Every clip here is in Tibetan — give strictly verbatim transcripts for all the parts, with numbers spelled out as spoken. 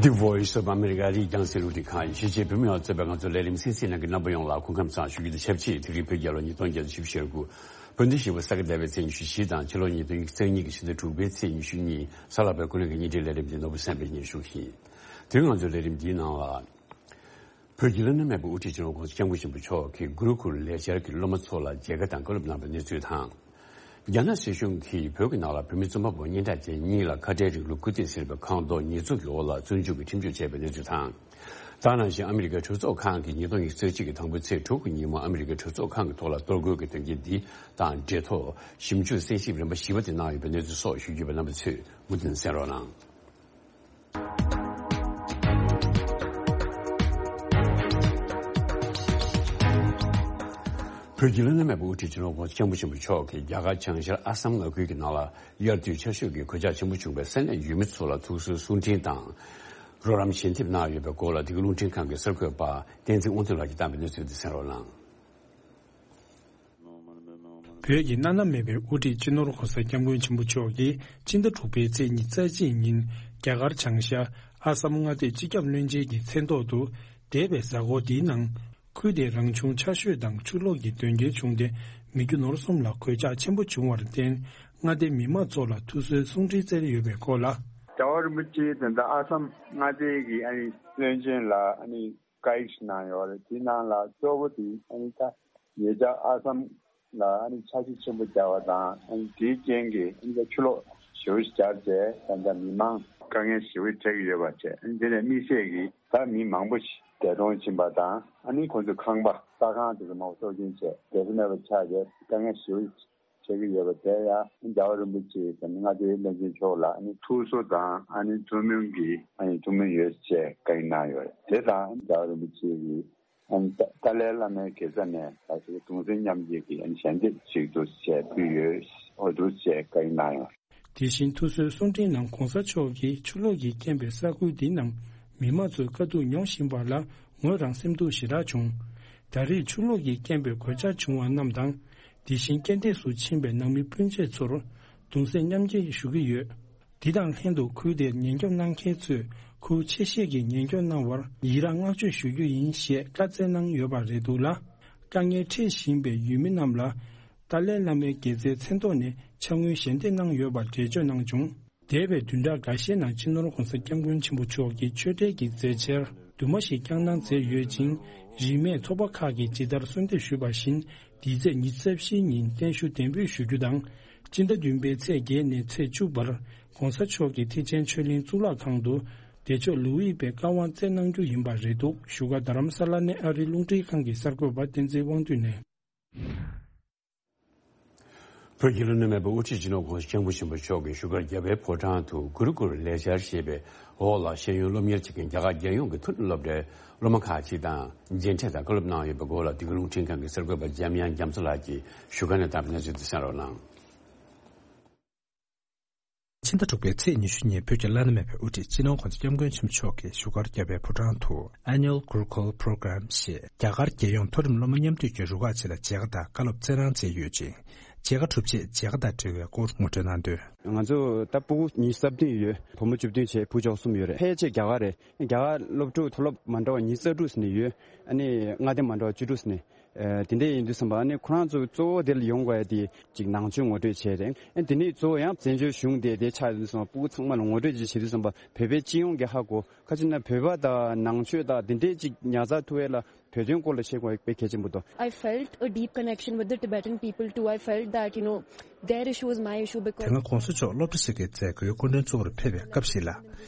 The Voice of America རིགས་རྒྱང་སྲིང་རླུང་འཕྲིན་ཁང་ཡིན། གཞིས་བྱེས་བོད་མི་ཡོངས་གཙོས་པའི་ང་ཚོ་ལས་རིམ་གསན་གཟིགས་གནང་མཁན་རྣམ་པ་ཡོངས་ལ་སྐུ་ཁམས་བཟང་ཞུ་རྒྱུ་དང་ཆབས་ཅིག་དེ་རིང་བོད་རྒྱལ་ལོ་ཉིས་སྟོང་བརྒྱ་དང་བཞི་བཅུ་ཞེ་དགུ། བོད་ཟླ་བཞི་པའི་ས་ག་ཟླ་བའི་ཚེས་ཉི་ཤུ་བཞི་དང་ཕྱི་ལོ་ཉིས་སྟོང་ཉི་ཤུ་རྩ་གཉིས་ཀྱི་ཕྱི་ཟླ་དྲུག་པའི་ཚེས་ཉི་ཤུ་གཉིས། གཟའ་ལྷག་པའི་ཀུན་གླེང་གི་བརྙན་འཕྲིན་ལས་རིམ་འདི་ནོར་བུ་སེམས་པས་སྙན་སྒྲོན་ཞུ་གི་ཡིན། དེ་རིང་ང་ཚོའི་ལས་རིམ་འདིའི་ནང་ལ། བོད་ཀྱི་བླ་ན་མེད་པའི་དབུ་ཁྲིད་སྤྱི་ནོར་༸གོང་ས་༸སྐྱབས་མགོན་ཆེན་པོ་མཆོག་གིས་གུ་རུ་ཀུལ་ལས་འཆར་གྱི་སློབ་མ་ཚོ་ལ་མཇལ་ཁ་དང་བཀའ་སློབ་གནང་བའི་གནས་ཚུལ་དང་། རྒྱ་ནག་སྲིད་གཞུང་གིས་བོད་ཀྱི་ནང་ལ་བོད་མི་བཙུན་མ་བོ་སྙན་གྲགས་ཅན་གཉིས་ལ་ཁ་བྲལ་རིང་ལུགས་སྐུལ་འདེད་ཟེར་བའི་ཁ་མདོག་ཉེས་འཛུགས་ཀྱི་འོག་ལ་བཙོན་འཇུག་གི་ཁྲིམས་གཅོད་བྱས་པའི་གནས་ཚུལ་དང་། ད་ག་ནང་བཞིན་ཨ་མི་རི་ཀའི་གྲོས་ཚོགས་ཁང་གིས་ཉིས་སྟོང་ཉི་ཤུ་རྩ་གཅིག་གི་དང་པོའི་ཚེས་དྲུག་གི་ཉིན་མོ་ཨ་མི་རི་ཀའི་གྲོས་ཚོགས་ཁང་གི་ཐོག་ལ་གཏོར་རྒོལ་གྱི་དོན་རྐྱེན་འདི་དང་འབྲེལ་ཐོག་ཞིབ་འཇུག་གསན་ཞིབ་རིམ་པ་བཞི་པ་དེ་གནང་ཡོད་པའི་གནས་ཚུལ་སོགས་ཞུ་རྒྱུ་ཡོད་པ་རྣམ་པ་ཚོས་མུ་མཐུད་གསན་རོགས་གནང་། བོད་ཀྱི་བླ་ན་མེད་པའི་དབུ་ཁྲིད་སྤྱི་ནོར་༸གོང་ས་༸སྐྱབས་མགོན་ཆེན་པོ་མཆོག་གིས་རྒྱ་གར་བྱང་ཤར་ཨ་སམ་མངའ་ཁུལ་གྱི་ནང་ལ་དབྱར་དུས་ཆར་ཞོད་ཀྱི་གོད་ཆག་ཆེན་པོ་བྱུང་བའི་ས་གནས་ཡུལ་མི་ཚོ་ལ་ཐུགས་གསོའི་གསུང་འཕྲིན་དང་། རོགས་རམ་ཞལ་འདེབས་གནང་ཡོད་པའི་སྐོར་ལ་འདི་ག་རླུང་འཕྲིན་ཁང་གི་གསར་འགོད་པ་བསྟན་འཛིན་དབང་འདུས་ལགས་ཀྱིས་བཏང་བའི་གནས་ཚུལ་འདི་གསན་རོགས་གནང་། བོད་ཀྱི་བླ་ན་མེད་པའི་དབུ་ཁྲིད་སྤྱི་ནོར་༸གོང་ས་༸སྐྱབས་མགོན་ཆེན་པོ་མཆོག་གིས་ཕྱི་ཟླ་དྲུག་པའི་ཚེས་ཉི་ཤུ་རྩ་གཅིག་ཉིན་རྒྱ་གར་བྱང་ཤར་ཨ་སམ་མངའ་སྡེའི་སྤྱི་ཁྱབ་བློན་ཆེན་གྱི་མཚན་ཐོག་ཏུ་འདས་པའི་གཟའ་འཁོར་འདིའི་ནང་། ཁུལ་དེའི་རང་བྱུང་ཆར་ཞོད་དང་ཆུ་ལོག་གི་དོན་རྐྱེན་བྱུང་སྟེ་མི་རྒྱུ་ནོར་གསུམ་ལ་གོད་ཆག་ཆེན་པོ་བྱུང་བར་བརྟེན། མངའ་སྡེའི་མི་མང་ཚོ་ལ་ཐུགས་གསོའི་གསུང་འཕྲིན་བསྩལ་ཡོད་པའི་སྐོར་ལ། རྒྱལ་བ་རིན་པོ་ཆེ་དེ་འདྲ་ཨ་སམ་མངའ་སྡེའི་གི་ཨ་ནི་བློན་ཆེན་ལ་ཨ་ནི་བཀའ་ཡིག་ཞིག་གནང་ཡོད་རེད། དེའི་ནང་ལ་གཙོ་བོ་དེ་ཨ་ནི་ད་ཉེ་ཆར་ཨ་སམ་ལ་ཨ་ནི་ཆར་ཆུ་ཆེན་པོ་བརྒྱབ་པ་དང་། ཨ་ནི་དེའི་རྐྱེན་གྱིས་ཨ་ནི་ད་ཆུ་ལོག་ཞེ་པོ་ཞིག་བརྒྱབ་བྱས་ད་ལྟ་མི་མང་དཀའ་ངལ་ཞེ་པོ་འཕྲད་ཀྱི་ཡོད་པ་བྱས། ཨ་ནི་དེ་ནས་དམིགས་བསལ་གྱིས་ད་མི་མང་པོ་ཞིག་འདས་གྲོངས་ཕྱིན་པ་དང་། ཨ་ནི་ཁོང་ཚོའི་ཁང་པ་ས་ཁང་དེ་ཚོ་མང་པོ་སྲོག་སྐྱོན་བྱས་བསྡད་ས་མེད་པ་ཆགས་བྱས་དཀའ་ངལ་ཞེ་པོ་ཞིག་འཕྲད་ཀྱི་ཡོད་པ་དེ་ཡང་རྒྱལ་བ་རིན་པོ་ཆེ་དང་མངའ་སྡེའི་བློན་ཆེན་མཆོག་ལ་ཨ་ནི་ཐུགས་གསོ་དང་ཨ་ནི་ཐུགས་སྨོན་གྱི་ཨ་ནི་ཐུགས་སྨོན་ཡོད་ཅེས་བཀའ་ཡིག་གནང་ཡོད་རེད། དེ་དང་རྒྱལ་བ་རིན་པོ་ཆེ་གིས་ཨ་ནི་ཏཱ་ཏཱ་ལའི་བླ་མའི་དགེ་རྩ་ནས་ད་ཅིག་གདུང་སེམས་མཉམ་སྐྱེད་ཀྱི་ཨ་ནི་ཞལ་འདེབས་ཅིག་ཏུ་བྱས་ཕུལ་ཡོད། འོ་འདུག་ཅེས་བཀའ་ཡིག་གནང་ཡོད། དེ་བཞིན་ཐུགས་གསོའི་གསུང་འཕྲིན་ནང་གོང་ས་མཆོག་གིས་ཆུ་ལོག་གིས་རྐྱེན་པས་ས་ཁུལ་འདིའི་ནང་མི་མང་ཚོས་དཀའ་སྡུག་མྱོང་བཞིན་པ་ལ་ངོས་རང་སེམས་སྡུག་ཞེ་དྲག་བྱུང་། ད་རེས་ཆུ་ལོག་གིས་རྐྱེན་པས་གོད་ཆག་བྱུང་བ་རྣམས་དང་། དེ་བཞིན་རྐྱེན་འདས་སུ་ཕྱིན་པའི་ནང་མི་སྤུན་མཆེད་ཚོར་གདུང་སེམས་མཉམ་སྐྱེད་ཞུ་གི་ཡོད། འདི་དང་ལྷན་དུ་ཁུལ་དེར་ཉེན་སྐྱོབ་གནང་མཁན་ཚོས་ཁུལ་ཆེ་ཤོས་ཀྱི་ཉེན་སྐྱོབ་གནང་བར་ཡི་རངས་བསྔགས་བརྗོད་ཞུ་རྒྱུ་ཡིན་ཞེས་བཀའ་སྩལ་གནང་ཡོད་པ་རེད་འདུག་ལ། དཀའ་ངལ་འཕྲད་བཞིན་པའི་ཡུལ་མི་རྣམས་ལ་ཏཱ་ལའི་བླ་མའི་དགེ་རྩའི་མཚན་ཐོག་ནས་ཕྱག་དངུལ་ཞལ་འདེབས་གནང་ཡོད་པར་འགྲེལ་བརྗོད་གནང་བྱུང་། འདས་པའི་བདུན་ཕྲག་འགའ་ཤས་ནང་སྤྱི་ནོར་༸གོང་ས་༸སྐྱབས་མགོན་ཆེན་པོ་མཆོག་གིས་ཆོས་འབྲེལ་གྱི་མཛད་འཆར་དུ་མ་ཞིག་བསྐྱངས་གནང་མཛད་ཡོད་ཅིང་། རིས་མེད་ཚོགས་པ་ཁག་གིས་ཇི་ལྟར་གསོལ་འདེབས་ཞུས་པ་བཞིན། འདིའི་ཚེས་ཉི་ཤུ་རྩ་བཞི་ཉིན་བརྟན་བཞུགས་གདན་འབུལ་ཞུ་རྒྱུ་དང་། སྤྱི་ཟླ་བདུན་པའི་ཚེས་བརྒྱད་ནས་ཚེས་བཅུ་བར་༸གོང་ས་མཆོག་གི་ཐེག་ཆེན་ཆོས་གླིང་གཙུག་ལག་ཁང་དུ་བདེ་མཆོག་ལུའུ་ཡི་པའི་བཀའ་དབང་སྩལ་གནང་རྒྱུ་ཡིན་པ་རེད་འདུག་བཞུགས་སྒར་རྡ་རམ་ས་ལ་ནས་ཨ་རིའི་རླུང་འཕྲིན་ཁང་གི་གསར་འགོད་པ་བསྟན་འཛིན་དབང་འདུས་ནས། བོད་ཀྱི་བླ་ན་མེད་པའི་དབུ་ཁྲིད་སྤྱི་ནོར་༸གོང་ས་༸སྐྱབས་མགོན་ཆེན་པོ་མཆོག་གིས་བཞུགས་སྒར་རྒྱལ་བའི་ཕོ་བྲང་དུ་གུ་རུ་ཀུལ་ལས་འཆར་ཞེས་པའི་འོག་ལ་ཤེས་ཡོན་སློབ་གཉེར་བྱེད་མཁན་རྒྱ་གར་རྒྱལ་ཡོངས་ཀྱི་མཐོ་རིམ་སློབ་གྲྭའི་སློབ་མ་ཁག་ཅིག་དང་མཇལ་འཕྲད་དང་བཀའ་སློབ་གནང་ཡོད་པའི་སྐོར་ལ་འདི་ག་རླུང་འཕྲིན་ཁང་གི་གསར་འགོད་པ་འཇམ་དབྱངས་རྒྱ་མཚོ་ལགས་ཀྱིས་བཞུགས་སྒར་ནས་བཏང་བའི་གནས་ཚུལ་དེ་གསན་རོགས་གནང་། ཕྱི་ཟླ་དྲུག་པའི་ཚེས་ཉི་ཤུ་ཉིན་བོད་ཀྱི་བླ་ན་མེད་པའི་དབུ་ཁྲིད་སྤྱི་ནོར་༸གོང་ས་༸སྐྱབས་མགོན་ཆེན་པོ་མཆོག་གིས་བཞུགས་སྒར་རྒྱལ་བའི་ཕོ་བྲང་དུ་Annual Gurukul Program ཞེས་རྒྱ་གར་རྒྱལ་ཡོངས་མཐོ་རིམ་སློབ་མ་མཉམ་འདུས་ཀྱི་རུ་ཁག་ཅིག་ལ་མཇལ་ཁ་དང་བཀའ་སློབ་སྩལ་གནང་མཛད་ཡོད་ཅིང་། མཇལ་ཁ་གྲུབ་རྗེས་མཇལ་ཁ་དང་འབྲེལ་བའི་སྐོར་ངོ་སྤྲོད་གནང་དོན། ང་ཚོ་ད་སྤུ་གུ་ཉི་ཤུ་རྩ་བདུན་ཡོད། བུ་མོ་བཅུ་བདུན་བྱས་བུ་བཅུ་གསུམ་ཡོད་རེད། ཕལ་ཆེར་རྒྱ་གར་རེད། རྒྱ་གར་སློབ་ཕྲུག་མཐོ་སློབ་མ་འདྲ་བ་ཉི་ཤུ་རྩ་དྲུག་ཟིན་ནས་ཡོད། ཨ་ནི་མངའ་སྡེ་མ་འདྲ་བ་བཅུ་དྲུག་ཟིན་ནས། ཨ་དེ་འདྲ་ཡིན་དུས་ཙམ་པ་ཨ་ནི་ཁོ་རང་ཚོ་གཙོ་བོ་དེ་ལ་ཡོང་དགོས་ཡ་དེ་ཅིག་ནང་ཆོས་ངོ་སྤྲོད་བྱས་རེད། ཨ་དེ་ནས་གཙོ་བོ་ཡང་བཙན་བྱོལ་གཞུང་དེ་དེ་ཆགས་ཡོད་དུས་ཙམ་པ་སྤུ་གུ་ཚང་མ་ལ་ངོ་སྤྲོད་ཅིག་བྱེད་དུས་ཙམ་པ་བོད་པའི་སྤྱི་ཡོངས་ཀྱི་ཧ་གོ། ཁ་ཅིག་ན་བོད་པ་དང་ནང་ཆོས་དང་དེ་འདྲས་ཅིག་ཉར་ཚགས་ཐུབ་ཡས་ལ་བོད་དོན་སྐོར་ལ་བཤད་དགོས་པའི་གལ་ཆེན་པོ་འདུག I felt a deep connection with the Tibetan people too. I felt that, you know, their issue is my issue because དེ་སྔ་༸གོང་ས་མཆོག་སློབ་གྲྭ་ཞིག་གི་མཛད་སྒོའི་སྐུ་མགྲོན་གཙོ་བོར་ཕེབས་པའི་སྐབས་ཤིག་ལ།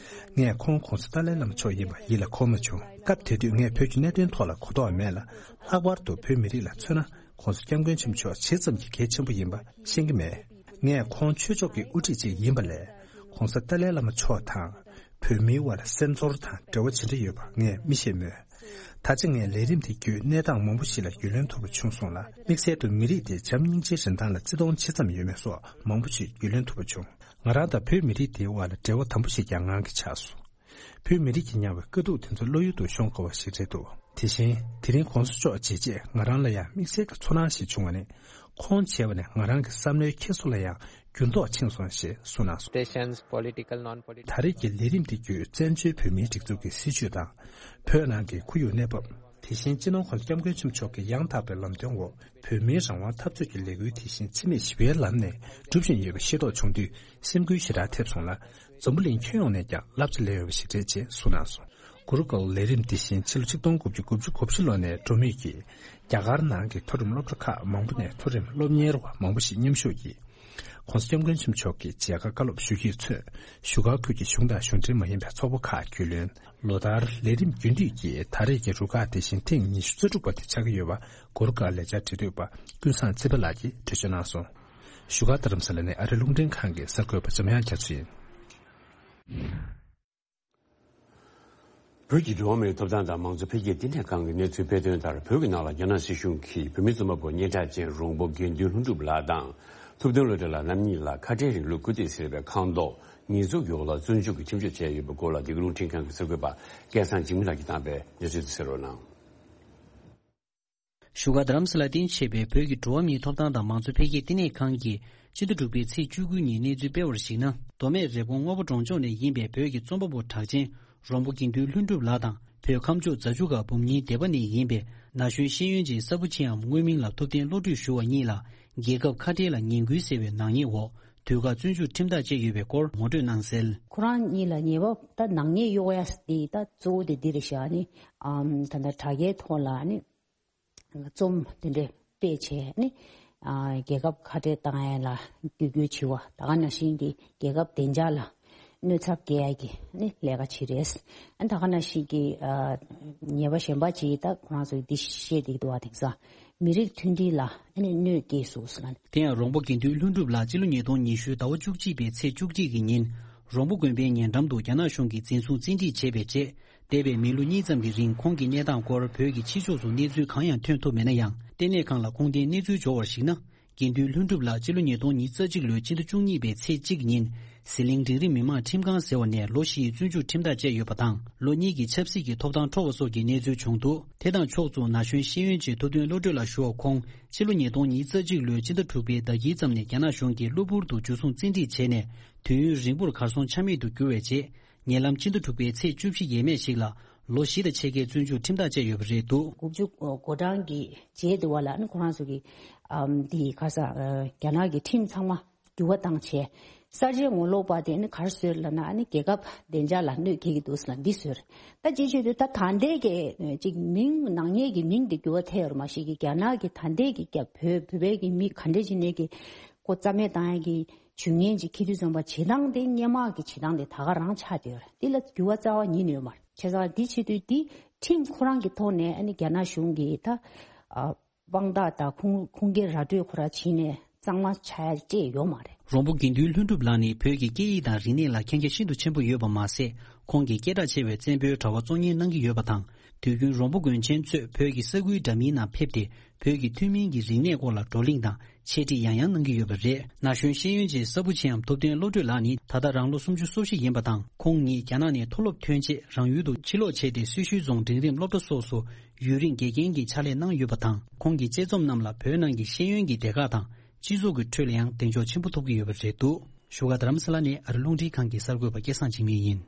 ངས་ཁོང་༸གོང་ས་ཏཱ་ལའི་བླ་མ་མཆོག་ཡིན་པ་ཡིད་ལ་འཁོར་མ་བྱུང་། སྐབས་དེ་དུས་ངས་བོད་ཀྱི་གནད་དོན་ཐོག་ལ་གོ་རྟོགས་མེད་ལ། ལྷག་པར་དུ་བོད་མི་རིགས་ལ་མཚོན་ན་༸གོང་ས་༸སྐྱབས་མགོན་ཆེན་པོ་མཆོག་ཇི་ཙམ་གྱི་གལ་ཆེན་པོ་ཡིན་པ་ཤེས་ཀྱི་མེད། ངས་ཁོང་ཆོས་ཕྱོགས་ཀྱི་དབུ་ཁྲིད་ཅིག་ཡིན་པ་ལས། ༸གོང་ས་ཏཱ་ལའི་བླ་མ་མཆོག་དང་། བོད་མིའི་དབར་ལ་སེམས་ཚོར་དང་འབྲེལ་བ་ཇི་འདྲ་ཡོད་པ་ངས་མི་ཤེས་མོད། ད་ཆ་ངས་ལས་རིམ་དེ་བརྒྱུད་གནས་སྟངས་མང་པོ་ཞིག་ལ་རྒྱུས་ལོན་ཐུབ་པ་བྱུང་སོང་ལ། དམིགས་བསལ་དུ་མི་རིགས་དེ་བྱམས་སྙིང་རྗེའི་རིན་ཐང་ལ་བརྩི་མཐོང་ཇི་ཙམ་ཡོད་མེད་སོགས་མང་པོ་ཞིག་རྒྱུས་ལོན་ཐུབ་པ་བྱུང་། ང་རང་དང་བོད་མི་རིགས་དེའི་དབར་ལ་འབྲེལ་བ་དམ་པོ་ཞིག་ཀྱང་ངང་གིས་ཆགས་སོང་། བོད་མི་རིགས་ཀྱིས་མྱངས་པའི་དཀའ་སྡུག་དེ་ཚོ་བློ་ཡུལ་དུ་ཤོང་དཀའ་བ་ཞིག་རེད་འདུག་དེ་བཞིན་དེ་རིང་༸གོང་ས་མཆོག་མཇལ་རྗེས་ང་རང་ལ་ཡང་དམིགས་བསལ་གྱི་ཚོར་སྣང་ཞིག་བྱུང་བ་ནི། ཁོང་མཇལ་བ་ནས་ང་རང་གི་བསམ་བློའི་འཁྱེར་སོ་ལ་ཡང་ འགྱུར་ལྡོག་ཕྱིན་སོང་ཞེས་གསུངས་གནང་སོང་། Political, non-political. ད་རེས་ཀྱི་ལས་རིམ་དེ་བརྒྱུད་བཙན་བྱོལ་བོད་མིའི་སྒྲིག་འཛུགས་ཀྱི་སྲིད་བྱུས་དང་། བོད་ནང་གི་ཁོར་ཡུག་གནས་བབ། དེ་བཞིན་སྤྱི་ནོར་༧གོང་ས་༧སྐྱབས་མགོན་ཆེན་པོ་མཆོག་གི་ཡང་དག་པའི་ལམ་སྟོན་འོག་བོད་མིའི་རང་དབང་འཐབ་རྩོད་ཀྱི་ལས་འགུལ་དེ་བཞིན་འཆི་མེད་ཞི་བའི་ལམ་ནས་སྒྲུབ་བཞིན་ཡོད་པ་ཤེས་རྟོགས་བྱུང་དུས་སེམས་འགུལ་ཞེ་དྲག་ཐེབས་སོང་ལ། འཛམ་བུ་གླིང་ཁྱོན་ཡོངས་ནས་ཀྱང་བསླབ་བྱ་ལེན་འོས་པ་ཞིག་རེད་ཅེས་གསུངས་གནང་སོང་། གུ་རུ་ཀུལ་ལས་རིམ་འདི་བཞིན་ཕྱི་ལོ་ཆིག་སྟོང་དགུ་བརྒྱ་དགུ་བཅུ་གོ་བཞི་ལོ་ནས་འགྲོ་མུས་ཀྱིས། རྒྱ་གར་ནང་གི་མཐོ་རིམ་སློབ་གྲྭ་ཁག་མང་པོ་ནས་མཐོ་རིམ་སློབ་གཉེར་བ་མང་པོ་ཞིག་མཉམ་ཞུགས་ཀྱིས། ༸གོང་ས་༸སྐྱབས་མགོན་ཆེན་པོ་མཆོག་གི་མཇལ་ཁ་བཀའ་སློབ་ཞུ་གཞིར་མཚོན། བཞུགས་སྒར་ཁུལ་གྱི་གཞུང་དང་གཞུང་འབྲེལ་མ་ཡིན་པའི་ཚོགས་པ་ཁག་རྒྱུས་ལོན། ལོ་ལྟར་ལས་རིམ་རྒྱུན་མཐུད་ཀྱིས་ད་རེས་ཀྱི་རུ་ཁག་དེ་བཞིན་ཐེངས་ཉི་ཤུ་རྩ་དྲུག་པ་དེ་ཆགས་ཀྱི་ཡོད་པ། གུ་རུ་ཀུལ་ལས་འཆར་འབྲེལ་མཐུད་པ་ཀུན་བཟང་ཚེ་དཔལ་ལགས་ཀྱིས་འགྲེལ་བརྗོད་གནང་སོང་། བཞུགས་སྒར་རྡ་རམ་ས་ལ་ནས་ཨ་རི་རླུང་འཕྲིན་ཁང་གི་གསར་འགོད་པ་འཇམ་དབྱངས་རྒྱ་མཚོ་ཡིན། བོད་ཀྱི་འགྲོ་བ་མིའི་ཐོབ་ཐང་དང་མང་གཙོ་འཕེལ་རྒྱས་བསྟི་གནས་ཁང་གི་གནས་ཚུལ་སྤེལ་དོན་ལྟར། བོད་ཀྱི་ནང་ལ་རྒྱ་ནག་སྲིད་གཞུང་གིས་བོད་མི་རྩོམ་པ་པོ་སྙན་གྲགས་ཅན་རོང་པོ་དགེ་འདུན་ལྷུན་གྲུབ་ལགས་དང་། ཐུབ་བསྟན་བློ་གྲོས་ལགས་རྣམ་གཉིས་ལ་ཁ་བྲལ་རིང་ལུགས་སྐུལ་འདེད་ཟེར་བའི་ཁང་ཐོག་ཉེས་འཛུགས་ཀྱི་འོག་ལ་བཙོན་འཇུག་གི་ཁྲིམས་གཅོད་བྱས་ཡོད་པའི་སྐོར་ལ། འདི་ག་རླུང་འཕྲིན་ཁང་གི་གསར་འགོད་པ་སྐལ་བཟང་འཇིགས་མེད་ལགས་ཀྱིས་བཏང་པའི་གནས་ཚུལ་དེ་གསན་རོགས་གནང་། བཞུགས་སྒར་རྡ་རམ་ས་ལ་རྟེན་གཞི་བྱས་པའི་བོད་ཀྱི་འགྲོ་བ་མིའི་ཐོབ་ཐང་དང་མང་གཙོ་འཕེལ་རྒྱས་བསྟི་གནས་ཁང་གིས་སྤྱི་ཟླ་དྲུག་པའི་ཚེས་བཅུ་དགུ་ཉིན་གནས་ཚུལ་སྤེལ་བར་གཞིགས་ན། མདོ་སྨད་རེབ་གོང་སྔོ་པོ་གྲོང་ལྗོངས་ནས་ཡིན་པའི་བོད་ཀྱི་རྩོམ་པ་པོ་གྲགས་ཅན་རོང་པོ་དགེ་འདུན་ལྷུན་གྲུབ་ལགས་དང་། བོད་ཁམས་ཕྱོགས་རྫ་ཆུ་སྒང་འབུམ་གཉིས་སྡེ་པ་ནས་ཡིན་པའི་ན་གཞོན་ཤེས་ཡོན་ཅན་ས་བུ་ཆེ་འམ་དངོས་མིང་ལ་ཐུབ་བསྟན་བློ་གྲོས་ཞུ་བ་གཉིས་ལ་རྒྱལ་ཁབ་ཁ་བྲལ་ལ་ངན་སྐུལ་ཟེར་བའི་ནག་ཉེས་འོག་དུས་བཀག་བཙོན་འཇུག་ཁྲིམས་ཐག་བཅད་ཡོད་པའི་སྐོར་ངོ་སྤྲོད་གནང་གསལ། ཁོ་རང་གཉིས་ལ་ཉེས་པ་ད་ནག་ཉེས་གཡོག་ཡ་དེ་ད་གཙོ་བོ་དེ་འདི་རེད་ཤག་ནི། ཨམ་ད་ལྟ་དྲ་རྒྱའི་ཐོག་ལ་ནི། རྩོམ་དེ་འདྲ་སྤེལ་བྱས་ནི། ཨ་རྒྱལ་ཁབ་ཁ་བྲལ་བཏང་ཡ་ལ་རྒྱུ་རྒྱུ་བྱི་བ་ད་ག་ནང་བཞིན་གྱི་རྒྱལ་ཁབ་བདེ་འཇགས་ལ་གནོད་ཚབས་སྐྱེལ་ཡ་གི་ནི་ལས་ཀ་བྱེད་རེད། ཨ་ད་ག་ནང་བཞིན་གྱི་ཨ་ཉེས་པ་གཞན་པ་ཅིག་ད་ཁོ་རང་ཚོ་འདི་བཤད་བསྡད་འདུག་བ། དེང་སང་མི་རིགས་མཐུན་སྒྲིལ་ལ་ཨ་ནི་གནོད་སྐྱེལ་སོང་ཟེར་ལ། དེ་ཡང་རོང་པོ་དགེ་འདུན་ལྷུན་གྲུབ་ལགས་སྤྱི་ལོ་ཉིས་སྟོང་ཉི་ཤུ་ཟླ་བ་བཅུ་གཅིག་པའི་ཚེས་བཅུ་གཅིག་གི་ཉིན་རོང་པོ་དགོན་པའི་ཉེ་འགྲམ་དུ་རྒྱ་ནག་གཞུང་གིས་འཛིན་བཟུང་བཙན་ཁྲིད་བྱས་པའི་རྗེས། འདས་པའི་མི་ལོ་གཉིས་ཙམ་གྱི་རིང་ཁོང་གི་གནས་སྟངས་སྐོར་བོད་ཀྱི་ཕྱི་ཕྱོགས་སུ་གནས་ཚུལ་གང་ཡང་ཐོན་ཐུབ་མེད་ན་ཡང་། ལྟེ་གནས་ཁང་ལ་ཁུངས་ལྡན་གནས་ཚུལ་འབྱོར་བར་གཞིགས་ན། དགེ་འདུན་ལྷུན་གྲུབ་ལགས་སྤྱི་ལོ་ཉིས་སྟོང་ཉི་ཤུ་རྩ་གཅིག་ལོའི་ཕྱི་ཟླ་བཅུ་གཉིས་པའི་ཚེས་གཅིག་ཉིན་ཟི་ལིང་འབྲིང་རིམ་མི་མང་ཁྲིམས་ཁང་ཟེར་བ་ནས་ལོ་བཞིའི་བཙོན་འཇུག་ཁྲིམས་ཐག་བཅད་ཡོད་པ་དང་། ལོ་གཉིས་ཀྱི་ཆབ་སྲིད་ཀྱི་ཐོབ་ཐང་འཕྲོག་པ་སོགས་ཀྱི་གནས་ཚུལ་བྱུང་འདུག་དེ་དང་ཕྱོགས་མཚུངས་ན་གཞོན་ཤེས་ཡོན་ཅན་ཐུབ་བསྟན་བློ་གྲོས་ལགས་ཞུ་བ་ཁོང་ཕྱི་ལོ་ཉིས་སྟོང་ཉི་ཤུ་རྩ་གཅིག་ལོའི་ཕྱི་ཟླ་དྲུག་པའི་ཟླ་དཀྱིལ་ཙམ་ནས་རྒྱ་ནག་གཞུང་གིས་གློ་བུར་དུ་འཇུ་བཟུང་བཙན་ཁྲིད་བྱས་ནས་དུས་ཡུན་རིང་པོར་གར་སོང་ཆ་མེད་དུ་གྱུར་བའི་རྗེས། ཉེ་ལམ་ཕྱི་ཟླ་དྲུག་པའི་ཚེས་བཅུ་བཞི་ཡས་མས་ཤིག་ལ་ལོ་བཞི་དང་ཕྱེད་ཀའི་བཙོན་འཇུག་ཁྲིམས་ཐག་བཅད་ཡོད་པ་རེད་འདུག་དགུ་བཅུ་གོ་གྲངས་ཀྱི་རྗེས་དུ་བ་ལ་ཨ་ནི་ཁོ་རང་ཚོ་གི་ཨམ་འདི་ག་ས་རྒྱ་ནག་གི་ཁྲིམས་ཚང་མ་འགྱུར་བ་བཏང་བྱས། གསར་བརྗེའི་ངོ་ལོག་པ་དེ་ཨ་ནི་ག་རེ་བཟོས་ལབ་ན་ཨ་ནི་རྒྱལ་ཁབ་བདེ་འཇགས་ལ་གནོད་སྐྱེལ་གྱི་འདུག་ལབ་འདི་བཟོས་རེད། ད་ཅི་བྱེད་དུས་ད་ད་ལྟའི་གི་ཅིག་མིང་ནག་ཉེས་ཀྱི་མིང་དེ་འགྱུར་བ་ཐེབས་ཡོད་རེད། མ་གཞི་གི་རྒྱ་ནག་གི་ད་ལྟའི་གི་རྒྱ་བོད་བོད་པའི་གི་མི་ག་འདྲ་ཅིག་ནས་གི་ཁོ་རྩ་མེད་བཏང་ཡ་གི་ཇུས་ངན་ཅིག་འཁྱེར་དུས་ཙམ་པ་བྱེད་སྟངས་དེ་སྔོན་མ་གི་བྱེད་སྟངས་དེ་ད་ག་རང་ཆགས་བསྡད་ཡོད་རེད། འདི་ལ་འགྱུར་བ་རྩ་བ་ཉིད་ནས་ཡོད་མ་རེད། བྱས་ཙང་འདི་བྱེད་དུས་འདི་ཁྲིམས་ཁོ་རང་གི་ཐོག་ནས་ཨ་ནི་རྒྱ་ནག་གཞུང་གིས་ད་ཨ་དཔང་རྟགས་དང་ཁུངས་ཁུངས་སྐྱེལ་ར་སྤྲོད་ཁོ་རང་བྱས་ནས་གཙང་མ་ཆགས་ཡ་བཅས་ཡོད་མ་རེད། རོང་པོ་དགེ་འདུན་ལྷུན་གྲུབ་ལགས་ནི་བོད་ཀྱི་སྐད་ཡིག་དང་རིག་གནས་ལ་མཁྱེན་རྒྱ་ཤིན་ཏུ་ཆེན་པོ་ཡོད་པ་མ་ཟད། ཁོང་གིས་སྐད་གྲགས་ཆེ་བའི་བཙན་པོའི་དྲ་བ་གཙོ་གཉེར་གནང་གི་ཡོད་པ་དང་། དུས་རྒྱུན་རོང་པོ་དགོན་ཆེན་གཙོས་བོད་ཀྱི་ས་ཁུལ་འདྲ་མིན་ནང་ཕེབས་ཏེ། བོད་ཀྱི་ཐུན་མིན་གྱི་རིག་གནས་སྐོར་ལ་བགྲོ་གླེང་དང་འཆད་ཁྲིད་ཡང་ཡང་གནང་གི་ཡོད་པ་རེད། ན་གཞོན་ཤེས་ཡོན་ཅན་ས་བུ་ཆེའམ་ཐུབ་བསྟན་བློ་གྲོས་ལགས་ནི་ད་ལྟ་རང་ལོ་སུམ་ཅུ་སོ་བཞི་ཡིན་པ་དང་། ཁོང་ཉིད་རྒྱ་ནག་ནས་མཐོ་སློབ་ཐོན་རྗེས་རང་ཡུལ་དུ་ཕྱིར་ལོག་བྱས་ཏེ་སེར་ཤུལ་རྫོང་འབྲིང་རིམ་སློབ་གྲྭ་སོགས་སུ་ཡུན་རིང་དགེ་རྒན་གྱི་ཕྱག་ལས་གནང་ཡོད་པ་དང་། ཁོང་གི་དཔྱད་རྩོམ་རྣམས་ལ་བོད་ནང་གི་ཤེས་ཡོན་གྱི་སྡེ་ཁག་དང་སྤྱི་ཚོགས་ཀྱི་ཁྲོད་ལ་ཡང་གདེང་འཇོག་ཆེན་པོ་ཐོབ་ཀྱི་ཡོད་པ་རེད་འདུག་བཞུགས་སྒར་རྡ་རམ་ས་ལ་ནས་ཨ་རི་རླུང་འཕྲིན་ཁང་གི་གསར་འགོད་པ་སྐལ་བཟང་འཇིགས་མེད་ཡིན།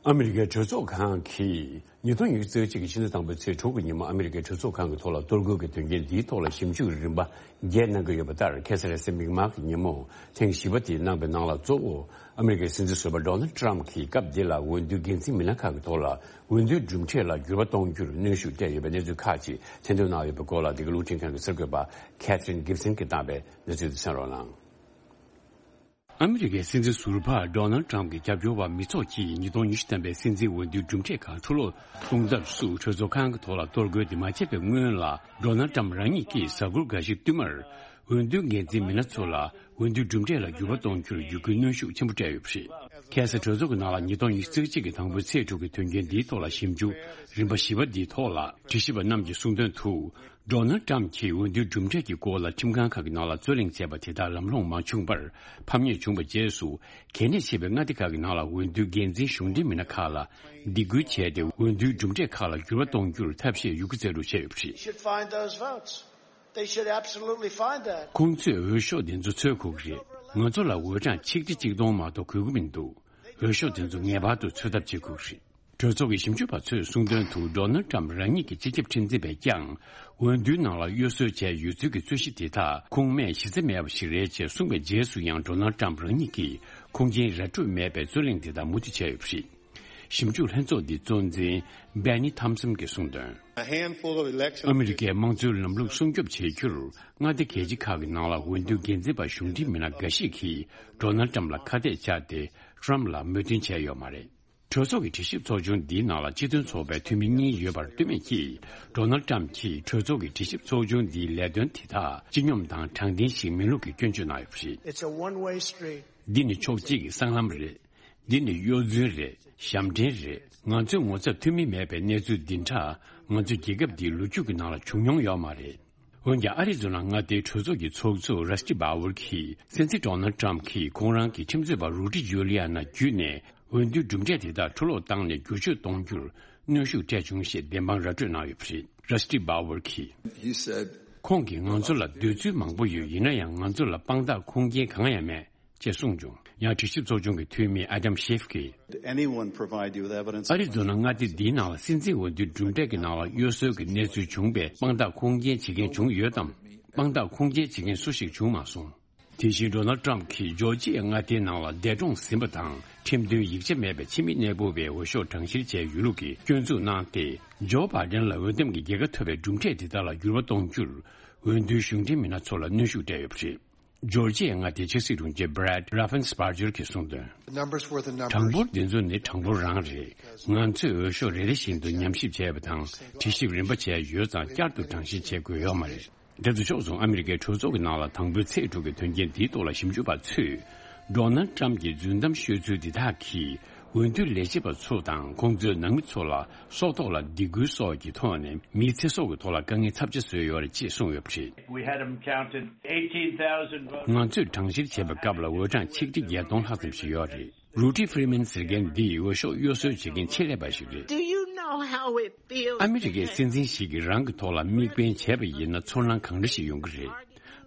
ཨ་མི་རི་ཀའི་གྲོས་ཚོགས་ཁང་གིས་ཉིས་སྟོང་ཉི་ཤུ་རྩ་གཅིག་གི་ཕྱི་ཟླ་དང་པོའི་ཚེས་དྲུག་གི་ཉིན་མོ་ཨ་མི་རི་ཀའི་གྲོས་ཚོགས་ཁང་གི་ཐོག་ལ་གཏོར་རྒོལ་གྱི་དོན་རྐྱེན་འདིའི་ཐོག་ལ་ཞིབ་འཇུག་རིམ་པ་བརྒྱད་གནང་གི་ཡོད་པ་ལྟར། ཁ་སང་རེས་གཟའ་མིག་དམར་གྱི་ཉིན་མོ་ཐེངས་བཞི་པ་དེ་གནང་པའི་ནང་ལ་གཙོ་བོ་ཨ་མི་རི་ཀའི་སྲིད་འཛིན་ཟུར་པ་ཌོ་ནལ་ཊམ་གྱིས་སྐབས་འདི་ལ་འོས་བསྡུའི་འགན་འཛིན་མི་སྣ་ཁག་གི་ཐོག་ལ་འོས་བསྡུའི་གྲུབ་འབྲས་ལ་འགྱུར་བ་གཏོང་རྒྱུར་གནོན་ཤུགས་སྤྲད་ཡོད་པའི་གནས་ཚུལ་ཁག་ཅིག་ཐེར་འདོན་གནང་ཡོད་པའི་སྐོར་ལ། འདི་ག་རླུང་འཕྲིན་ཁང་གི་གསར་འགོད་པ་ཁེ་ཐི་རིན་གིབ་སན་གྱིས་བཏང་པའི་གནས་ཚུལ་དེ་གསན་རོགས་གནང་། ཨ་མི་རི་ཀའི་སྲིད་འཛིན་ཟུར་པ་ཌོ་ནལ་ཊམ་གྱི་རྒྱབ་སྐྱོར་བ་མི་ཚོགས་ཀྱིས་ཉིས་སྟོང་ཉི་ཤུ་ཐམ་པའི་སྲིད་འཛིན་འོས་བསྡུའི་གྲུབ་འབྲས་ཁག་འཁྲུ་སློག་གཏོང་ཐབས་སུ་གྲོས་ཚོགས་ཁང་གི་ཐོག་ལ་གཏོར་རྒོལ་དེ་མ་བྱས་པའི་སྔོན་ལ། ཌོ་ནལ་ཊམ་རང་ཉིད་ཀྱིས་གཟའ་འཁོར་འགའ་ཞིག་བསྟུད་མར་འོས་བསྡུའི་འགན་འཛིན་མི་སྣ་ཚོ་ལ་འོས་བསྡུའི་གྲུབ་འབྲས་ལ་འགྱུར་བ་གཏོང་རྒྱུར་བརྒྱུད་སྐུལ་གནོན་ཤུགས་ཆེན་པོ་སྤྲད་ཡོད་པ་རེད། ཁ་སང་གྲོས་ཚོགས་ཀྱི་ནང་ལ་ཉིས་སྟོང་ཉི་ཤུ་རྩ་གཅིག་གི་དང་པོའི་ཚེས་དྲུག་གི་དོན་རྐྱེན་འདིའི་ཐོག་ལ་ཞིབ་འཇུག་རིམ་པ་བཞི་པ་འདིའི་ཐོག་ལ་དྲི་ཞིབ་པ་རྣམས་ཀྱིས་གསུངས་དོན་དུ། ཌོ་ནལ་ཊམ་གྱིས་འོས་བསྡུའི་གྲུབ་འབྲས་ཀྱི་སྐོར་ལ་ཁྲིམས་ཁང་ཁག་གི་ནང་ལ་རྩོད་གླེང་བྱས་པ་དེ་དག་ལམ་ལྷོང་མ་བྱུང་བར་ཕམ་ཉེས་བྱུང་བའི་རྗེས་སུ། གལ་གནད་ཆེ་བའི་མངའ་སྡེ་ཁག་གི་ནང་ལ་འོས་བསྡུའི་འགན་འཛིན་གཞུང་འབྲེལ་མི་སྣ་ཁག་ལ་སྡིགས་སྐུལ་བྱས་ཏེ། འོས་བསྡུའི་གྲུབ་འབྲས་ཁག་ལ་འགྱུར་བ་གཏོང་རྒྱུར་ཐབས་ཤེས་ཡོད་རྒུ་རྩལ་སྤྲུགས་བྱས་ཡོད་པ་རེད། You should find those votes. They should absolutely find that. ཁོང་ཚོས་འོས་ཤོག་དེ་ཚོ་འཚོལ་དགོས་ཀྱི་རེད། ང་ཚོ་ལ་འོས་གྲངས་ཆིག་ཁྲི་གཅིག་སྟོང་མ་གཏོགས་དགོས་ཀྱི་མི་འདུག་འོས་ཤོག་དེ་ཚོ་ངེས་པར་དུ་འཚོལ་ཐབས་བྱེད་དགོས་ཀྱི་རེད། གྲོས་ཚོགས་ཀྱི་ཞིབ་འཇུག་པ་ཚོས་གསུངས་དོན་དུ། ཌོ་ནལ་ཊམ་རང་ཉིད་ཀྱི་སྤྱི་ཁྱབ་ཁྲིམས་འཛིན་པས་ཀྱང་འོས་བསྡུའི་ནང་ལ་གཡོ་ཟོལ་བྱས་ཡོད་ཚུལ་གྱི་རྩོད་གཞི་དེ་དག་ཁུངས་མེད་གཞི་རྩ་མེད་པ་ཞིག་རེད་ཅེས་གསུངས་པའི་རྗེས་སུ་ཡང་ཌོ་ནལ་ཊམ་རང་ཉིད་ཀྱིས་ཁུངས་སྐྱེལ་ར་སྤྲོད་མེད་པའི་རྩོད་གླེང་དེ་དག་མུ་མཐུད་བྱས་ཡོད་པ་རེད། ཞིབ་འཇུག་ལྷན་ཚོགས་འདིའི་གཙོ་འཛིན་Bennie Thompson གྱིས་གསུངས་དོན། A handful of election officials. ཨ་མི་རི་ཀའི་དམངས་གཙོའི་ལམ་ལུགས་སྲུང་སྐྱོབ་བྱེད་རྒྱུར་མངའ་སྡེ་རྒྱལ་སྤྱི་ཁག་གི་ནང་ལ་འོས་བསྡུའི་འགན་འཛིན་པ་གཞུང་འབྲེལ་མི་སྣ་འགའ་ཞིག་གིས་ཌོ་ནལ་ཊམ་ལ་ཁ་གཏད་བཅག་སྟེ་ཊམ་ལ་མོས་མཐུན་བྱས་ཡོད་མ་རེད། གྲོས་ཚོགས་ཀྱི་དྲི་ཞིབ་ཚོགས་ཆུང་འདིའི་ནང་ལ་སྤྱི་མཐུན་ཚོགས་པའི་འཐུས་མི་གཉིས་ཡོད་པར་ལྟོས་མེད་ཀྱིས། ཌོ་ནལ་ཊམ་གྱིས་གྲོས་ཚོགས་ཀྱི་དྲི་ཞིབ་ཚོགས་ཆུང་འདིའི་ལས་དོན་དེ་དག་སྤྱི་སྙོམས་དང་དྲང་བདེན་ཞིག་མིན་ལུགས་ཀྱི་སྐྱོན་བརྗོད་གནང་ཡོད་པ་རེད། It's a one-way street. འདི་ནི་ཕྱོགས་གཅིག་གི་སྲང་ལམ་རེད། འདི་ནི་གཡོ་རྫུན་རེད། ཞབས་འདྲེན་རེད། ང་ཚོའི་ངོ་ཚབ་ཐུབ་མིན་མེད་པའི་གནས་ཚུལ་འདི་འདྲ་ང་ཚོའི་རྒྱལ་ཁབ་འདིའི་ལོ་རྒྱུས་ཀྱི་ནང་ལ་བྱུང་མྱོང་ཡོད་མ་རེད། འོན་ཀྱང་ཨ་རི་ཛོ་ན་མངའ་སྡེའི་གྲོས་ཚོགས་ཀྱི་ཚོགས་གཙོ་ར་སི་ཏི་བྷ་ཝར་གྱིས་སྲིད་འཛིན་ཌོ་ནལ་ཊམ་གྱིས་ཁོང་རང་གི་ཁྲིམས་རྩོད་པ་རུ་ཌི་ཇུ་ལི་ཡ་ན་བརྒྱུད་ནས་འོས་བསྡུའི་གྲུབ་འབྲས་དེ་དག་འཕྲོ་བརླག་བཏང་ནས་བསྒྱུར་བཅོས་གཏོང་རྒྱུར་གནོན་ཤུགས་སྤྲད་བྱུང་ཞེས་བདེན་དཔང་ར་སྤྲོད་གནང་ཡོད་པ་རེད། ར་སི་ཏི་བྷ་ཝར་གྱིས། He said, ཁོང་གིས་ང་ཚོ་ལ་འདོད་ཚུལ་མང་པོ་ཡོད། ཡིན་ན་ཡང་ང་ཚོ་ལ་དཔང་རྟགས་ཁུངས་སྐྱེལ་གང་ཡང་མེད། ཅེས་གསུངས་བྱུང་། ཡང་དྲི་ཞིབ་ཚོགས་ཆུང་གི་འཐུས་མི་ཨ་དམ་ཤེབ་ཀྱིས། Did anyone provide you with evidence? ཨ་རི་ཛོ་ན་མངའ་སྡེ་འདིའི་ནང་ལ་སྲིད་འཛིན་འོས་བསྡུའི་གྲུབ་འབྲས་ཀྱི་ནང་ལ་གཡོ་ཟོལ་གྱི་གནས་ཚུལ་བྱུང་བའི་དཔང་རྟགས་ཁུངས་སྐྱེལ་བྱེད་མཁན་བྱུང་ཡོད་དམ། དཔང་རྟགས་ཁུངས་སྐྱེལ་བྱེད་མཁན་སུ་ཞིག་བྱུང་མ་སོང་། དེ་བཞིན་ཌོ་ནལ་ཊམ་གྱིས་ཇོར་ཇི་ཡ་མངའ་སྡེའི་ནང་ལ་འདས་གྲོངས་ཟིན་པ་དང་ཁྲིམས་མཐུན་ཡིག་ཆ་མེད་པའི་ཕྱི་མི་གནས་སྤོ་བའི་འོས་ཤོག་གྲངས་བཤེར་བྱས་ཡོད་ལུགས་ཀྱི་སྐྱོན་འཛུགས་གནང་སྟེ། ཇོ་བྷའི་ཌེན་ལ་འོས་འདེམས་ཀྱི་རྒྱལ་ཁ་ཐོབ་པའི་གྲུབ་འབྲས་དེ་དག་ལ་འགྱུར་བ་གཏོང་རྒྱུར་འོས་བསྡུའི་གཞུང་འབྲེལ་མི་སྣ་ཚོ་ལ་གནོན་ཤུགས་སྤྲད་ཡོད་པ་རེད། ཇོར་ཇི་ཡའི་མངའ་སྡེའི་ཆབ་སྲིད་དྲུང་ཆེ་Brad Raffensperger གྱིས་གསུངས་དོན། The numbers were the numbers. གྲངས་འབོར་འདི་ཚོ་ནི་གྲངས་འབོར་རང་རེད། ང་ཚོས་འོས་ཤོག་རེ་རེ་བཞིན་དུ་ཉམས་ཞིབ་བྱས་པ་དང་དྲི་ཞིབ་རིམ་པ་བྱས་ཡོད་ཙང་བསྐྱར་དུ་གྲངས་བཤེར་བྱེད་དགོས་ཡོད་མ་རེད། དེ་ཚོ་ཕྱོགས་མཚུངས་ཨ་མི་རི་ཀའི་གྲོས་ཚོགས་ཀྱི་ནང་ལ་དང་པོའི་ཚེས་དྲུག་གི་དོན་རྐྱེན་འདིའི་ཐོག་ལ་ཞིབ་འཇུག་པ་ཚོས། ཌོ་ནལ་ཊམ་གྱི་རྫུན་གཏམ་ཤོད་ཚུལ་འདི་དག་གིས་འོས་བསྡུའི་ལས་བྱེད་པ་ཚོ་དང་ཁོང་ཚོའི་ནང་མི་ཚོ་ལ་སྲོག་ཐོག་ལ་སྡིགས་སྐུལ་སོགས་ཀྱི་ཐོག་ནས་མིའི་ཚེ་སྲོག་གི་ཐོག་ལ་དཀའ་ངལ་ཚབས་ཆེ་བཟོས་ཡོད་རེད་ཅེས་གསུངས་ཡོད་པ་རེད། We had them counted eighteen thousand votes. ང་ཚོས་གྲངས་བཤེར་བྱེད་པའི་སྐབས་ལ་འོས་གྲངས་ཆིག་ཁྲི་བརྒྱད་སྟོང་ལྷག་ཙམ་ཞིག་ཡོད་རེད། རུ་ཊི་ཕི་རི་མན་ཟེར་མཁན་འདིས་འོས་ཤོག་གཡོ་ཟོལ་བྱེད་མཁན་ཆེད་ལས་པ་ཞིག་རེད། Do you know how it feels? ཨ་མི་རི་ཀའི་སྲིད་འཛིན་ཞིག་གིས་རང་གི་ཐོག་ལ་དམིགས་འབེན་བྱས་པ་ཡིན་ན་ཚོར་སྣང་གང་འདྲ་ཞིག་ཡོང་གི་རེད།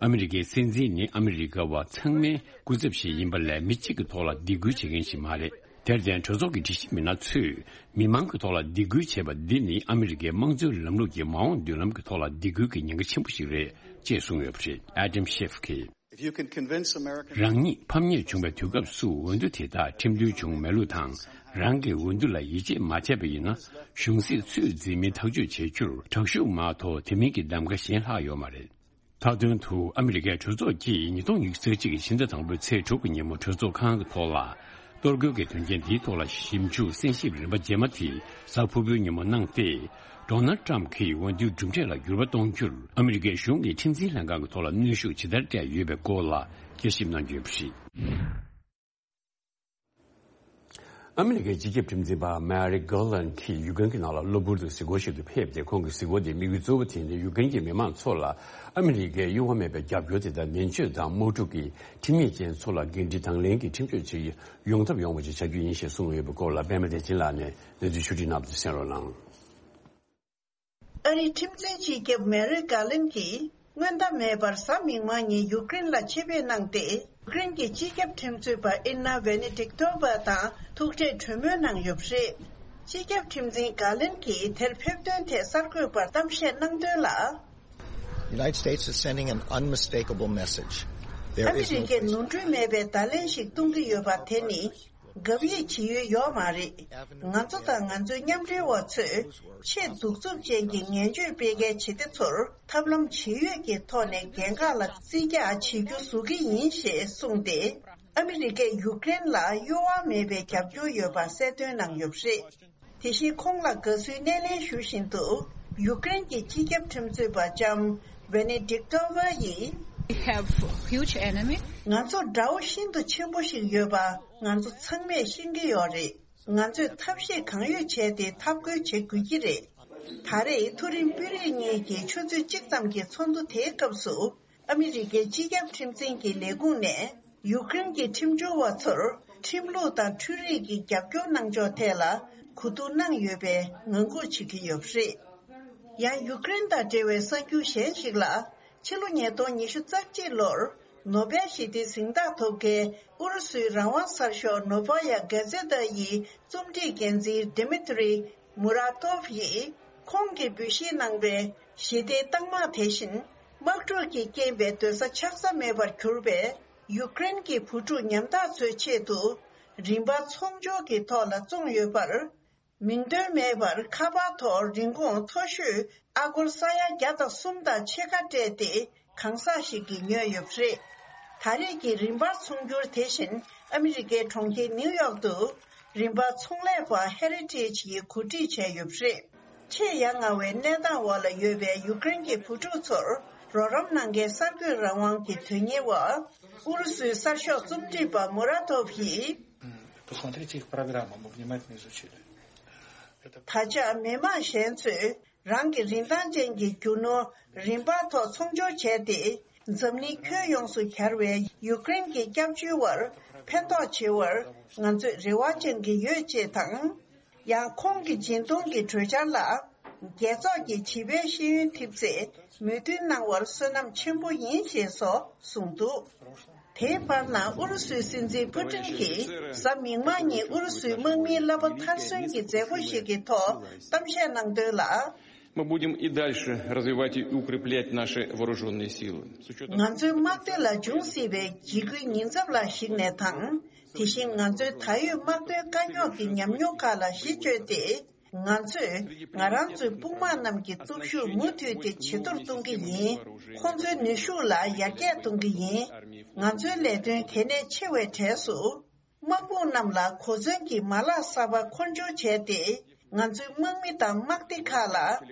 ཨ་མི་རི་ཀའི་སྲིད་འཛིན་ནི་ཨ་མི་རི་ཀ་བ་ཚང་མའི་སྐུ་ཚབ་ཞིག་ཡིན་པ་ལས་མི་གཅིག་གི་ཐོག་ལ་སྡིགས་སྐུལ་བྱེད་མཁན་ཞིག་མ་རེད། དེར་བརྟེན་གྲོས་ཚོགས་ཀྱི་དྲི་ཞིབ་མི་སྣ་ཚོས་མི་མང་གི་ཐོག་ལ་སྡིགས་སྐུལ་བྱས་པ་འདི་ནི་ཨ་མི་རི་ཀའི་དམངས་གཙོའི་ལམ་ལུགས་ཀྱི་མ་འོངས་མདུན་ལམ་གྱི་ཐོག་ལ་སྡིགས་སྐུལ་གྱི་ཉེན་ཁ་ཆེན་པོ་ཞིག་རེད་ཅེས་གསུངས་ཡོད་པ་རེད། ཨ་དམ་ཤེབ་ཀྱིས། If you can convince America རང་ཉིད་ཕམ་ཉེས་བྱུང་བའི་དུས་སྐབས་སུ་འོས་བསྡུ་དེ་དག་ཁྲིམས་མཐུན་བྱུང་མེད་ལུགས་དང་། རང་གི་འོས་བསྡུ་ལ་ཡིད་ཆེས་མ་བྱས་པ་ཡིན་ན། གཞུང་སྲིད་ཚོད་འཛིན་མིན་ཐག་གཅོད་བྱེད་རྒྱུར་དྲག་ཤུགས་མ་གཏོགས་དེ་མིན་གྱི་གདམ་ག་གཞན་ལྷག་ཡོད་མ་རེད། མཐའ་དོན་དུ་ཨ་མི་རི་ཀའི་གྲོས་ཚོགས་ཀྱིས་ཉིས་སྟོང་ཉི་ཤུ་རྩ་གཅིག་གི་ཕྱི་ཟླ་དང་པོའི་ཚེས་དྲུག་གི་ཉིན་མོ་གྲོས་ཚོགས་ཁང་གི་ཐོག་ལ། གཏོར་རྒོལ་གྱི་དོན་རྐྱེན་འདིའི་ཐོག་ལ་ཞིབ་འཇུག་གསན་ཞིབ་རིམ་པ་རྗེས་མ་དེ་གཟའ་ཕུར་བུའི་ཉིན་མོ་གནང་སྟེ། ཌོ་ནལ་ཊམ་གྱིས་འོས་བསྡུའི་གྲུབ་འབྲས་ལ་འགྱུར་བ་གཏོང་རྒྱུར་ཨ་མི་རི་ཀའི་གཞུང་གི་ཁྲིམས་འཛིན་ལྷན་ཁང་གི་ཐོག་ལ་གནོན་ཤུགས་ཇི་ལྟར་སྤྲད་ཡོད་པའི་སྐོར་ལ་དཔྱད་ཞིབ་གནང་རྒྱུ་ཡིན་པ་རེད། ཨ་མི་རི་ཀའི་སྤྱི་ཁྱབ་ཁྲིམས་འཛིན་པ་མེ་རིག་གྷར་ལན་གྱིས་ཡུཀ་རེན་གྱི་ནང་ལ་གློ་བུར་དུ་གཟིགས་སྐོར་ཞིག་ཏུ་ཕེབས་ཏེ། ཁོང་གི་གཟིགས་སྐོར་དེའི་དམིགས་ཡུལ་གཙོ་བོ་དེ་ནི་ཡུཀ་རེན་གྱི་མི་མང་ཚོ་ལ་ཨ་མི་རི་ཀའི་གཡོ་བ་མེད་པའི་རྒྱབ་སྐྱོར་དེ་དང་ནན་བརྗོད་དང་དམག་འཁྲུག་གི་ཁྲིམས་ཡིག་ཅན་ཚོ་ལ་འགན་འཁྲི་དང་ལེན་གྱི་ཁྲིམས་གཅོད་ཅིག་ཡོང་ཐབས་ཡོང་བ་ཞིག་བྱ་རྒྱུ་ཡིན་ཞེས་གསུངས་ཡོད་པའི་སྐོར་ལ་པད་མ་བདེ་ཆེན་ལགས་ནས་གནས་ཚུལ་ཕྱོགས་བསྒྲིགས་གནང་བ་དེ་གསན་རོགས་གནང་། ཨ་རིའི་ཁྲིམས་འཛིན་སྤྱི་ཁྱབ་མེ་རིག་གྷར་ལན་གྱིས་སྔོན་བརྡ་མེད་པར་གཟའ་མིག་དམར་ཉིན་ཡུཀ་རེན་ལ་ཆེད་ཕེབས་གནང་སྟེ། ཡུཀ་རེན་གྱི་སྤྱི་ཁྱབ་ཁྲིམས་རྩོད་པ་ཨིར་ན་ཝེ་ནེ་ཏིག་ཏོ་བ་དང་ཐུག་འཕྲད་གྲོས་མོལ་གནང་ཡོད་པ་རེད། སྤྱི་ཁྱབ་ཁྲིམས་འཛིན་གྷར་ལན་གྱིས་དེར་ཕེབས་དོན་ཐད་གསར་འགོད་པར་གཏམ་བཤད་གནང་དོན་ལ། United States is sending an unmistakable message. There is no place. ཨ་མི་རི་ཀས་ནོར་འཁྲུལ་མེད་པའི་བརྡ་ལན་ཞིག་གཏོང་གི་ཡོད་པ་དེ་ནི། དགག་དབྱེ་བྱེད་ཡུལ་ཡོད་མ་རེད། ང་ཚོ་དང་ང་ཚོའི་མཉམ་འབྲེལ་བ་ཚོས་ཆེས་གདུག་རྩུབ་ཅན་གྱི་ངན་བྱུས་སྤེལ་མཁན་བྱེད་གཏེ་ཚོར་ཐབས་ལམ་ཇི་ཡོད་ཀྱི་ཐོག་ནས་འགན་ཁག་ལ་བརྩི་རྒྱག་བྱེད་རྒྱུ་བཟོ་གི་ཡིན་ཞེས་གསུངས་ཏེ། ཨ་མི་རི་ཀས་ཡུཀ་རེན་ལ་གཡོ་བ་མེད་པའི་རྒྱབ་སྐྱོར་ཡོད་པ་གསལ་སྟོན་གནང་ཡོད་པ་རེད། དེ་བཞིན་ཁོང་ལ་དགའ་བསུའི་སྣེ་ལེན་ཞུ་བཞིན་དུ། ཡུཀ་རེན་གྱི་སྤྱི་ཁྱབ་ཁྲིམས་རྩོད་པ་ལྕམ་ཝེ་ནེ་ཏིག་ཏོ་བ་ཡིས། We have huge enemy. ང་ཚོར་དགྲ་བོ་ཤིན་ཏུ་ཆེན་པོ་ཞིག་ཡོད་པ་ང་ཚོ་ཚང་མས་ཤེས་ཀྱི་ཡོད་རེད། ང་ཚོས་ཐབས་ཤེས་གང་ཡོད་བྱས་ཏེ་འཐབ་རྒོལ་བྱེད་དགོས་ཀྱི་རེད། ད་རེས་མཐོ་རིམ་དཔོན་རིགས་གཉིས་ཀྱི་ཆུ་ཚོད་གཅིག་ཙམ་གྱི་ཚོགས་འདུ་དེའི་སྐབས་སུ། ཨ་མི་རི་ཀའི་སྤྱི་ཁྱབ་ཁྲིམས་འཛིན་གྱི་ལས་ཁུངས་ནས་ཡུཀ་རེན་གྱི་ཁྲིམས་སྦྱོར་བ་ཚོར་ཁྲིམས་ལུགས་དང་འཕྲུལ་རིག་གི་རྒྱབ་སྐྱོར་གནང་ཕྱོགས་ཐད་ལ་གོ་བསྡུར་གནང་ཡོད་པའི་ངང་སྒུག་བྱེད་ཀྱི་ཡོད་པ་རེད། ཡང་ཡུཀ་རེན་དང་འབྲེལ་བའི་གསར་འགྱུར་གཞན་ཞིག་ལ། ཕྱི་ལོ་ཉིས་སྟོང་ཉི་ཤུ་རྩ་གཅིག་ལོར་ནོ་བེལ་ཞི་བདེའི་གཟེངས་རྟགས་ཐོབ་མཁན་ཨུ་རུ་སུའི་རང་དབང་གསར་ཤོག་ནོ་བ་ཡ་གྷ་ཛེ་ཏ་ཡི་རྩོམ་སྒྲིག་འགན་འཛིན་ཌི་མི་ཏྲི་མུ་ར་ཏོབ་ཡིས་ཁོང་གིས་འབུལ་བཞེས་གནང་བའི་ཞི་བདེའི་རྟགས་མ་དེ་བཞིན་དམག་འཁྲུག་གི་རྐྱེན་པས་སྡོད་ས་ཆགས་ས་མེད་པར་གྱུར་པའི་ཡུཀ་རེན་གྱི་བུ་ཕྲུག་ཉམ་ཐག་ཚོའི་ཆེད་དུ་རིན་པ་ཚོང་སྦྱོར་གྱི་ཐོག་ལ་བཙོངས་ཡོད་པར། མིང་འདོན་མེད་པར་ཁ་པར་ཐོག་རིན་གོང་མཐོ་ཤོས་ཨ་སྒོར་ས་ཡ་བརྒྱ་དང་གསུམ་དང་ཕྱེད་ཀ་སྤྲད་དེ་གང་ཟག་ཞིག་གིས་ཉོས་ཡོད་པ་རེད། ད་རེས་ཀྱི་རིན་པ་ཚོང་སྒྱུར་དེ་བཞིན་ཨ་མི་རི་ཀའི་གྲོང་ཁྱེར་ནིའུ་ཡོག་ཏུ་རིན་པ་ཚོང་ལས་པ་ཧེ་རི་ཊེཇ་ཡིས་གོ་སྒྲིག་བྱས་ཡོད་པ་རེད། ཆེས་ཡ་ང་བའི་གནས་སྟངས་འོག་ལ་ཡོད་པའི་ཡུཀ་རེན་གྱི་བུ་ཕྲུག་ཚོར་རོགས་རམ་གནང་མཁན་གསར་འགོད་རང་དབང་གི་དོན་གཉེར་བ་ཨུ་རུ་སུའི་གསར་ཤོག་རྩོམ་སྒྲིག་པ་མུ་ར་ཏོབ་ཡིས། Посмотрите их программу, мы внимательно изучили. ད་ཆ་མི་མང་གཞན་ཚོས་རང་གི་རིན་ཐང་ཅན་གྱི་རྒྱུ་ནོར་རིན་པ་ཐོག་ཚོང་སྦྱོར་བྱས་ཏེ། འཛམ་གླིང་ཁྱོན་ཡོངས་སུ་གྱར་བའི་ཡུཀ་རེན་གྱི་སྐྱབས་བཅོལ་བར་ཕན་ཐོགས་ཆེ་བར་ང་ཚོས་རེ་བ་བཅང་གི་ཡོད་ཅེས་དང་། ཡང་ཁོང་གི་སྦྱིན་གཏོང་གི་གྲོས་འཆར་ལ། རྒྱལ་ཚོགས་ཀྱི་བྱིས་པའི་ཤེས་ཡོན་ཐེབས་རྩས་མོས་མཐུན་གནང་བར་བསོད་ནམས་ཆེན་པོ་ཡིན་ཞེས་སོགས་གསུངས་འདུག་དེའི་བར་ན་ཨུ་རུ་སུའི་སྲིད་འཛིན་པུ་ཏིན་གྱིས་གཟའ་མིག་དམར་ཉིན་ཨུ་རུ་སུའི་དམག་མིའི་གླ་པ་མཐར་སོན་གྱི་མཛད་སྒོ་ཞིག་གི་ཐོག་གཏམ་བཤད་གནང་དོན་ལ། Мы будем и дальше развивать и укреплять наши вооруженные силы. С учётом ང་ཚོའི་དམག་སྡེ་ལ་འབྱུང་སྲིད་པའི་འཇིགས་སྐུལ་ཉེན་ཚབས་ལ་གཞིགས་ནས་དང་། དེ་བཞིན་ང་ཚོའི་ད་ཡོད་དམག་དོན་དཀའ་རྙོག་གི་ཉམས་མྱོང་ཁག་ལ་གཞི་བཅོལ་ཏེ། ང་ཚོས་ང་རང་ཚོའི་དཔུང་དམག་རྣམས་ཀྱི་སྟོབས་ཤུགས་མུ་མཐུད་དེ་ཇེ་མཐོར་གཏོང་གི་ཡིན། ཁོང་ཚོའི་ནུས་ཤུགས་ལ་ཡར་རྒྱས་གཏོང་གི་ཡིན། ང་ཚོའི་ལས་དོན་གལ་གནད་ཆེ་བའི་གྲས་སུ། དམག་དཔུང་རྣམས་ལ་གོ་མཚོན་གྱི་མ་ལག་གསར་པ་མཁོ་སྦྱོར་བྱས་ཏེ། ང་ཚོའི་དམག་མི་དང་དམག་སྡེ་ཁག་ལ་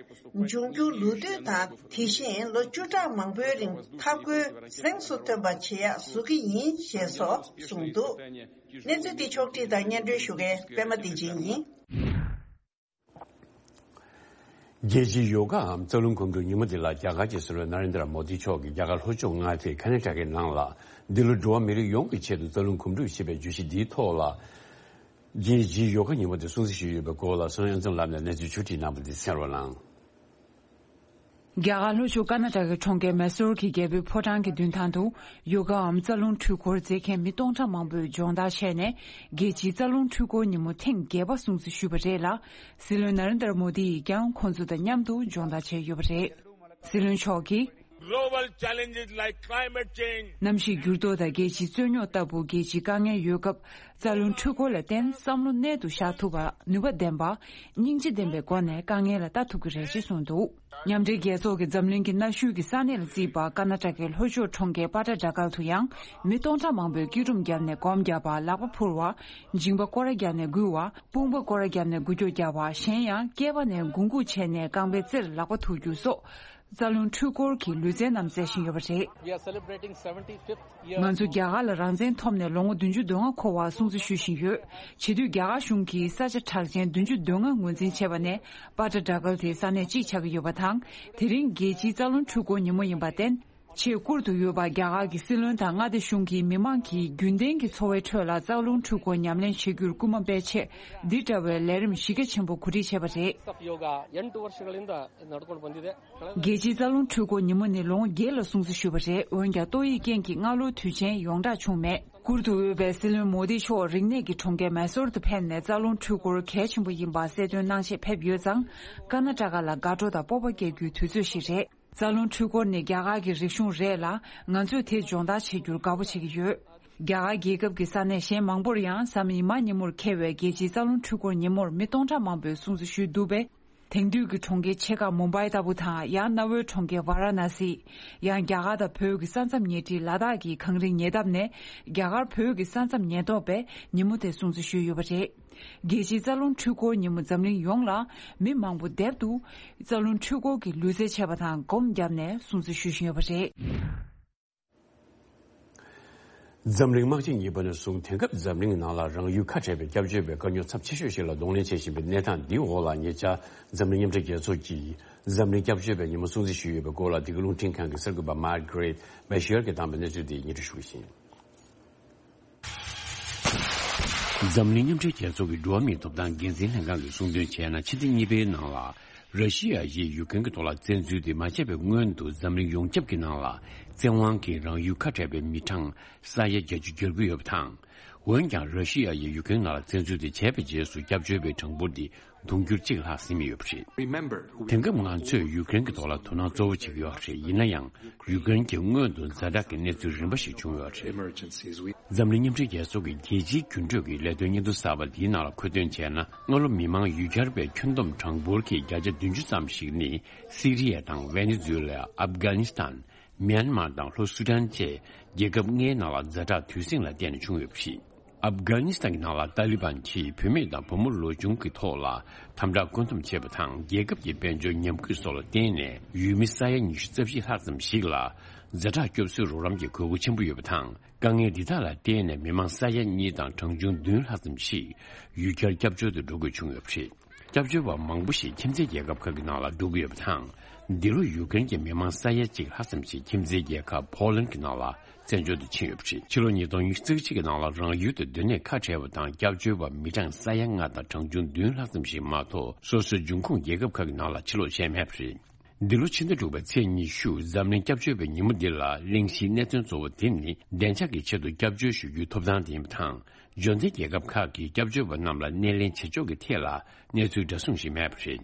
འབྱུང་འགྱུར་ལོ་དུས་དང་། དེ་བཞིན་ལོ་བཅུ་ཕྲག་མང་པོའི་རིང་འཐབ་རྒོལ་གཟེངས་སུ་ཐོན་པ་བྱེད་ཡག་བཟོ་གི་ཡིན་ཞེས་སོགས་གསུངས་འདུག་གནས་ཚུལ་འདི་ཕྱོགས་བསྒྲིགས་དང་སྙན་སྒྲོན་ཞུ་མཁན་པད་མ་བདེ་ཆེན་ཡིན། རྒྱལ་སྤྱིའི་ཡོ་གའམ་རྩ་རླུང་གོམ་བགྲོད་ཉིན་མོ་འདི་ལ་རྒྱ་གར་གྱི་སྲིད་བློན་ན་རེན་དྲ་མོ་དི་མཆོག་གིས་རྒྱ་གར་ལྷོ་ཕྱོགས་མངའ་སྡེ་ཁ་ན་ཊ་ཀའི་ནང་ལ་འདི་ལོ་འགྲོ་བ་མི་རིགས་ཡོངས་ཀྱི་ཆེད་དུ་རྩ་རླུང་གོམ་བགྲོད་ཞེས་པའི་བརྗོད་གཞི་འདིའི་ཐོག་ལ། རྒྱལ་སྤྱིའི་ཡོ་ག་ཉིན་མོ་དེ་སྲུང་བརྩི་ཞུས་ཡོད་པའི་སྐོར་ལ་སོན་ཨན་ཙམ་ལབ་ནས་གནས་ཚུལ་ཕྱོགས་བསྒྲིགས་གནང་བ་འདི་གསན་རོགས་གནང་། རྒྱ་གར་ལྷོ་ཕྱོགས་ཀར་ན་ཊ་ཀའི་གྲོང་ཁྱེར་མེ་སོར་གྱི་རྒྱལ་པོའི་ཕོ་བྲང་གི་མདུན་ཐང་དུ་ཡོ་གའམ་རྩ་རླུང་འཕྲུལ་འཁོར་མཛད་མཁན་མི་སྟོང་ཕྲག་མང་པོས་སྦྱོང་བརྡར་བྱས་ནས་རྒྱལ་སྤྱིའི་རྩ་རླུང་འཕྲུལ་འཁོར་ཉིན་མོ་ཐེངས་བརྒྱད་པ་སྲུང་བརྩི་ཞུས་པ་རེད་ལ། སྲིད་བློན་ན་རེན་དྲ་མོ་དི་ཡིས་ཀྱང་ཁོང་ཚོ་དང་མཉམ་དུ་སྦྱོང་བརྡར་བྱས་ཡོད་པ་རེད། སྲིད་བློན་མཆོག་གིས། Global challenges like climate change. གནམ་གཤིས་འགྱུར་ལྡོག་དང་རྒྱལ་སྤྱིའི་རྩོད་རྙོག་ལྟ་བུ་རྒྱལ་སྤྱིའི་དཀའ་ངལ་ཡོད་སྐབས། རྩ་རླུང་འཕྲུལ་འཁོར་ལ་བརྟེན་བསམ་བློ་གནད་དུ་བཞག་ཐུབ་པ། ནུས་པ་ལྡན་པ། སྙིང་རྗེ་ལྡན་པའི་སྒོ་ནས་དཀའ་ངལ་ལ་ལྟ་ཐུབ་ཀྱི་རེད་ཅེས་གསུངས་འདུག་མཉམ་འབྲེལ་རྒྱལ་ཚོགས་ཀྱི་འཛམ་གླིང་གི་གནའ་ཤུལ་གྱི་ས་གནས་ལ་བརྩིས་པ་ཀར་ན་ཊ་ཀའི་ལྷོ་ཕྱོགས་གྲོང་ཁྱེར་པ་ཏྲ་ཌ་ཀལ་དུ་ཡང་མི་སྟོང་ཕྲག་མང་པོས་སྐྱིལ་ཀྲུང་བརྒྱབ་ནས་སྒོམ་བརྒྱབ་པ། ལག་པ་ཕུར་བ། མཇིང་པ་སྐོར་ར་བརྒྱབ་ནས་འགུལ་བ། དཔུང་པ་སྐོར་ར་བརྒྱབ་ནས་འགུལ་སྐྱོད་བརྒྱབ་པ། གཞན་ཡང་སྐེད་པ་ནས་འགུལ་འགུལ་བྱས་ནས་རྐང་པའི་རྩེར་ལག་པ་ཐུག་རྒྱུ་སོགས། རྩ་རླུང་འཕྲུལ་འཁོར་གྱི་ལུས་རྩལ་རྣམས་རྩེ་བཞིན་ཡོད་པ་རེད། We are celebrating seventy-fifth year. ང་ཚོ་རྒྱ་གར་ལ་རང་བཙན་ཐོབ་ནས་ལོ་ངོ་བདུན་ཅུ་དོན་ལྔ་འཁོར་བ་སྲུང་བརྩི་ཞུ་བཞིན་ཡོད། བྱེད་དུས་རྒྱ་གར་གཞུང་གིས་ས་ཆ་གྲགས་ཅན་བདུན་ཅུ་དོན་ལྔ་ངོས་འཛིན་བྱས་པ་ནས་པ་ཏྲ་ཌ་ཀལ་དེ་ས་གནས་གཅིག་ཆགས་ཀྱི་ཡོད་པ་དང་། དེ་རིང་རྒྱལ་སྤྱིའི་རྩ་རླུང་འཕྲུལ་འཁོར་ཉིན་མོ་ཡིན་པར་བརྟེན། ཆེས་བཀུར་དུ་ཡོད་པ་རྒྱ་གར་གྱི་སྲིད་བློན་དང་མངའ་སྡེ་གཞུང་གིས་མི་མང་གི་རྒྱུན་ལྡན་གྱི་འཚོ་བའི་ཁྲོད་ལ་རྩ་རླུང་འཕྲུལ་འཁོར་ཉམས་ལེན་བྱེད་རྒྱུར་སྐུལ་མ་སྤེལ་ཆེད་འདི་འདྲ་བའི་ལས་རིམ་གཞི་རྒྱ་ཆེན་པོ་གོ་སྒྲིག་བྱས་པ་རེད། ヨガ、 ಎಂಟು ವರ್ಷಗಳಿಂದ ನಡ್ಕೊಂಡು ಬಂದಿದೆ. རྒྱལ་སྤྱིའི་རྩ་རླུང་འཕྲུལ་འཁོར་ཉིན་མོ་ནི་ལོ་ངོ་བརྒྱད་ལ་སྲུང་བརྩི་ཞུས་པ་རེད། འོན་ཀྱང་ཏོག་དབྱིབས་རྐྱེན་གྱིས་སྔ་ལོའི་དུས་ཆེན་ཡོངས་བསྒྲགས་བྱུང་མེད། བཀུར་འདུ་འོས་པའི་སྲིད་བློན་མོ་དི་མཆོག་རིག་གནས་ཀྱི་གྲོང་ཁྱེར་མེ་སོར་དུ་ཕེབས་ནས་རྩ་རླུང་འཕྲུལ་འཁོར་གལ་ཆེན་པོ་ཡིན་པ་གསལ་སྟོན་གནང་ཆེད་ཕེབས་ཡོད་ཙང་། ཀར་ན་ཊ་ཀ་ལ་དགའ་སྤྲོ་དང་སྤོབས་པ་སྐྱེ་རྒྱུའི་དུས་ཚོད་ཞིག་རེད། རྩ་རླུང་འཕྲུལ་འཁོར་ནི་རྒྱ་གར་གྱི་རིག་གཞུང་རེད་ལ། ང་ཚོས་དེ་སྦྱོང་བརྡར་བྱེད་རྒྱུར་དགའ་པོ་བྱེད་ཀྱི་ཡོད། རྒྱ་གར་རྒྱལ་ཁབ་ཀྱི་ས་གནས་གཞན་མང་པོར་ཡང་གཟའ་མིག་དམར་ཉིན་མོར་འཁེལ་བའི་རྒྱལ་སྤྱིའི་རྩ་རླུང་འཕྲུལ་འཁོར་ཉིན་མོར་མི་སྟོང་ཕྲག་མང་པོས་སྲུང་བརྩི་ཞུས་འདུག་པས། དེང་དུས་ཀྱི་གྲོང་ཁྱེར་ཆེ་ཁག་མུམ་བྷའི་ལྟ་བུ་དང་། ཡང་གནའ་བོའི་གྲོང་ཁྱེར་ཝཱ་ར་ཎ་སི། ཡང་རྒྱ་གར་དང་བོད་ཀྱི་ས་མཚམས་ཉེ་འཁྲིས་ལ་དྭགས་ཀྱི་གངས་རིའི་ཉེ་འདབས་ནས་རྒྱ་གར་བོད་ཀྱི་ས་མཚམས་ཉེན་རྟོག་པས་ཉིན་མོ་དེ་སྲུང་བརྩི་ཞུས་ཡོད་པ་རེད། རྒྱལ་སྤྱིའི་རྩ་རླུང་འཕྲུལ་འཁོར་ཉིན་མོ་འཛམ་གླིང་ཡོངས་ལ་མི་མང་པོ་དེབ་ཏུ་རྩ་རླུང་འཕྲུལ་འཁོར་གྱི་ལུས་རྩལ་བྱས་པ་དང་སྒོམ་བརྒྱབ་ནས་སྲུང་བརྩི་ཞུ་བཞིན་ཡོད་པ་རེད། འཛམ་གླིང་དམག་ཆེན་གཉིས་པ་ནས་བཟུང་དེང་སྐབས་འཛམ་གླིང་ནང་ལ་རང་ཡུལ་ཁ་བྲལ་བའི་སྐྱབས་བཅོལ་བའི་དཀའ་རྙོག་ཚབས་ཆེ་ཤོས་ཤིག་ལ་གདོང་ལེན་བྱེད་བཞིན་པའི་གནས་སྟངས་འདིའི་འོག་ལ་ཉེ་ཆར་འཛམ་གླིང་མཉམ་འབྲེལ་རྒྱལ་ཚོགས་ཀྱིས་འཛམ་གླིང་སྐྱབས་བཅོལ་བའི་ཉིན་མོ་སྲུང་བརྩི་ཞུས་ཡོད་པའི་སྐོར་ལ་འདི་ག་རླུང་འཕྲིན་ཁང་གི་གསར་འགོད་པ་མཱར་གྷི་རེད་བྷེ་ཤི་ཡར་གྱིས་བཏང་པའི་གནས་ཚུལ་དེ་སྙན་སྒྲོན་ཞུ་གི་ཡིན། འཛམ་གླིང་མཉམ་འབྲེལ་རྒྱལ་ཚོགས་ཀྱི་འགྲོ་བ་མིའི་ཐོབ་ཐང་འགན་འཛིན་ལྷན་ཁང་གིས་གསུངས་དོན་བྱས་ན། ཕྱི་ཟླ་གཉིས་པའི་ནང་ལ་ ར་ཤི་ཡ་ཡིས་ཡུཀ་རེན་གྱི་ཐོག་ལ་བཙན་འཛུལ་དེ་མ་བྱས་པའི་སྔོན་དུ་འཛམ་གླིང་ཡོངས་ཁྱབ་ཀྱི་ནང་ལ་བཙན་དབང་གིས་རང་ཡུལ་ཁ་བྲལ་བའི་མི་གྲངས་ས་ཡ་བརྒྱད་ཅུ་བརྒལ་གྱི་ཡོད་པ་དང་། འོན་ཀྱང་ར་ཤི་ཡ་ཡིས་ཡུཀ་རེན་ནང་ལ་བཙན་འཛུལ་དེ་བྱས་པའི་རྗེས་སུ་སྐྱབས་བཅོལ་བའི་གྲངས་འབོར་དེ་དུང་ཕྱུར་གཅིག་ལྷག་ཟིན་ཡོད་པ་རེད། དེང་སྐབས་ང་ཚོས་ཡུཀ་རེན་གྱི་ཐོག་ལ་དོ་སྣང་གཙོ་བོ་བྱེད་ཀྱི་ཡོད་པ་རེད། ཡིན་ན་ཡང་། ཡུཀ་རེན་གྱི་སྔོན་དུ་ཛ་དྲག་གི་གནས་ཚུལ་རིམ་པ་ཞིག་བྱུང་ཡོད་པ་རེད། འཛམ་གླིང་མཉམ་འབྲེལ་རྒྱལ་ཚོགས་ཀྱི་རྒྱལ་སྤྱིའི་འགྱུར་འགྲོས་ཀྱི་ལས་དོན་སྙན་ཐོ་གསར་པ་འདིའི་ནང་ལ་འཁོད་དོན་བྱས་ན། སྔ་ལོ་མི་མང་ཡུལ་གྱར་བའི་ཁྱོན་བསྡོམས་གྲངས་འབོར་གྱི་བརྒྱ་ཆ་བདུན་ཅུ་ཙམ་ཞིག་ནི་སི་རི་ཡ་དང་ཝེ་ནེ་ཛུ་ཝེ་ལ། ཨབ་གྷ་ནི་སི་ཐན། མྱན་མར་དང་ལྷོ་སུ་ཌན་བཅས་རྒྱལ་ཁབ་ལྔའི་ནང་ལ་ཛ་དྲག་དུས་ཟིང་ལ་བརྟེན་ནས་བྱུང་ཡོད་པ་རེད། ཨབ་གྷ་ནི་སི་ཐན་གྱི་ནང་ལ་ཏཱ་ལི་བན་གྱིས་བུད་མེད་དང་བུ་མོ་ལོ་ཆུང་གི་ཐོག་ལ་དམ་དྲག་བཀོད་འདོམས་བྱས་པ་དང་། རྒྱལ་ཁབ་ཀྱི་དཔལ་འབྱོར་ཉམས་རྒུད་སོགས་ལ་བརྟེན་ནས་ཡུལ་མི་ས་ཡ་ཉི་ཤུ་རྩ་བཞི་ལྷག་ཙམ་ཞིག་ལ་ཛ་དྲག་སྐྱོབ་གསོའི་རོགས་རམ་གྱི་དགོས་མཁོ་ཆེན་པོ་ཡོད་པ་དང་། དཀའ་ངལ་འདི་དག་ལ་བརྟེན་ནས་མི་མང་ས་ཡ་གཉིས་དང་གྲངས་ཆུང་བདུན་ལྷག་ཙམ་ཞིག་ཡུལ་གྱར་སྐྱབས་བཅོལ་དུ་འགྲོ་དགོས་བྱུང་ཡོད་པ་རེད། སྐྱབས་བཅོལ་བ་མང་པོ་ཞིག་ཁྱིམ་མཚེས་རྒྱལ་ཁབ་ཁག་གི་ནང་ལ་འགྲོ་གི་ཡོད་པ་དང་། འདི་ལོ་ཡུཀ་རེན་གྱི་མི་མང་ས་ཡ་གཅིག་ལྷག་ཙམ་ཞིག་ཁྱིམ་མཚེས་རྒྱལ་ཁབ་ཕོ་ལན་གྱི་ནང་ལ་བཙན་བྱོལ་དུ་ཕྱིན་ཡོད་པ་རེད། ཕྱི་ལོ་ཉིས་སྟོང་ཉི་ཤུ་རྩ་གཅིག་གི་ནང་ལ་རང་ཡུལ་དུ་སྡོད་གནས་ཁ་བྲལ་བ་དང་སྐྱབས་བཅོལ་བ་མི་གྲངས་ས་ཡ་ལྔ་དང་གྲངས་ཆུང་བདུན་ལྷག་ཙམ་ཞིག་མ་གཏོགས་སོ་སོའི་འབྱུང་ཁུངས་རྒྱལ་ཁབ་ཁག་གི་ནང་ལ་ཕྱིར་ལོག་བྱས་མེད་པ་རེད། འདི་ལོ་ཕྱི་ཟླ་དྲུག་པའི་ཚེས་ཉི་ཤུ་འཛམ་གླིང་སྐྱབས་བཅོལ་བའི་ཉིན་མོ་འདི་ལ་གླེང་གཞིའི་གནད་དོན་གཙོ་བོ་དེ་ནི་བདེ་འཇགས་ཀྱི་ཆེད་དུ་སྐྱབས་བཅོལ་ཞུ་རྒྱུའི་ཐོབ་ཐང་དེ་ཡིན་པ་དང་། འབྱོར་ལྡན་རྒྱལ་ཁབ་ཁག་གིས་སྐྱབས་བཅོལ་བ་རྣམས་ལ་སྣེ་ལེན་བྱེད་ཕྱོགས་ཀྱི་ཐད་ལ་གནས་ཚུལ་འདྲ་མཚུངས་ཤིག་མེད་པ་རེད།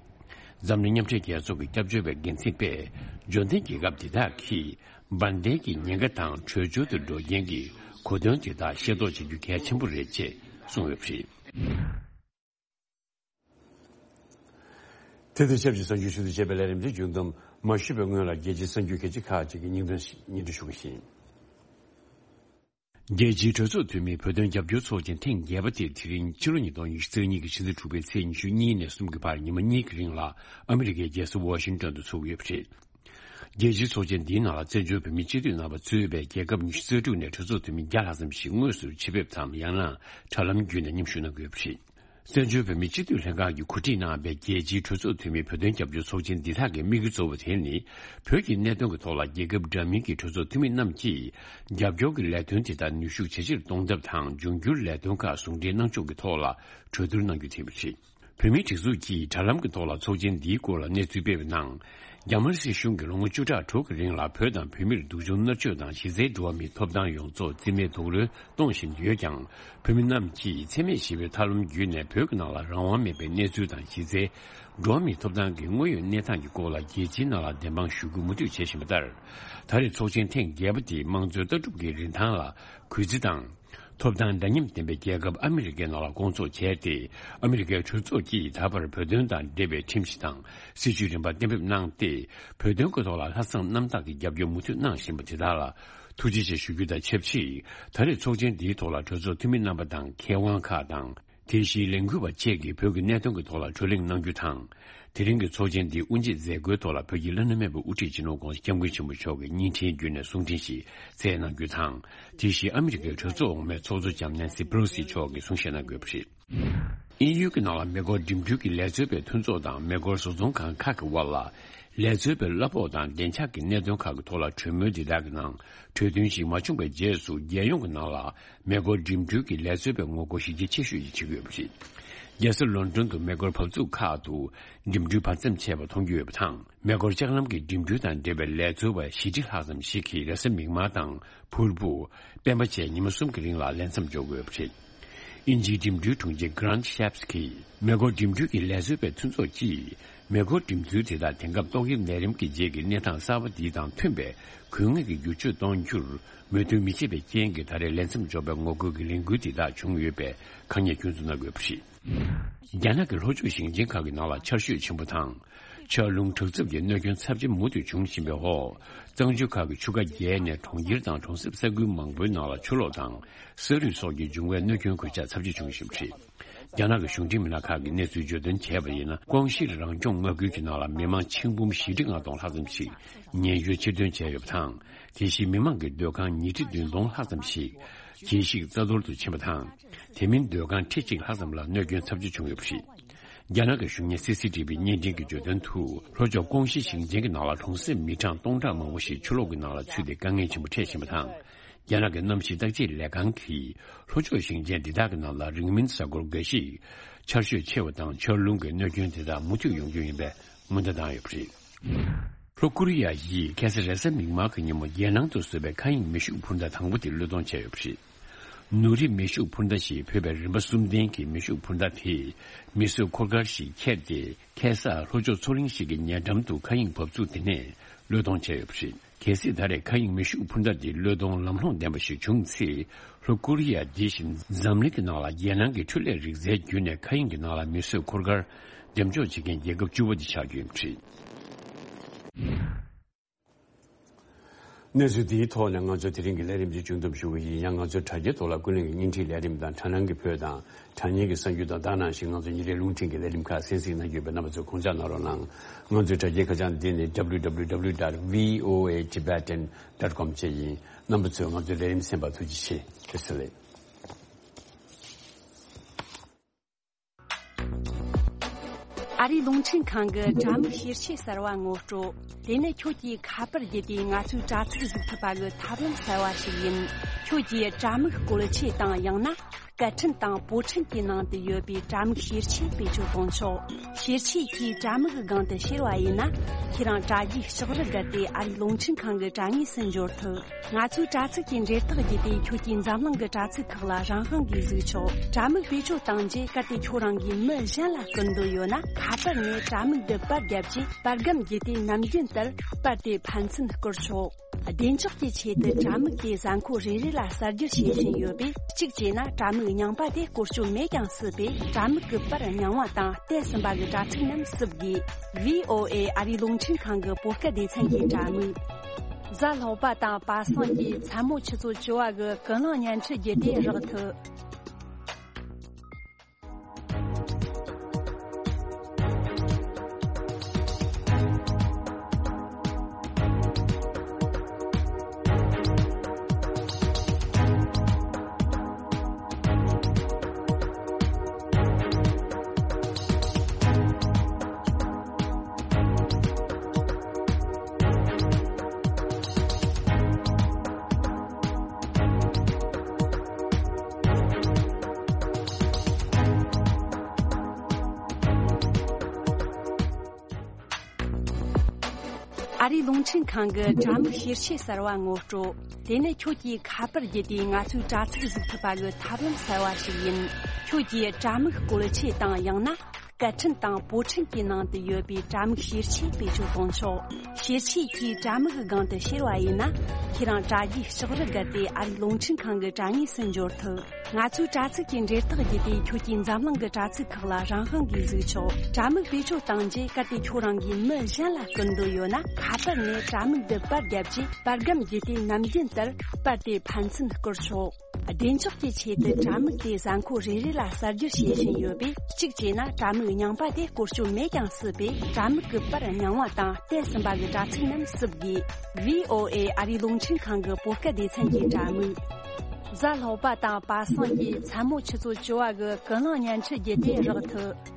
འཛམ་གླིང་མཉམ་འབྲེལ་རྒྱལ་ཚོགས་ཀྱི་སྐྱབས་བཅོལ་བའི་འགན་འཛིན་པས་འབྱོར་ལྡན་རྒྱལ་ཁབ་འདི་དག་གིས་འབར་མདེལ་གྱི་ཉེན་ཁ་དང་བྲོས་བྱོལ་དུ་འགྲོ་རྐྱེན་གྱི་གོ་དོན་དེ་དག་ཤེས་རྟོགས་བྱེད་རྒྱུ་གལ་ཆེན་པོ་རེད་ཅེས་གསུངས་ཡོད་པ་རེད། དེ་དང་ཆབས་ཅིག་གསར་འགྱུར་ཞུ་གཏུག་བྱས་པའི་ལས་རིམ་དེ་མཇུག་བསྡོམས་མ་ཞུས་པའི་སྔོན་ལ་རྒྱལ་སྤྱིའི་གསར་འགྱུར་གལ་ཆེ་ཁག་ཅིག་གི་སྙིང་དོན་སྙན་སྒྲོན་ཞུ་གི་ཡིན། རྒྱལ་སྤྱིའི་གྲོས་ཚོགས་འཐུས་མིའི་བོད་དོན་རྒྱབ་སྐྱོར་ཚོགས་ཆེན་ཐེངས་བརྒྱད་པ་དེ་དེ་རིང་ཕྱི་ལོ་ཉིས་སྟོང་ཉི་ཤུ་རྩ་གཉིས་ཀྱི་ཕྱི་ཟླ་དྲུག་པའི་ཚེས་ཉི་ཤུ་གཉིས་ནས་གསུམ་གྱི་བར་ཉི་མ་གཉིས་ཀྱི་རིང་ལ་ཨ་མི་རི་ཀའི་རྒྱལ་ས་ཝ་ཤིང་ཏོན་དུ་འཚོགས་ཀྱི་ཡོད་པ་རེད། རྒྱལ་སྤྱིའི་ཚོགས་ཆེན་འདིའི་ནང་ལ་བཙན་བྱོལ་བོད་མིའི་སྤྱི་འཐུས་རྣམ་པ་གཙོས་པའི་རྒྱལ་ཁབ་ཉི་ཤུ་རྩ་དྲུག་ནས་གྲོས་ཚོགས་འཐུས་མི་བརྒྱ་ལྷག་ཙམ་ཞིག་དངོས་སུ་ཆེད་ཕེབས་དང་། ཡང་ན་དྲ་ལམ་བརྒྱུད་ནས་མཉམ་ཞུགས་གནང་གི་ཡོད་པ་རེད། བཙན་བྱོལ་བོད་མིའི་སྤྱི་འཐུས་ལྷན་ཁང་གིས་གོ་སྒྲིག་གནང་བའི་རྒྱལ་སྤྱིའི་གྲོས་ཚོགས་འཐུས་མིའི་བོད་དོན་རྒྱབ་སྐྱོར་ཚོགས་ཆེན་འདི་དག་གི་དམིགས་ཡུལ་གཙོ་བོ་དེ་ནི། བོད་ཀྱི་གནད་དོན་གྱི་ཐོག་ལ་རྒྱལ་ཁབ་འདྲ་མིན་གྱི་གྲོས་ཚོགས་འཐུས་མི་རྣམས་ཀྱིས་རྒྱབ་སྐྱོར་གྱི་ལས་དོན་དེ་དག་ནུས་ཤུགས་ཇེ་ཆེར་གཏོང་ཐབས་དང་། འབྱུང་འགྱུར་ལས་དོན་ཁག་ཟུང་འབྲེལ་གནང་ཕྱོགས་ཀྱི་ཐོག་ལ་གྲོས་བསྡུར་གནང་རྒྱུ་དེ་ཡིན་པ་རེད། བོད་མིའི་སྒྲིག་འཛུགས་ཀྱིས་དྲ་ལམ་གྱི་ཐོག་ལ་ཚོགས་ཆེན་འདིའི་སྐོར་ལ་གནས་ཚུལ་སྤེལ་བའི་ནང་། རྒྱ་དམར་སྲིད་གཞུང་གིས་ལོ་ངོ་བཅུ་ཕྲག་དྲུག་གི་རིང་ལ་བོད་དང་བོད་མིར་སྡུག་སྦྱོང་མནར་གཅོད་དང་། གཞི་རྩའི་འགྲོ་བ་མིའི་ཐོབ་ཐང་ཡོངས་རྫོགས་རྩིས་མེད་དུ་གཏོང་བཞིན་ཡོད་ཀྱང་། བོད་མི་རྣམས་ཀྱིས་འཚེ་མེད་ཞི་བའི་ཐབས་ལམ་བརྒྱུད་ནས་བོད་ཀྱི་ནང་ལ་རང་དབང་མེད་པའི་གནས་ཚུལ་དང་། གཞི་རྩའི་འགྲོ་བ་མིའི་ཐོབ་ཐང་གི་དངོས་ཡོད་གནས་སྟངས་ཀྱི་སྐོར་ལ་རྒྱལ་སྤྱིའི་ནང་ལ་བདེན་དཔང་ཞུ་རྒྱུ་མུ་མཐུད་བྱེད་བཞིན་པ་ལྟར། ད་རེས་ཚོགས་ཆེན་ཐེངས་བརྒྱད་པ་དེ་དམངས་གཙོའི་ལྟ་གྲུབ་ཀྱི་རིན་ཐང་ལ་གུས་བརྩི་དང་། ཐོབ་ཐང་འདྲ་མཉམ་ལྡན་པའི་རྒྱལ་ཁབ་ཨ་མི་རི་ཀའི་ནང་ལ་སྐོང་ཚོགས་བྱས་ཏེ། ཨ་མི་རི་ཀའི་གྲོས་ཚོགས་ཀྱིས་ད་བར་བོད་དོན་དང་འབྲེལ་བའི་ཁྲིམས་གཞི་དང་སྲིད་ཇུས་རིམ་པ་གཏན་འབེབས་གནང་སྟེ། བོད་དོན་གྱི་ཐོག་ལ་ལྷག་བསམ་རྣམ་དག་གིས་རྒྱབ་སྐྱོར་མུ་མཐུད་གནང་བཞིན་པ་དེ་དག་ལ་ཐུགས་རྗེ་ཆེ་ཞུ་རྒྱུ་དང་ཆབས་ཅིག་ད་རེས་ཚོགས་ཆེན་འདིའི་ཐོག་ལ་གྲོས་ཚོགས་འཐུས་མི་རྣམ་པ་དང་མཁས་དབང་ཁག་དང་། དེ་བཞིན་ལས་འགུལ་བ་བཅས་ཀྱིས་བོད་ཀྱི་གནད་དོན་གྱི་ཐོག་ལ་བགྲོ་གླེང་གནང་རྒྱུ་དང་། དེ་རིང་གི་ཚོགས་ཆེན་འདིའི་དབུ་འབྱེད་མཛད་སྒོའི་ཐོག་ལ་བོད་ཀྱི་བླ་ན་མེད་པའི་དབུ་ཁྲིད་སྤྱི་ནོར་༧གོང་ས་༧སྐྱབས་མགོན་ཆེན་པོ་མཆོག་གིས་བརྙན་འཕྲིན་བརྒྱུད་ནས་གསུང་འཕྲིན་ཞིག་སྩལ་གནང་རྒྱུ་དང་། དེ་བཞིན་ཨ་མི་རི་ཀའི་གྲོས་ཚོགས་འོག་མའི་ཚོགས་གཙོ་ལྕམ་ནན་སི་པེ་ལོ་སི་མཆོག་གིས་གསུང་བཤད་གནང་དགོས་པ་རེད། དབྱིན་ཡུལ་གྱི་ནང་ལ་མེ་འཁོར་འགྲིམ་འགྲུལ་གྱི་ལས་བཟོ་བའི་མཐུན་ཚོགས་དང་མེ་འཁོར་བཟོ་ཚོང་ཁང་ཁག་གི་དབར་ལ། ལས་བཟོ་བའི་གླ་ཕོགས་དང་བདེ་འཇགས་ཀྱི་གནད་དོན་ཁག་གི་ཐོག་ལ་གྲོས་མོལ་འདི་དག་གི་ནང་གྲོས་མཐུན་ཞིག་མ་བྱུང་བའི་རྗེས་སུ། རྒྱལ་ཡོངས་ཀྱི་ནང་ལ་མེ་འཁོར་འགྲིམ་འགྲུལ་གྱི་ལས་བཟོ་བའི་ངོ་རྒོལ་གཞི་རྒྱ་ཆེ་ཤོས་ཤིག་བྱེད་ཀྱི་ཡོད་པ་རེད། རྒྱལ་ས་ལོན་ཌོན་དུ་མེ་འཁོར་བབས་ཚུགས་ཁག་ཏུ་འགྲིམ་འགྲུལ་བར་མཚམས་ཆད་པ་མཐོང་རྒྱུ་ཡོད་པ་དང་། མེ་འཁོར་ལྕགས་ལམ་གྱི་འགྲིམ་འགྲུལ་དང་འབྲེལ་བའི་ལས་བཟོ་བ་བཞི་ཁྲི་ལྷག་ཙམ་ཞིག་གིས་རེས་གཟའ་མིག་དམར་དང་ཕུར་བུ། སྤེན་པ་བཅས་ཉི་མ་གསུམ་གྱི་རིང་ལ་ལས་མཚམས་འཇོག་དགོས་པ་རེད། དབྱིན་ཇིའི་འགྲིམ་འགྲུལ་དྲུང་ཆེ་Grant Shapps གྱིས། མེ་འཁོར་འགྲིམ་འགྲུལ་གྱི་ལས་བཟོ་བའི་མཐུན་ཚོགས་ཀྱིས། མེ་འཁོར་འགྲིམ་ཚུལ་དེ་དག་དེང་སྐབས་ཏོག་དབྱིབས་ནད་རིམས་ཀྱི་རྗེས་ཀྱི་གནས་སྟངས་གསར་པ་འདི་དང་མཐུན་པའི་དགོས་ངེས་ཀྱི་བསྒྱུར་བཅོས་གཏོང་རྒྱུར་མོས་མཐུན་མི་བྱེད་པའི་རྐྱེན་གྱིས། ད་རེས་ལས་མཚམས་འཇོག་པའི་ངོ་རྒོལ་གྱི་ལས་འགུལ་འདི་དག་བྱུང་ཡོད་པའི་ཁ་ཉེས་སྐྱོན་འཛུགས་གནང་དགོས་པ་རེད། རྒྱ་ནག་གི་ལྷོ་ཕྱོགས་ཞིང་ཆེན་ཁག་གི་ནང་ལ་ཆར་ཞོད་ཆེན་པོ་དང་། ཆར་རླུང་དྲག་རྩུབ་ཀྱི་གནོད་སྐྱོན་ཚབས་ཆེ་མུ་མཐུད་འབྱུང་བཞིན་པའི་འོག་གཙང་ཆུ་ཁག་གི་ཆུ་ཁ་རྒྱས་ནས་གྲོང་ཁྱེར་དང་གྲོང་གསེབ་ས་ཁུལ་མང་པོའི་ནང་ལ་ཆུ་ལོག་དང་ས་རུད་སོགས་ཀྱི་འབྱུང་བའི་གནོད་སྐྱོན་གོད་ཆག་ཚབས་ཆེ་བྱུང་བཞིན་པ་རེད། རྒྱ་ནག་གི་གཞུང་འབྲེལ་མི་སྣ་ཁག་གིས་གནས་ཚུལ་བརྗོད་དོན་བྱས་པ་ཡིན་ན། ཀོང་ཞིར་རང་སྐྱོང་མངའ་ཁུལ་གྱི་ནང་ལ་མི་མང་ཆིག་འབུམ་བཞི་ཁྲི་ལྔ་སྟོང་ལྷག་ཙམ་ཞིག་ཉེན་བཅོལ་ཕྱིར་ཐོན་བྱས་ཡོད་པ་དང་། དེ་བཞིན་མི་མང་གི་སྡོད་ཁང་ཉིས་ཁྲི་བདུན་སྟོང་ལྷག་ཙམ་ཞིག་གྱེས་ཤིག་རྩ་གཏོར་དུ་ཕྱིན་པ་དང་། དེ་མིན་སྡོད་ཁང་ཁྲི་གཅིག་ལྷག་ཙམ་ལ་གནོད་སྐྱོན་ཚབས་ཆེ་བྱུང་ཡོད་པ་རེད། རྒྱ་ནག་གི་གཞུང་གཉེར་སི་སི་ཊི་བི་བརྙན་འཕྲིན་གྱིས་བརྗོད་དོན་དུ། ལྷོ་ཕྱོགས་ཀོང་ཞི་ཞིང་ཆེན་གྱི་ནང་ལ་གྲོང་གསེབ་མི་གྲངས་སྟོང་ཕྲག་མང་པོ་ཞིག་ཆུ་ལོག་གི་ནང་ལ་ཚུད་དེ་དཀའ་ངལ་ཆེན་པོ་འཕྲད་བཞིན་པ་དང་། རྒྱ་ནག་གི་གནམ་གཤིས་བརྟག་དཔྱད་ལས་ཁང་གིས། ལྷོ་ཕྱོགས་ཞིང་ཆེན་འདི་དག་གི་ནང་ལ་རིང་མིན་གཟའ་འཁོར་འགའ་ཞིག་ཆར་ཞོད་ཆེ་བ་དང་ཆར་རླུང་གི་གནོད་སྐྱོན་དེ་དག་མུ་མཐུད་ཡོང་རྒྱུ་ཡིན་པའི་ སྔོན་བརྡ་བཏང་ཡོད་པ་རེད། ལྷོ་ཀོ་རི་ཡ་ཡིས་ཁ་སང་རེས་གཟའ་མིག་དམར་གྱི་ཉིན་མོ་རྒྱལ་ནང་དུ་བཟོས་པའི་མཁའ་དབྱིངས་མེ་ཤུགས་འཕུར་མདའ་དང་པོ་དེ་བློས་གཏོང་བྱས་ཡོད་པ་རེད། ནུ་རི་མེ་ཤུགས་འཕུར་མདའ་ཞེས་འབོད་པའི་རིམ་པ་གསུམ་ལྡན་གྱི་མེ་ཤུགས་འཕུར་མདའ་དེས་མེ་གསོད་འཁོར་སྐར་ཞིག་འཁྱེར་ཏེ། ཁ་སང་ལྷོ་ཕྱོགས་མཚོ་གླིང་ཞིག་གི་ཉེ་འགྲམ་དུ་མཁའ་དབྱིངས་བབས་ཚུགས་དེ་ནས་བློས་གཏོང་བྱས་ཡོད་པ་རེད། གལ་སྲིད་ད་རེས་མཁའ་དབྱིངས་མེ་ཤུགས་འཕུར་མདའ་འདི་བློས་གཏོང་ལམ་ལྷོང་ལྡན་པ་ཞིག་བྱུང་ཚེ། ལྷོ་ཀོ་རི་ཡ་འདི་བཞིན་འཛམ་གླིང་གི་ནང་ལ་རྒྱལ་ནང་གི་འཕྲུལ་ལས་རིག་རྩལ་བརྒྱུད་ནས་མཁའ་དབྱིངས་ཀྱི་ནང་ལ་མེ་གསོད་འཁོར་སྐར་འགྲེམས་འཇོག་བྱེད་མཁན་རྒྱལ་ཁབ་བཅུ་པ་དེ་ཆགས་རྒྱུ་ཡིན་པ་རེད། གནས་ཚུལ་འདིའི་ཐོག་ནས་ང་ཚོ་དེ་རིང་གི་ལས་རིམ་འདི་མཇུག་བསྡོམས་ཞུ་གི་ཡིན། ཡང་ང་ཚོའི་དྲ་རྒྱའི་ཐོག་ལ་ཀུན་གླེང་གི་བརྙན་འཕྲིན་ལས་རིམ་དང་དྲ་སྣང་གི་བོད་དང་དྲ་བརྙན་གྱི་གསར་འགྱུར་དང་དེ་ནང་བཞིན་ང་ཚོ་ཉིན་རེའི་རླུང་འཕྲིན་གྱི་ལས་རིམ་ཁག་གསན་གཟིགས་གནང་གི་ཡོད་པས། རྣམ་པ་ཚོས་དགོངས་འཇགས་གནང་རོགས་གནང་། ང་ཚོའི་དྲ་རྒྱའི་ཁ་བྱང་འདི་ནི་W W W dot V O A Tibetan dot com བཅས་ཡིན། རྣམ་པ་ཚོས་ང་ཚོའི་ལས་རིམ་གསན་པར་ཐུགས་རྗེ་ཆེ། བཀྲ་ཤིས་བདེ་ལེགས། ཨ་རིའི་རླུང་འཕྲིན་ཁང་གི་དྲ་མིག་བཤེར་ཆས་གསར་བ་ངོ་སྤྲོད། དེ་ནི་ཁྱོད་ཀྱིས་ཁ་པར་བརྒྱུད་དེ་ང་ཚོའི་དྲ་ཚིགས་གཟིགས་ཐུབ་པ་གི་ཐབས་ལམ་གསར་བ་ཞིག་ཡིན། ཁྱོད་ཀྱིས་དྲ་མིག་བཀོལ་ཆས་དང་ཡང་ན་སྐད་འཕྲིན་དང་པོ་འཕྲིན་གྱི་ནང་དུ་ཡོད་པའི་དྲ་མིག་བཤེར་ཆས་བེད་སྤྱོད་གཏོང་ཆོག་བཤེར་ཆས་ཀྱིས་དྲ་མིག་གི་སྒང་དུ་བཤེར་བ་ཡིན་ན། ཁྱེད་རང་དྲ་རྒྱའི་ལྕགས་རི་བརྒལ་ཏེ་ཨ་རིའི་རླུང་འཕྲིན་ཁང་གི་དྲ་ངོས་སུ་འབྱོར་ཐུབ། ང་ཚོའི་དྲ་ཚིགས་ཀྱི་འབྲེལ་ཐག་བརྒྱུད་དེ་ཁྱོད་ཀྱིས་འཛམ་གླིང་གི་དྲ་ཚིགས་ཁག་ལ་རང་དབང་གིས་གཟིགས་ཆོག་དྲ་མིག་བེད་སྤྱོད་བཏང་རྗེས་གལ་ཏེ་ཁྱོད་རང་གིས་མི་གཞན་ལ་སྐུར་འདོད་ཡོད་ན། ཁ་པར་ནས་དྲ་མིག་འདི་པར་བརྒྱབ་རྗེས་པར་སྒམ་བརྒྱུད་དེ་ནམ་རྒྱུན་ལྟར་པར་དེ་ཕན་ཚུན་བསྐུར་ཆོག་བདེ་འཇགས་ཀྱི་ཆེད་དུ་དྲ་མིག་དེ་གཟའ་འཁོར་རེ་རེ་ལ་གསར་བསྒྱུར་བྱེད་བཞིན་ཡོད་པས། གཅིག་བྱས་ན་དྲ་མིག་རྙིང་པ་དེ་བཀོལ་སྤྱོད་མེད་ཀྱང་སྲིད་པས། དྲ་མིག་གི་པར་རྙིང་བ་དང་བསྟན་ཟིན་པ་གི་དྲ་ཚིགས་རྣམས་བསུབ་དགོས། V O A ཨ་རིའི་རླུང་འཕྲིན་ཁང་གི་བོད་སྐད་སྡེ་ཚན་གྱི་དྲ་མིག་གཟའ་ལྷག་པ་དང་པ་སངས་ཀྱི་མཚན་མོ་ཆུ་ཚོད་བཅུ་པ་གི་ཀུན་གླེང་བརྙན་འཕྲིན་བརྒྱུད་དེ་རག་ཐུབ། ཨ་རིའི་རླུང་འཕྲིན་ཁང་གི་དྲ་མིག་བཤེར་ཆས་གསར་བ་ངོ་སྤྲོད། དེ་ནི་ཁྱོད་ཀྱིས་ཁ་པར་བརྒྱུད་དེ་ང་ཚོའི་དྲ་ཚིགས་གཟིགས་ཐུབ་པ་གི་ཐབས་ལམ་གསར་བ་ཞིག་ཡིན། ཁྱོད་ཀྱིས་དྲ་མིག་བཀོལ་ཆས་དང་ཡང་ན་སྐད་འཕྲིན་དང་པོ་འཕྲིན་གྱི་ནང་དུ་ཡོད་པའི་དྲ་མིག་བཤེར་ཆས་བེད་སྤྱོད་གཏོང་ཆོག་བཤེར་ཆས་ཀྱིས་དྲ་མིག་གི་སྒང་དུ་བཤེར་བ་ཡིན་ན། ཁྱེད་རང་དྲ་རྒྱའི་ལྕགས་རི་བརྒལ་ཏེ་ཨ་རིའི་རླུང་འཕྲིན་ཁང་གི་དྲ་ངོས་སུ་འབྱོར་ཐུབ། ང་ཚོའི་དྲ་ཚིགས་ཀྱི་འབྲེལ་ཐག་བརྒྱུད་དེ་ཁྱོད་ཀྱིས་འཛམ་གླིང་གི་དྲ་ཚིགས་ཁག་ལ་རང་དབང་གིས་གཟིགས་ཆོག་དྲ་མིག་བེད་སྤྱོད་བཏང་རྗེས་གལ་ཏེ་ཁྱོད་རང་གིས་མི་གཞན་ལ་སྐུར་འདོད་ཡོད་ན། ཁ་པར་ནས་དྲ་མིག་འདི་པར་བརྒྱབ་རྗེས་པར་སྒམ་བརྒྱུད་དེ་ནམ་རྒྱུན་ལྟར་པར་དེ་ཕན་ཚུན་བསྐུར་ཆོག་བདེ་འཇགས་ཀྱི་ཆེད་དུ་དྲ་མིག་དེ་གཟའ་འཁོར་རེ་རེ་ལ་གསར་བསྒྱུར་བྱེད་བཞིན་ཡོད་པས། གཅིག་བྱས་ན་དྲ་མིག་རྙིང་པ་དེ་བཀོལ་སྤྱོད་མེད་ཀྱང་སྲིད་པས། དྲ་མིག་གི་པར་རྙིང་བ་དང་བསྟན་ཟིན་པ་གི་དྲ་ཚིགས་རྣམས་བསུབ་དགོས། V O A ཨ་རིའི་རླུང་འཕྲིན་ཁང་གི་བོད་སྐད་སྡེ་ཚན་གྱི་དྲ་མིག་གཟའ་ལྷག་པ་དང་པ་སངས་ཀྱི་མཚན་མོ་ཆུ་ཚོད་བཅུ་པ་གི་ཀུན་གླེང་བརྙན་འཕྲིན་བརྒྱུད་དེ་རག་ཐུབ།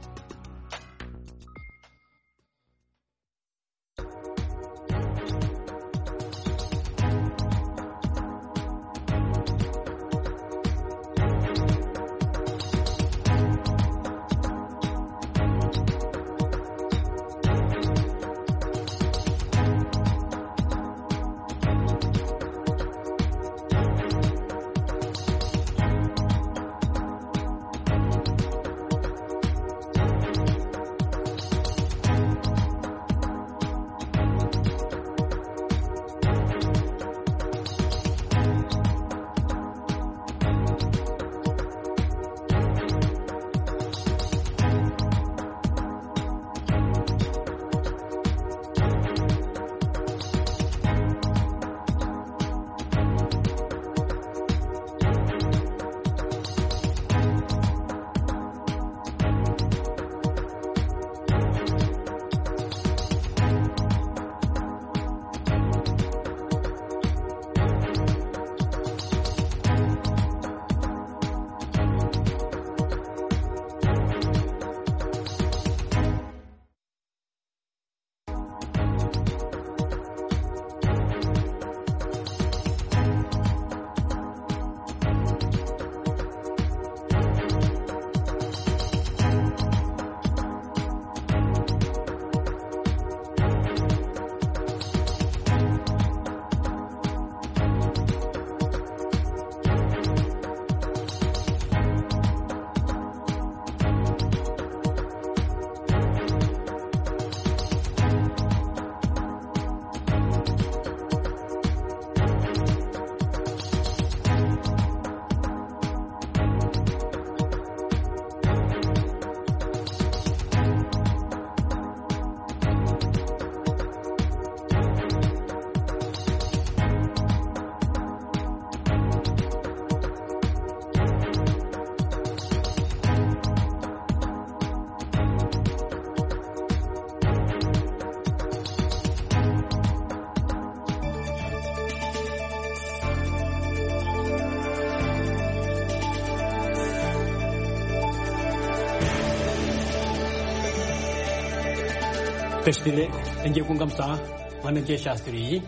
བཀྲ་ཤིས་བདེ་ལེགས། ལྷན་རྒྱས་སྐུ་ཁམས་བཟང་། ང་རྣམ་རྒྱལ་ཤཱསྟྲི་ཡིན།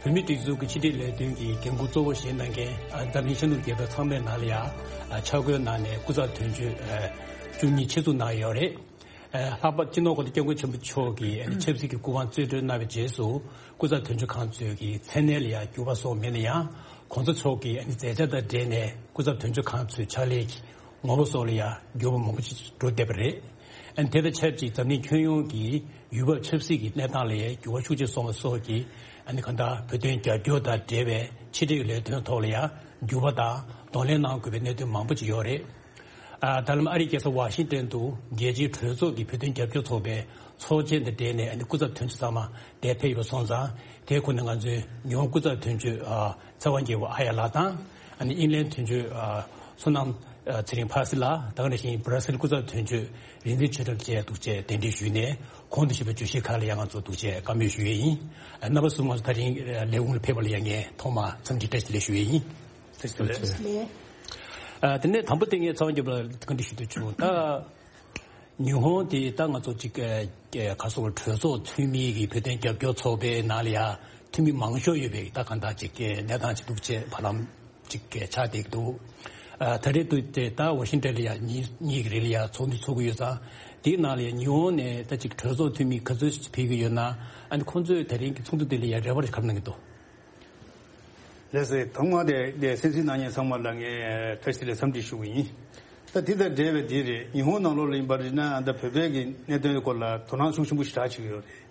བོད་མིའི་སྒྲིག་འཛུགས་ཀྱི་ཕྱི་དྲིལ་ལས་དོན་གྱི་འགན་འཁུར་གཙོ་བོ་བཞེས་གནང་མཁན་ཨ་འཛམ་གླིང་ཤར་ནུབ་རྒྱལ་ཁབ་ཚང་མའི་ནང་ལ་ཡང་ཨ་ཆ་བགོས་གནང་ནས་སྐུ་ཚབ་དོན་གཅོད་ཨ་བཅུ་གཉིས་ཆེད་འཛུགས་གནང་ཡོད་རེད། ཨ་ལྷག་པར་སྤྱི་ནོར་གོང་ས་སྐྱབས་མགོན་ཆེན་པོ་མཆོག་གིས་ཨ་ནི་ཆབ་སྲིད་ཀྱི་སྐུ་དབང་རྩིས་སྤྲོད་གནང་བའི་རྗེས་སུ་སྐུ་ཚབ་དོན་གཅོད་ཁང་ཚོས་ཀྱི་མཚན་གནས་ལ་ཡང་འགྱུར་བ་སོགས་མེད་ན་ཡང་། གོང་ས་མཆོག་གི་ཨ་ནི་མཛད་འཆར་དང་འབྲེལ་ནས་སྐུ་ཚབ་དོན་གཅོད་ཁང་ཚོའི་ཕྱག་ལས་ཀྱི་ངོ་བོ་སོགས་ལ་ཡང་འགྱུར་བ་མང་པོ་ཞིག་འགྲོ་བསྡད་པ་རེད། ཨ་ནི་དེ་དང་ཆབས་ཅིག་འཛམ་གླིང་ཁྱོན་ཡོངས་ཀྱི་ཡུལ་བབ་ཆབ་སྲིད་ཀྱི་གནས་སྟངས་ལ་ཡང་འགྱུར་བ་ཤུགས་ཆེ་སོང་བ་སོགས་ཀྱིས་ཨ་ནི་གང་ལྟར་བོད་དོན་རྒྱབ་སྐྱོར་དང་འབྲེལ་བའི་ཕྱི་དྲིལ་ལས་དོན་ཐོག་ལ་ཡང་འགྱུར་བ་དང་གདོང་ལེན་གནང་དགོས་པའི་གནད་དོན་མང་པོ་ཞིག་ཡོད་རེད། ཨ་ད་ལམ་ཨ་རིའི་རྒྱལ་ས་ཝ་ཤིང་ཏན་དུ་རྒྱལ་སྤྱིའི་གྲོས་ཚོགས་ཀྱི་བོད་དོན་རྒྱབ་སྐྱོར་ཚོགས་པའི་ཚོགས་ཆེན་དང་འབྲེལ་ནས་ཨ་ནི་སྐུ་ཚབ་དོན་གཅོད་ཚང་མ་དེར་ཕེབས་ཡོད་པ་སོང་ཙང་། དེའི་ཁོངས་ནས་ང་ཚོའི་ཉི་ཧོང་སྐུ་ཚབ་དོན་གཅོད་ཨ་ཚེ་དབང་རྒྱལ་པོ་ཨ་ཡ་ལགས་དང་། ཨ་ནི་ཨིན་ལན་དོན་གཅོད་ཨ་བསོད་ནམས་ཨ་ཚེ་རིང་ཕ་སི་ལགས་དང་། དེ་ནང་བཞིན་སྦྲ་སིལ་སྐུ་ཚབ་དོན་གཅོད་རིག་འཛིན་ཆོས་གྲགས་བཅས་འདུག་ཅེས་གདན་འདྲེན་ཞུས་ནས་གོང་དུ་ཞུས་པའི་བརྗོད་གཞིའི་ཁག་ལ་ཡང་ང་ཚོ་འདུག་ཅེས་བཀའ་མོལ་ཞུ་ཡས་ཡིན། ཨ་རྣམ་པ་ཚོ་ང་ཚོ་ད་རིང་ཨ་ལས་ཁུངས་ལ་ཕེབས་པ་ལ་ཡང་ངས་ཐོག་མར་འཚམས་འདྲི་བཀྲ་ཤིས་བདེ་ལེགས་ཞུ་ཡས་ཡིན། ཨ་དེ་ནས་དང་པོ་དེ་ངས་ཚེ་དབང་རྒྱལ་པོ་ལ་བཀའ་འདྲི་ཞུ་འདོད་བྱུང་། ད་ཉི་ཧོང་དེ་ད་ང་ཚོ་གཅིག་ཨ་ག་སོགས་གྲོས་ཚོགས་འཐུས་མི་གི་བོད་དོན་རྒྱབ་སྐྱོར་ཚོགས་པའི་ནང་ལ་ཡང་འཐུས་མི་མང་ཤོས་ཡོད་པའི་ད་གང་ལྟར་གཅིག་གནས་སྟངས་ཅིག་འདུག་ཅེས་བར་ལམ་གཅིག་ཆགས་བསྡད་འདུག་ཨ་ད་རེས་དུས་དེ་ད་ཝ་ཤིང་ཏན་ལ་ཡང་ཉིན་གཉིས་ཀྱི་རིང་ལ་ཡང་ཚོགས་འདུ་ཚོགས་ཀྱི་ཡོད་ཙང་། དེའི་ནང་ལ་ཡང་ཉི་ཧོང་ནས་ད་གཅིག་གྲོས་ཚོགས་འཐུས་མི་ག་ཚོད་ཕེབས་ཀྱི་ཡོད་ན། ཨ་ནི་ཁོང་ཚོས་ད་རིང་གི་ཚོགས་འདུ་དེ་ལ་ཡང་རེ་བ་ག་རེ་གནང་གི་འདུག་ལགས་སོ། ཐོག་མར་དེ་དེ་གསན་གཟིགས་གནང་མཁན་ཚང་མ་ལ་ངས་བཀྲ་ཤིས་བདེ་ལེགས་འཚམས་འདྲི་ཞུ་གི་ཡིན། ད་དེ་དང་འབྲེལ་བའི་དེ་རེད། ཉི་ཧོང་ནང་ལོགས་ལ་ཡིན་པ་རེད་ན་ཨ་ད་བོད་པའི་གི་གནད་དོན་སྐོར་ལ་དོ་སྣང་ཤུགས་ཆེན་པོ་ཞེ་དྲག་བྱེད་ཀྱི་ཡོད་རེད།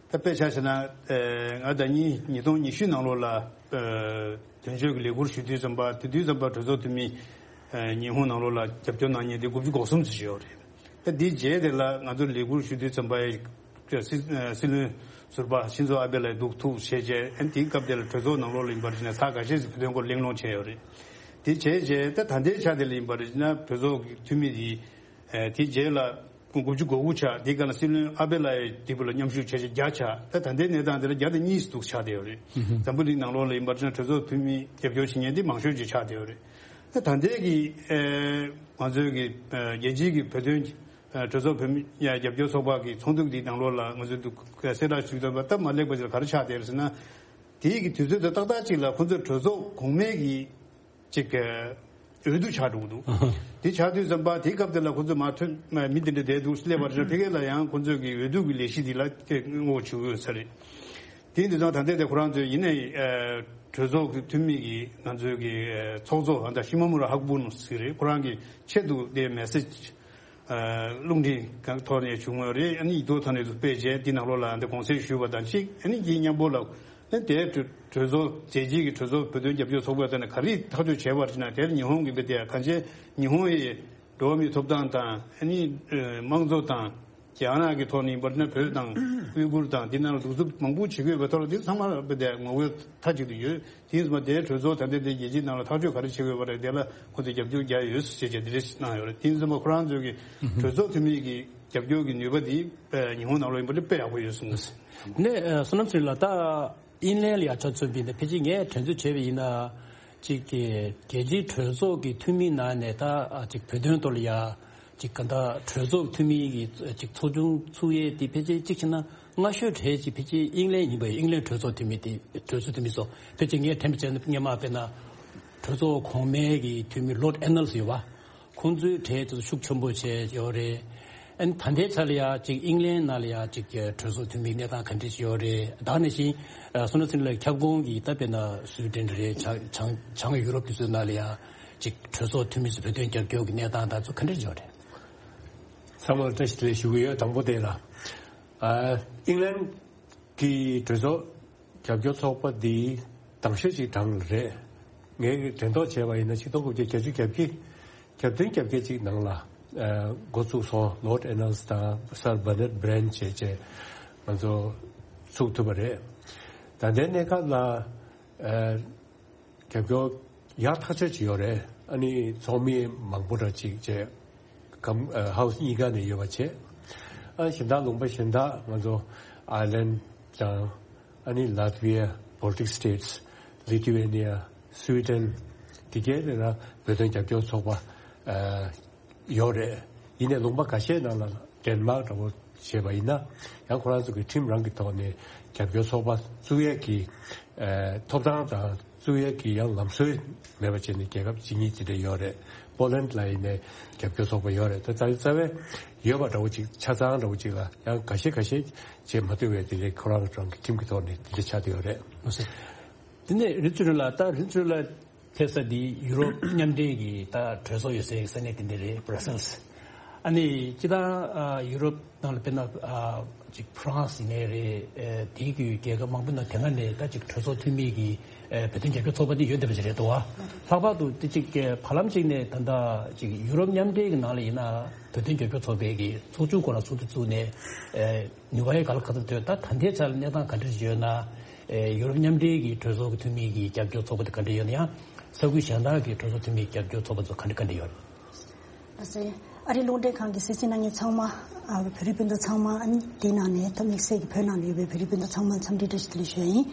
ད་དཔེ་ཆ་བཞག་ན་ཨེ་ང་ཟླ་ཉིན་ཉིས་སྟོང་ཉི་ཤུ་ནང་ལོགས་ལ་ཨེ་དོན་གཅོད་ཀྱི་ལས་ཁུར་ཞུ་དུས་ཙམ་པ། དེ་དུས་ཙམ་པ་གྲོས་ཚོགས་འཐུས་མི་ཨེ་ཉི་ཧོང་ནང་ལོགས་ལ་རྒྱབ་སྐྱོར་གནང་མཁན་དེ་དགུ་བཅུ་གོ་གསུམ་ཙམ་ཞིག་ཡོད་རེད། ད་དེའི་རྗེས་དེ་ལ་ང་ཚོ་ལས་ཁུར་ཞུ་དུས་ཙམ་པ་ཨེ་སྲིད་ཨེ་སྲིད་བློན་ཟུར་པ་ཤིན་ཛོ་ཨ་བྷེ་ལགས་འདུག་ཐུག་བྱས་རྗེས། ཨ་ནི་དེའི་སྐབས་དེ་ལ་གྲོས་ཚོགས་ནང་ལོགས་ལ་ཡིན་པར་བྱས་ན་ཚར་ཁ་ཤས་ཤིག་བོད་དོན་སྐོར་གླེང་སློང་བྱས་ཡོད་རེད། དེ་བྱས་རྗེས་ད་ད་ལྟའི་ཆ་དེ་ལ་ཡིན་པར་བྱས་ན་གྲོས་ཚོགས་ཀྱི་འཐུས་མི་དེ་ཨེ་དེའི་རྗེས་ལ་དགུ་བཅུ་གོ་དགུ་ཆགས། དེའི་སྐབས་ལ་སྲིད་བློན་ཨ་བྷེ་ལགས་ཡི་དེ་བུ་ལ་མཉམ་ཞུགས་བྱས་རྗེས་བརྒྱ་ཆགས། ད་ད་ལྟའི་གནས་སྟངས་དེ་ལ་བརྒྱ་དང་གཉིས་འདུག་ཆགས་བསྡད་ཡོད་རེད། འཛམ་བུ་གླིང་ནང་ལོགས་ལ་ཡིན་པར་བྱས་ན་གྲོས་ཚོགས་འཐུས་མི་རྒྱབ་སྐྱོར་བྱེད་མཁན་དེ་མང་ཤོས་ཅིག་ཆགས་བསྡད་ཡོད་རེད། ད་ད་ལྟའི་གི་ཨེ་ང་ཚོའི་གི་ཨེ་རྒྱལ་སྤྱིའི་གི་བོད་དོན་ཨེ་གྲོས་ཚོགས་བོད་མི་ཡ་རྒྱབ་སྐྱོར་ཚོགས་པ་གི་ཚོགས་འདུ་འདི་ནང་ལོགས་ལ་ང་ཚོས་འདུག་གསལ་བསྒྲགས་ཞུས་དོན་པ་སྟབས་མ་ལེགས་པ་ཅིག་ལ་ག་རེ་ཆགས་བསྡད་ཡོད་ཟེར་ན། དེའི་གི་དུས་ཚོད་དང་ཏག་ཏག་ཅིག་ལ་ཁོ་ཚོས་གྲོས་ཚོགས་གོང་མའི་གི་ཅིག་ཨེ་འོས་བསྡུ་ཆགས་འགྲོ་གི་འདུག་དེ་ཆགས་དུས་ཙམ་པ་དེའི་སྐབས་དེ་ལ་ཁོ་ཚོས་མ་ཐོན་མ་མི་དེ་འདྲ་བསྡད་འདུག་སླེབས་པ་རེད། ཕ་གི་ལ་ཡང་ཁོ་ཚོས་གི་འོས་བསྡུ་གི་ལས་གཞི་འདི་ལ་སྐད་ངོ་བྱུང་ཡོད་ས་རེད། དེ་འདི་ཚོ་ད་ལྟའི་དེ་ཁོ་རང་ཚོས་ཡིན་ནའི་ཨེ་གྲོས་ཚོགས་ཀྱི་འཐུས་མི་གིས་ང་ཚོའི་གི་ཨེ་ཚོགས་གཙོ་ཨ་ད་ཤི་མ་མུ་ར་ཧག་བུ་ནོ་ཟེར་རེད། ཁོ་རང་གི་ཆེད་དུ་དེ་མེ་སེ་ཇི་ཨ་རླུང་འཕྲིན་ཁང་ཐོག་ནས་བྱུང་བ་རེད། ཨ་ནི་ཡིག་ཐོག་ཐོག་ནས་སྤེལ་བྱས་དེ་ནང་ལོགས་ལ་འདི་དགོངས་སེལ་ཞུས་པ་དང་གཅིག་ཨ་ནི་དེའི་མཉམ་པོ་ལ་ཨ་ནི་དེའི་གྲོས་གྲོས་ཚོགས་རྒྱལ་སྤྱིའི་གི་གྲོས་ཚོགས་བོད་དོན་རྒྱབ་སྐྱོར་ཚོགས་པའི་ཐོག་ནས་ག་རེ་ཐག་གཅོད་བྱས་པ་རེད་ན། དེར་ཉི་ཧོང་གི་མི་དེ་གང་ཅི་ཉི་ཧོང་ཡི་འགྲོ་བ་མིའི་ཐོབ་ཐང་དང་ཨ་ནི་ཨ་དམངས་གཙོ་དང་རྒྱ་ནག་གི་ཐོག་ནས་ཡིན་པར་ན་བོད་དང་ཨུ་ཀུར་དང་འདི་ནང་ལ་གདུག་རྩུབ་མང་པོ་བྱེད་དགོས་པའི་ཐོག་ལ་དེ་ཚང་མ་དཔེ་དེ་ངོ་རྒོལ་མཐའ་གཅིག་ཏུ་ཡོད། དེ་ཡིན་ཙང་དེའི་གྲོས་ཚོགས་ད་ལྟ་དེ་རྒྱལ་སྤྱིའི་ནང་ལ་ཐག་གཅོད་ག་རེ་བྱེད་དགོས་པ་རེད། དེ་ལ་ཁོང་ཚོས་རྒྱབ་སྐྱོར་རྒྱག་ཡོད་ཟེར་བྱས་དེ་འདྲ་གནང་ཡོད་རེད། དེ་ཡིན་ཙང་ཁོ་རང་ཚོའི་གི་གྲོས་ཚོགས་འཐུས་མི་གི་རྒྱབ་སྐྱོར་གི་ནུས་པ་དེ་ཉི་ཧོང་ནང་ལ་ཡིན་པ་དེ་དཔེ་ཡག་པོ་ཡོད་གསུངས་སོང་། ནས་བསོད་ནམས་ཚེ་རིང་ལགས། ད་ཨིན་ལན་ལ་ཡང་ཆ་མཚོན་པ་ཡིན་ན་ཕལ་ཆེར་ངས་དྲན་ཚོད་བྱས་པ་ཡིན་ན། ཅིག་གི་རྒྱལ་སྤྱིའི་གྲོས་ཚོགས་ཀྱི་འཐུས་མིའི་ནང་ནས་ད་ཨ་ཅིག་བོད་དོན་ཐོག་ལ་ཡ་ཅིག་ག་འདྲ་གྲོས་ཚོགས་འཐུས་མི་གི་ཅིག་ཚོགས་ཆུང་ཚུགས་ཡས་དེ་ཕལ་ཆེར་གཅིག་བྱས་ན་སྔ་ཤོས་གྲས་ཅིག་ཕལ་ཆེར་དབྱིན་ལན་ཡིན་པ་ཡིན། དབྱིན་ལན་གྲོས་ཚོགས་འཐུས་མི་དེ་གྲོས་ཚོགས་འཐུས་མི་ཚོ་ཕལ་ཆེར་ངས་དྲན་པ་བྱས་ན་སྔོན་མ་དཔེར་ན་གྲོས་ཚོགས་གོང་མའི་གི་འཐུས་མི་ལོརྡ་ཨེ་ནལ་སི་ཡོད་པ། ཁོང་ཚོའི་གྲས་དེ་ཚོ་ཤུགས་ཆེན་པོ་བྱས་ཡོད་རེད། ཨ་ནི་ད་ལྟའི་ཆ་ལ་ཡ་ཅིག་དབྱིན་ལན་ནང་ལ་ཡ་ཅིག་གྲོས་ཚོགས་འཐུས་མིའི་གནས་སྟངས་ག་འདྲ་ཞིག་ཡོད་རེད། ད་ནང་བཞིན་ཨ་བསོད་ནམས་ཚེ་རིང་ལགས་ཁྱབ་ཁོངས་ཀྱི་ད་དཔེར་ན་སུའི་ཌེན་རེད། བྱང་བྱང་བྱང་ཡུ་རོབ་དེ་ཚོའི་ནང་ལ་ཡ་ཅིག་གྲོས་ཚོགས་འཐུས་མི་ཚོ་བོད་དོན་རྒྱབ་སྐྱོར་གྱི་གནས་སྟངས་དེ་ཚོ་ག་འདྲ་ཞིག་ཡོད་རེད། ཚང་མར་བཀྲ་ཤིས་བདེ་ལེགས་ཞུ་གི་ཡོད། དང་པོ་དེ་ལ་ཨ་དབྱིན་ལན་གྱི་གྲོས་ཚོགས་རྒྱབ་སྐྱོར་ཚོགས་པ་འདི་དང་ཤོས་ཅིག་གྲངས་ལ་རེད། ངས་དྲན་ཐོག་བྱས་པ་ཡིན་ན་ཆིག་སྟོང་དགུ་བརྒྱ་བརྒྱད་ཅུ་གྱ་བརྒྱད་གྱ་བདུན་གྱ་བརྒྱད་ཅིག་ནང་ལ་ཨ་འགོ་བཙུགས་སོང་། ལོརྡ་ཨེ་ནལ་སི་དང་སར་བྷར་ནརྡ་བྷི་རེན་བྱས་བྱས་ང་ཚོ་ཚུགས་ཐུབ་པ་རེད། ད་ལྟའི་གནས་སྐབས་ལ་ཨ་རྒྱབ་སྐྱོར་ཡག་ཐག་ཆོད་ཅིག་ཡོད་རེད། ཨ་ནི་ཚོགས་མི་མང་པོ་འདྲ་ཅིག་བྱས་གམ་ཨ་ཧའུ་སི་གཉིས་ཀ་ནས་ཡོད་པ་བྱས། ཨ་གཞན་དག་ལུང་པ་གཞན་དག་ང་ཚོ་ཨའི་ལན་དང་ཨ་ནི་ལཱ་ཐི་བི་ཡ། Baltic States། Lithuania། Sweden། དེ་གའི་ལ་ལ་བོད་དོན་རྒྱབ་སྐྱོར་ཚོགས་པ་ཨ་ཡོད་རེད། ཡིན་ནའི་ལུང་པ་ཁ་ཤས་ནང་ལ་ ཌེན་མཱག་འདྲ་བོ་བྱས་པ་ཡིན་ན། ཡང་ཁོ་རང་ཚོ་གི་ཁྲིམས་རང་གི་ཐོག་ནས་རྒྱབ་སྐྱོར་ཚོགས་པ་བཙུགས་ཡས་ཀྱི་ཨ་ཐོབ་ཐང་དང་བཙུགས་ཡས་ཀྱི་ཡང་ལམ་སྲོལ་མེད་པ་བྱས་ནས་རྒྱལ་ཁབ་ཇི་སྙེད་ཅི་འདྲ་ཡོད་རེད། པོ་ལན་ལ་ཡིན་ནའི་རྒྱབ་སྐྱོར་ཚོགས་པ་ཡོད་རེད། ད་རྩ་རྩ་བའི་ཡོད་པ་འདྲ་བོ་ཅིག་ཆ་ཚང་འདྲ་བོ་ཅིག་ལ་ཡང་འགའ་ཤས་འགའ་ཤས་བྱེད་མ་ཐུབ་པའི་དེ་འདྲའི་ཁོ་རང་གི་རང་གི་ཁྲིམས་ཀྱི་ཐོག་ནས་དེ་འདྲ་ཆགས་བསྡད་ཡོད་རེད། དེ་ནས་རིན་ཚུལ་ལ་ད་རིན་ཚུལ་ལ་ཕེབས་ས་འདི་ཡུ་རོབ་མཉམ་འབྲེལ་གྱི་ད་གྲོས་ཚོགས་ཡོད་སའི་ས་གནས་དེ་འདྲ་རེད། བྷ་ར་སེལ་སི། ཨ་ནི་སྤྱིར་བཏང་ཨ་ཡུ་རོབ་ནང་ལ་དཔེར་ན་ཨ་ཅིག་ཧྥ་རན་སི་ཡིན་ནའི་རེད། ཨ་དེའི་གི་རྒྱལ་ཁབ་མང་པོའི་ནང་དེ་སྔ་ནས་ད་ཅིག་གྲོས་ཚོགས་འཐུས་མི་གི་ཨ་བོད་དོན་རྒྱབ་སྐྱོར་ཚོགས་པ་དེ་ཡོད་བསྡད་པ་ཞིག་རེད་འདུག་བ། ལྷག་པར་དུ་དེ་ཅིག་བར་ལམ་ཅིག་ནས་ད་ལྟ་ཅིག་ཡུ་རོབ་མཉམ་འབྲེལ་གྱི་ནང་ལ་ཡིན་ན་བོད་དོན་རྒྱབ་སྐྱོར་ཚོགས་པའི་གི་ཚོགས་ཆུང་སྐོར་ལ་ཚོགས་འདུ་བཙུགས་ནས་ཨ་ནུས་པ་ཡོད་ག་ལ་ག་ཚོད་འདོད། ད་ད་ལྟའི་ཆར་གནས་སྟངས་ག་འདྲ་ཞིག་ཡོད་ན། ཨེ་ཡུ་རོབ་མཉམ་འབྲེལ་གྱི་གྲོས་ཚོགས་ཀྱི་འཐུས་མི་གི་རྒྱབ་སྐྱོར་ཚོགས་པ་དེ་ག་འདྲ་ཡོད་ན། ཡང་ས་ཁུལ་གཞན་དག་གི་གྲོས་ཚོགས་འཐུས་མི་རྒྱབ་སྐྱོར་ཚོགས་པ་ཚོ་ག་འདྲ་ག་འདྲ་ཡོད། ཨ་ཟེ། ཨ་རིའི་རླུང་འཕྲིན་ཁང་གི་གསན་གཟིགས་གནང་མཁན་ཚང་མ། ཨ་བོད་རིགས་སྤུན་ཟླ་ཚང་མ། ཨ་ནི་དེའི་ནང་ནས་ད་དམིགས་བསལ་གྱི་བོད་ནང་ལ་ཡོད་པའི་བོད་རིགས་སྤུན་ཟླ་ཚང་མ་འཚམས་འདྲི་བཀྲ་ཤིས་བདེ་ལེགས་ཞུ་ཡ་ཡིན།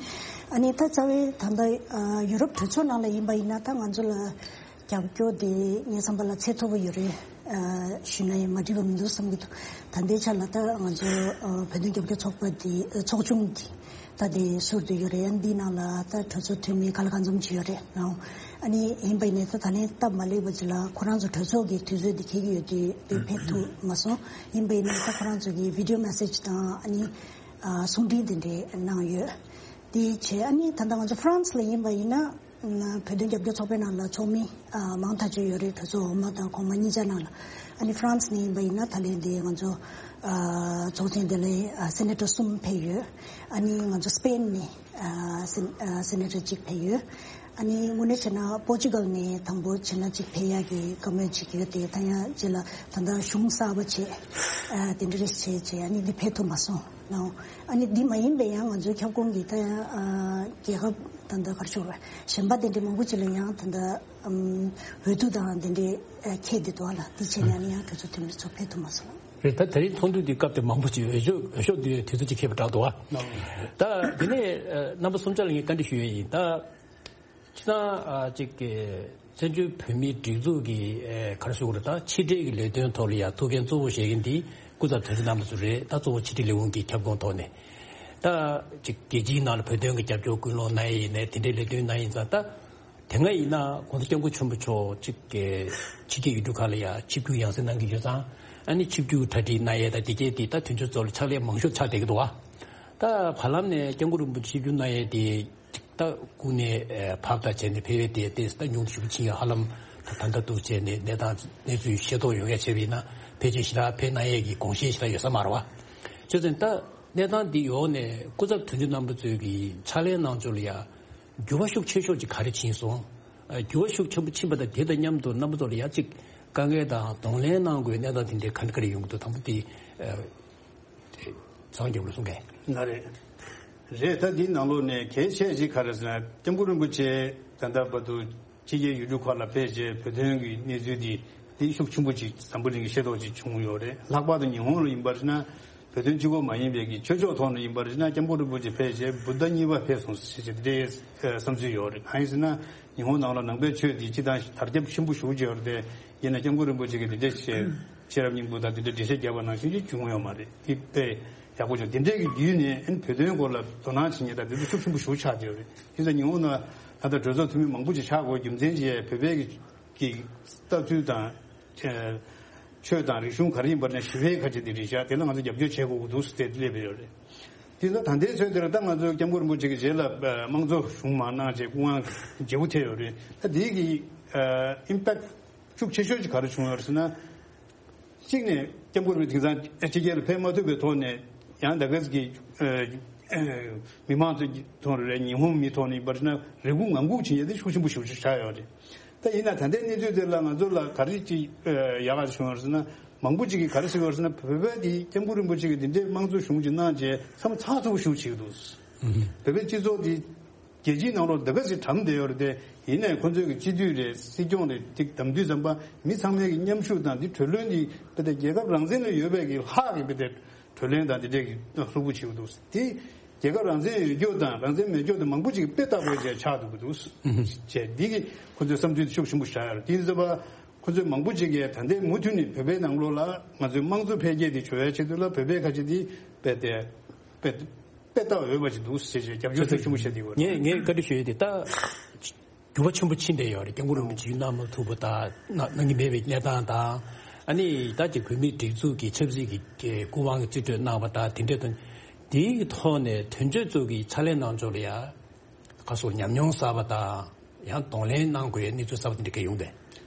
ཨ་ནི་ད་རྩ་བའི་ད་ལྟ་ཨ་ཡུ་རོབ་གྲོས་ཚོགས་ནང་ལ་ཡིན་པ་ཡིན་ན། ད་ང་ཚོ་ལ་རྒྱབ་སྐྱོར་དེ་ངའི་བསམ་པ་ལ་ཚད་མཐོ་པོ་ཡོད་རེད། ཨ་ཞུས་ན་ཡང་མ་འགྲིག་པ་མི་འདུག་བསམ་གྱི་འདུག་ད་ལྟའི་ཆ་ལ་ད་ང་ཚོ་ཨ་བོད་དོན་རྒྱབ་སྐྱོར་ཚོགས་པ་དེ་ཨ་ཚོགས་ཆུང་དེ་ད་དེ་ཟུར་དུ་ཡོད་རེད། ཨ་འདིའི་ནང་ལ་ད་གྲོས་ཚོགས་འཐུས་མི་ག་ལ་གང་འཛོམས་ཅིག་ཡོད་རེད་ནའོ། ཨ་ནི་ཡིན་པ་ཡིན་ནའི་ད་ད་ལན་སྟབས་མ་ལེགས་པ་ཅིག་ལ་ཁོ་རང་ཚོ་གྲོས་ཚོགས་ཀྱི་དུས་ཚོད་དེ་འཁེལ་གྱི་ཡོད་དུས་དེ་ཕེབས་ཐུབ་མ་སོང་། ཡིན་པ་ཡིན་ནའི་ད་ཁོ་རང་ཚོ་གི་བི་ཌི་ཡོ་མེ་སེ་ཇི་དང་ཨ་ནི་ཨ་གསུང་འཕྲིན་དེ་འདྲ་གནང་ཡོད། དེ་བྱས་ཨ་ནི་ད་ལྟ་ང་ཚོ་ཧྥ་རན་སི་ལ་ཡིན་པ་ཡིན་ན། ཨ་བོད་དོན་རྒྱབ་སྐྱོར་ཚོགས་པའི་ནང་ལ་ཚོགས་མི་ཨ་མང་ཐག་ཆོད་ཡོད་རེད། གྲོས་ཚོགས་འོག་མ་དང་གོང་མ་གཉིས་ཆ་ནང་ལ། ཨ་ནི་ཧྥ་རན་སི་ནས་ཡིན་པ་ཡིན་ན་ད་ལན་དེ་ང་ཚོ་ཨ་ཚོགས་ཆེན་དེ་ལ་ཨ་སེ་ནེ་ཊར་གསུམ་ཕེབས་ཡོད། ཨ་ནི་ང་ཚོ་སི་པེན་ནས་ཨ་སེ་ཨ་སེ་ནེ་ཊར་གཅིག་ཕེབས་ཡོད། ཨ་ནི་དངོས་གནས་བྱས་ན་པོར་ཅུ་གལ་ནས་དང་པོ་བྱས་ན་གཅིག་ཕེབས་ཡག་གི་བཀའ་མོལ་བྱེད་ཀྱི་ཡོད་དེ། ད་ཡང་རྗེས་ལ་ད་ལྟ་གཞུང་གསར་པ་བྱས་ཨ་དེ་འདྲ་རེ་བྱས་བྱས་ཨ་ནི་འདི་ཕེབས་ཐུབ་མ་སོང་ནའོ། ཨ་ནི་འདི་མ་ཡིན་པའི་ཡང་ང་ཚོའི་ཁྱབ་ཁོངས་ཀྱི་ད་ཡང་ཨ་རྒྱལ་ཁབ་ད་ལྟ་ག་རེ་ཞུ་དགོས་རེད། གཞན་པ་དེ་འདྲ་མང་པོ་ཅིག་ལ་ཡང་ད་ལྟ་ཨམ་འོས་བསྡུ་དང་དེ་འདྲའི་ཨ་འཁེལ་བསྡད་འདུག་ཨ་ལ། དེ་བྱས་ནས་ཨ་ནི་ཡང་གྲོས་ཚོགས་འཐུས་མི་ཚོ་ཕེབས་ཐུབ་མ་སོང་། རེད། ད་དེ་རིང་ཚོགས་འདུ་འདི་སྐབས་དེ་མང་པོ་ཅིག་འོས་ཤོག་འོས་ཤོག་འདི་དུས་ཚོད་ཅིག་འཁེལ་བ་འདྲ་འདུག་ཨ། ད་དེ་ནས་ཨ་རྣམ་པ་གསུམ་ཆ་ལ་ངས་བཀའ་འདྲི་ཞུ་ཡས་ཡིན། ད་སྤྱིར་བཏང་ཨ་ཅིག་གི་བཙན་བྱོལ་བོད་མིའི་སྒྲིག་འཛུགས་ཀྱི་ཨ་ག་རེ་ཞུ་དགོས་རེད། ད་ཕྱི་འབྲེལ་གྱི་ལས་དོན་ཐོག་ལ་ཡ་ཐུགས་འགན་གཙོ་བོ་བཞེས་མཁན་འདི་སྐུ་ཚབ་དོན་གཅོད་རྣམ་པ་ཚོ་རེད། ད་གཙོ་བོ་ཕྱི་འབྲེལ་ལས་ཁུངས་ཀྱི་ཁྱབ་ཁོངས་ཐོག་ནས་ད་ཅིག་རྒྱལ་སྤྱིའི་ནང་ལ་བོད་དོན་གྱི་རྒྱབ་སྐྱོར་སྐུལ་སློང་གནང་ཡས་ཡིན་ནའི་དེ་འདྲའི་ལས་དོན་གནང་ཡིན་ཙང་། ད་དེ་སྔ་ཡིན་ན་༸གོང་ས་༸སྐྱབས་མགོན་ཆེན་པོ་མཆོག་ཅིག་གི་ཕྱི་རྒྱལ་ཡུལ་གྲུ་ཁག་ལ་ཡ་ཆིབས་བསྒྱུར་ཡང་སེ་གནང་གི་ཡོད་ཙང་། ཨ་ནི་ཆིབས་བསྒྱུར་གྲ་སྒྲིག་གནང་ཡས་དང་དེ་གས་དེ་ད་དུས་ཚོད་ཚོ་ལ་ཕྱག་ལས་མང་ཤོས་ཆགས་བསྡད་ཀྱི་འདུག་བ། ད་བར་ལམ་ནས་༸སྐྱབས་མགོན་རིན་པོ་ཆེ་ཆིབས་བསྒྱུར་གནང་ཡས་དེ་ད་སྐུ་ནས་ཨེ་བབས་དང་བྱས་ནས་ཕེབས་པའི་དེ་དེ་ད་ཉུང་དུ་ཞུ་ཕྱིན་ཡ་ཧ་ལམ་ད་ད་ལྟ་འདུག་བྱས་ནས་གནས་སྟངས་གནས་ཚུལ་ཤེས་རྟོགས་ཡོང་ཡ་བྱས་པ་ཡིན་ན་ཕལ་ཆེར་ཞེ་དྲག་ཕེབས་གནང་ཡས་ཀྱི་དགོངས་བཞེས་ཞེ་དྲག་ཡོད་ས་མ་རེད་བ། བྱས་ཙང་ད་གནས་སྟངས་འདི་འོག་ནས་སྐུ་ཚབ་དོན་གཅོད་རྣམ་པ་ཚོས་ཀྱི་ཕྱག་ལས་གནང་ཕྱོགས་ལ་ཡ་འགྱུར་བ་ཤུགས་ཆེ་ཤོས་ཅིག་ག་རེ་ཕྱིན་སོང་། ཨ་འགྱུར་བ་ཤུགས་ཆེན་པོ་ཕྱིན་པ་དང་དེ་དང་མཉམ་དུ་རྣམ་པ་ཚོ་ལ་ཡ་གཅིག་དཀའ་ངལ་དང་གདོང་ལེན་གནང་དགོས་གནས་སྟངས་དེ་འདྲའི་ག་འདྲ་ག་རེ་ཡོང་གི་འདུག་དང་པོ་དེ་ཨ་ཚང་རྒྱབ་ལ་གསུང་གས། ན་རེད། རེད། ད་འདིའི་ནང་ལོགས་ནས་གལ་ཆེ་ཞིག་ག་རེ་ཟེར་ན་༸སྐྱབས་མགོན་རིན་པོ་ཆེ་ད་ལྟ་བར་དུ་ཕྱི་རྒྱལ་ཡུལ་གྲུ་ཁག་ལ་ཕེབས་རྗེས་བོད་དོན་གྱི་གནས་ཚུལ་འདི་འདི་ཤུགས་ཆེན་པོ་ཅིག་འཛམ་བུ་གླིང་གི་ཤེས་རྟོགས་ཅིག་བྱུང་ཡོད་རེད། ལྷག་པར་དུ་ཉི་ཧོང་ལ་ཡིན་པར་ན། བོད་དོན་གཅིག་པོ་མ་ཡིན་པའི་གི་ཆོས་ཕྱོགས་ཐོག་ནས་ཡིན་པར་ན་༸སྐྱབས་མགོན་རིན་པོ་ཆེ་ཕེབས་རྗེས་བུདྡྷ་གཉིས་པ་ཕེབས་སོང་ཞེས་བྱས་དེ་འདྲའི་བསམ་ཚུལ་ཡོད་རེད། གང་ཡིན་ཟེར་ན་ཉི་ཧོང་ནང་ལ་ནང་པའི་ཆོས་འདི་སྤྱི་དང་དར་ཁྱབ་ཆེན་པོ་ཞེ་པོ་ཅིག་ཡོད་རེད་དེ། ཡིན་ན་༸སྐྱབས་མགོན་རིན་པོ་ཆེ་གིས་འདི་འདྲ་བྱས་ཤེས་རབ་སྙིང་པོ་དང་འདི་འདྲ་འགྲེལ་བཤད་བརྒྱབ་པ་ནང་བཞིན་ཅིག་བྱུང་ཡོད་མ་རེད། འདི་དཔེ་ཡག་པོ་བྱུང་། འདི་འདྲའི་གི་བརྒྱུད་ནས་ཨན་བོད་དོན་སྐོར་ལ་དོ་སྣང་བྱེད་མཁན་དང་འདི་ཚོ་ཤུགས་ཆེན་པོ་ཞེ་པོ་ཆགས་བསྡད་ཡོད་རེད། དེ་ཚོ་ཉི་ཧོང་ནང་ད་ལྟ་གྲོས་ཚོགས་འཐུས་མི་མང་པོ་ཅིག་ཆགས་དགོས་རྒྱུ་མཚན་ཅིག་བོད་པའི་གི་གི་ལྟ་ཚུལ་དང་། ཨ་ཆོས་དང་རིག་གཞུང་ག་རེ་ཡིན་པར་ན་ཞི་བའི་ཁ་ཆེ་དེ་རེད་ཤག་དེ་ལ་ང་ཚོ་རྒྱབ་སྐྱོར་བྱེད་དགོས་ཀྱི་འདུག་ཟེར་ཏེ་སླེབས་ཡོད་རེད། དེ་ལ་ད་ལྟའི་ཚོད་དེར་ད་ང་ཚོ་༸སྐྱབས་མགོན་རིན་པོ་ཆེ་གི་རྗེས་ལ་དམངས་གཙོ་གཞུང་མ་གནང་བྱས་སྐུ་དབང་བརྗེ་པོ་ཐེབས་ཡོད་རེད། ད་དེའི་གི་ཨ་ཨིམ་པེག་ཤུགས་ཆེ་ཤོས་ཅིག་ག་རེ་བྱུང་ཡོད་རེད་ཟེར་ན། གཅིག་ནས་༸སྐྱབས་མགོན་རིན་པོ་ཆེ་དེང་སང་ཕྱི་རྒྱལ་ལ་ཕེབས་མ་ཐུབ་པའི་ཐོག་ནས་ཡང་ད་ག་ཟེ་གི་ཨ་ཨ་མི་མང་ཚོའི་ཐོག་ནས་རེད། ཉི་ཧོང་མི་ཐོག་ནས་ཡིན་པར་ན་རེ་སྒུག་ངང་སྒུག་བྱེད་ཡས་དེ་ཤུགས་ཆེན་པོ་ཞེ་པོ་ཅིག་ཆགས་ཡོད་རེད། ད་ཡིན་ན་ད་ལྟའི་གནས་ཚུལ་དེ་ལ་ང་ཚོ་ལ་ག་རེ་ཅིག་ཨ་ཡག་ག་བྱུང་ཡོད་རེད་ཟེར་ན། མང་པོ་ཅིག་གིས་ག་རེ་ཟེར་ཡོད་རེད་ཟེར་ན་བོད་པ་དེ་༸སྐྱབས་མགོན་རིན་པོ་ཆེ་གིས་འདི་འདྲའི་དམངས་གཙོ་གཞུང་ཅིག་གནང་རྗེས་ཚང་མ་ཚགས་ཚུད་པོ་ཞེ་པོ་བྱེད་ཀྱི་འདུག་བོད་པའི་སྤྱི་ཚོགས་དེ་རྒྱལ་སྤྱིའི་ནང་ལོགས་འདི་ག་ཞིག་གྲམ་བསྡད་ཡོད་རེད་དེ། ཡིན་ནའི་ཁོ་ཚོའི་གི་སྤྱི་འཐུས་རེད། སྲིད་སྐྱོང་རེད། དེ་གདམ་དུས་ཙམ་པ་མི་ཚང་མའི་གི་མཉམ་ཞུགས་དང་དེ་གྲོས་བློན་དེ་བོད་དེ་རྒྱལ་ཁབ་རང་བཙན་ལ་ཡོད་པའི་གི་ལྷག་གི་བོད་དེ་གྲོས་གླེང་དང་དེ་འདྲས་ཀྱི་ལྷུག་པོ་བྱེད་ཀྱི་འདུག་དེ་རྒྱལ་ཁབ་རང་བཙན་ཡོད་རྒྱུ་དང་རང་བཙན་མེད་རྒྱུ་དེ་མང་པོ་ཅིག་དཔེ་ལྟ་དགོས་བྱས་ཆགས་འདུག་གི་འདུག་ཨུ་ཧུ། བྱས་འདི་གི་ཁོ་ཚོའི་བསམ་ཚུལ་དེ་ཤུགས་ཆེན་པོ་བཞག་ཡོད་རེད། དེ་ཡིན་ཙམ་པ་ ཁོ་ཚོས་མང་པོ་ཅིག་གིས་ད་ལྟའི་མུ་མཐུད་ནས་བོད་པའི་ནང་ལོགས་ལ་ང་ཚོའི་དམངས་གཙོ་འཕེལ་རྒྱས་དེ་བྱུང་བའི་ཆེད་དུ་ལ་བོད་པའི་ཁ་ཆེ་དེ་དཔེ་དེ་དཔེ་དཔེ་ལྟ་འོས་པ་ཅིག་འདུག་ཟེར་བྱས་རྒྱབ་སྐྱོར་ཚབས་ཆེན་པོ་བྱས་དེ་ཡོད་རེད། ངས་ངས་བཀའ་འདྲི་ཞུ་ཡས་དེ་ད་འགྱུར་བ་ཆེན་པོ་ཕྱིན་བསྡད་ཡོད་རེད། སྐྱབས་མགོན་རིན་པོ་ཆེ་ཡུལ་གནང་མ་ཐུབ་པ་དང་གནང་གནང་གི་མེད་པའི་གནས་སྟངས་དང་། ཨ་ནི་ད་ཅིག་བོད་མིའི་སྒྲིག་འཛུགས་ཀྱི་ཆབ་སྲིད་ཀྱི་སྐུ་དབང་གི་རྩིས་སྤྲོད་གནང་བ་དང་དེ་འདྲའི་དོན་དེའི་ཐོག་ནས་དོན་གཅོད་ཚོ་གི་ཕྱག་ལས་གནང་ཕྱོགས་ལ་ཡ། ཁ་སོགས་ཉམས་མྱོང་གསར་པ་དང་ཡང་གདོང་ལེན་གནང་དགོས་གནས་ཚུལ་གསར་པ་དེ་འདྲ་ག་ཡོང་པས།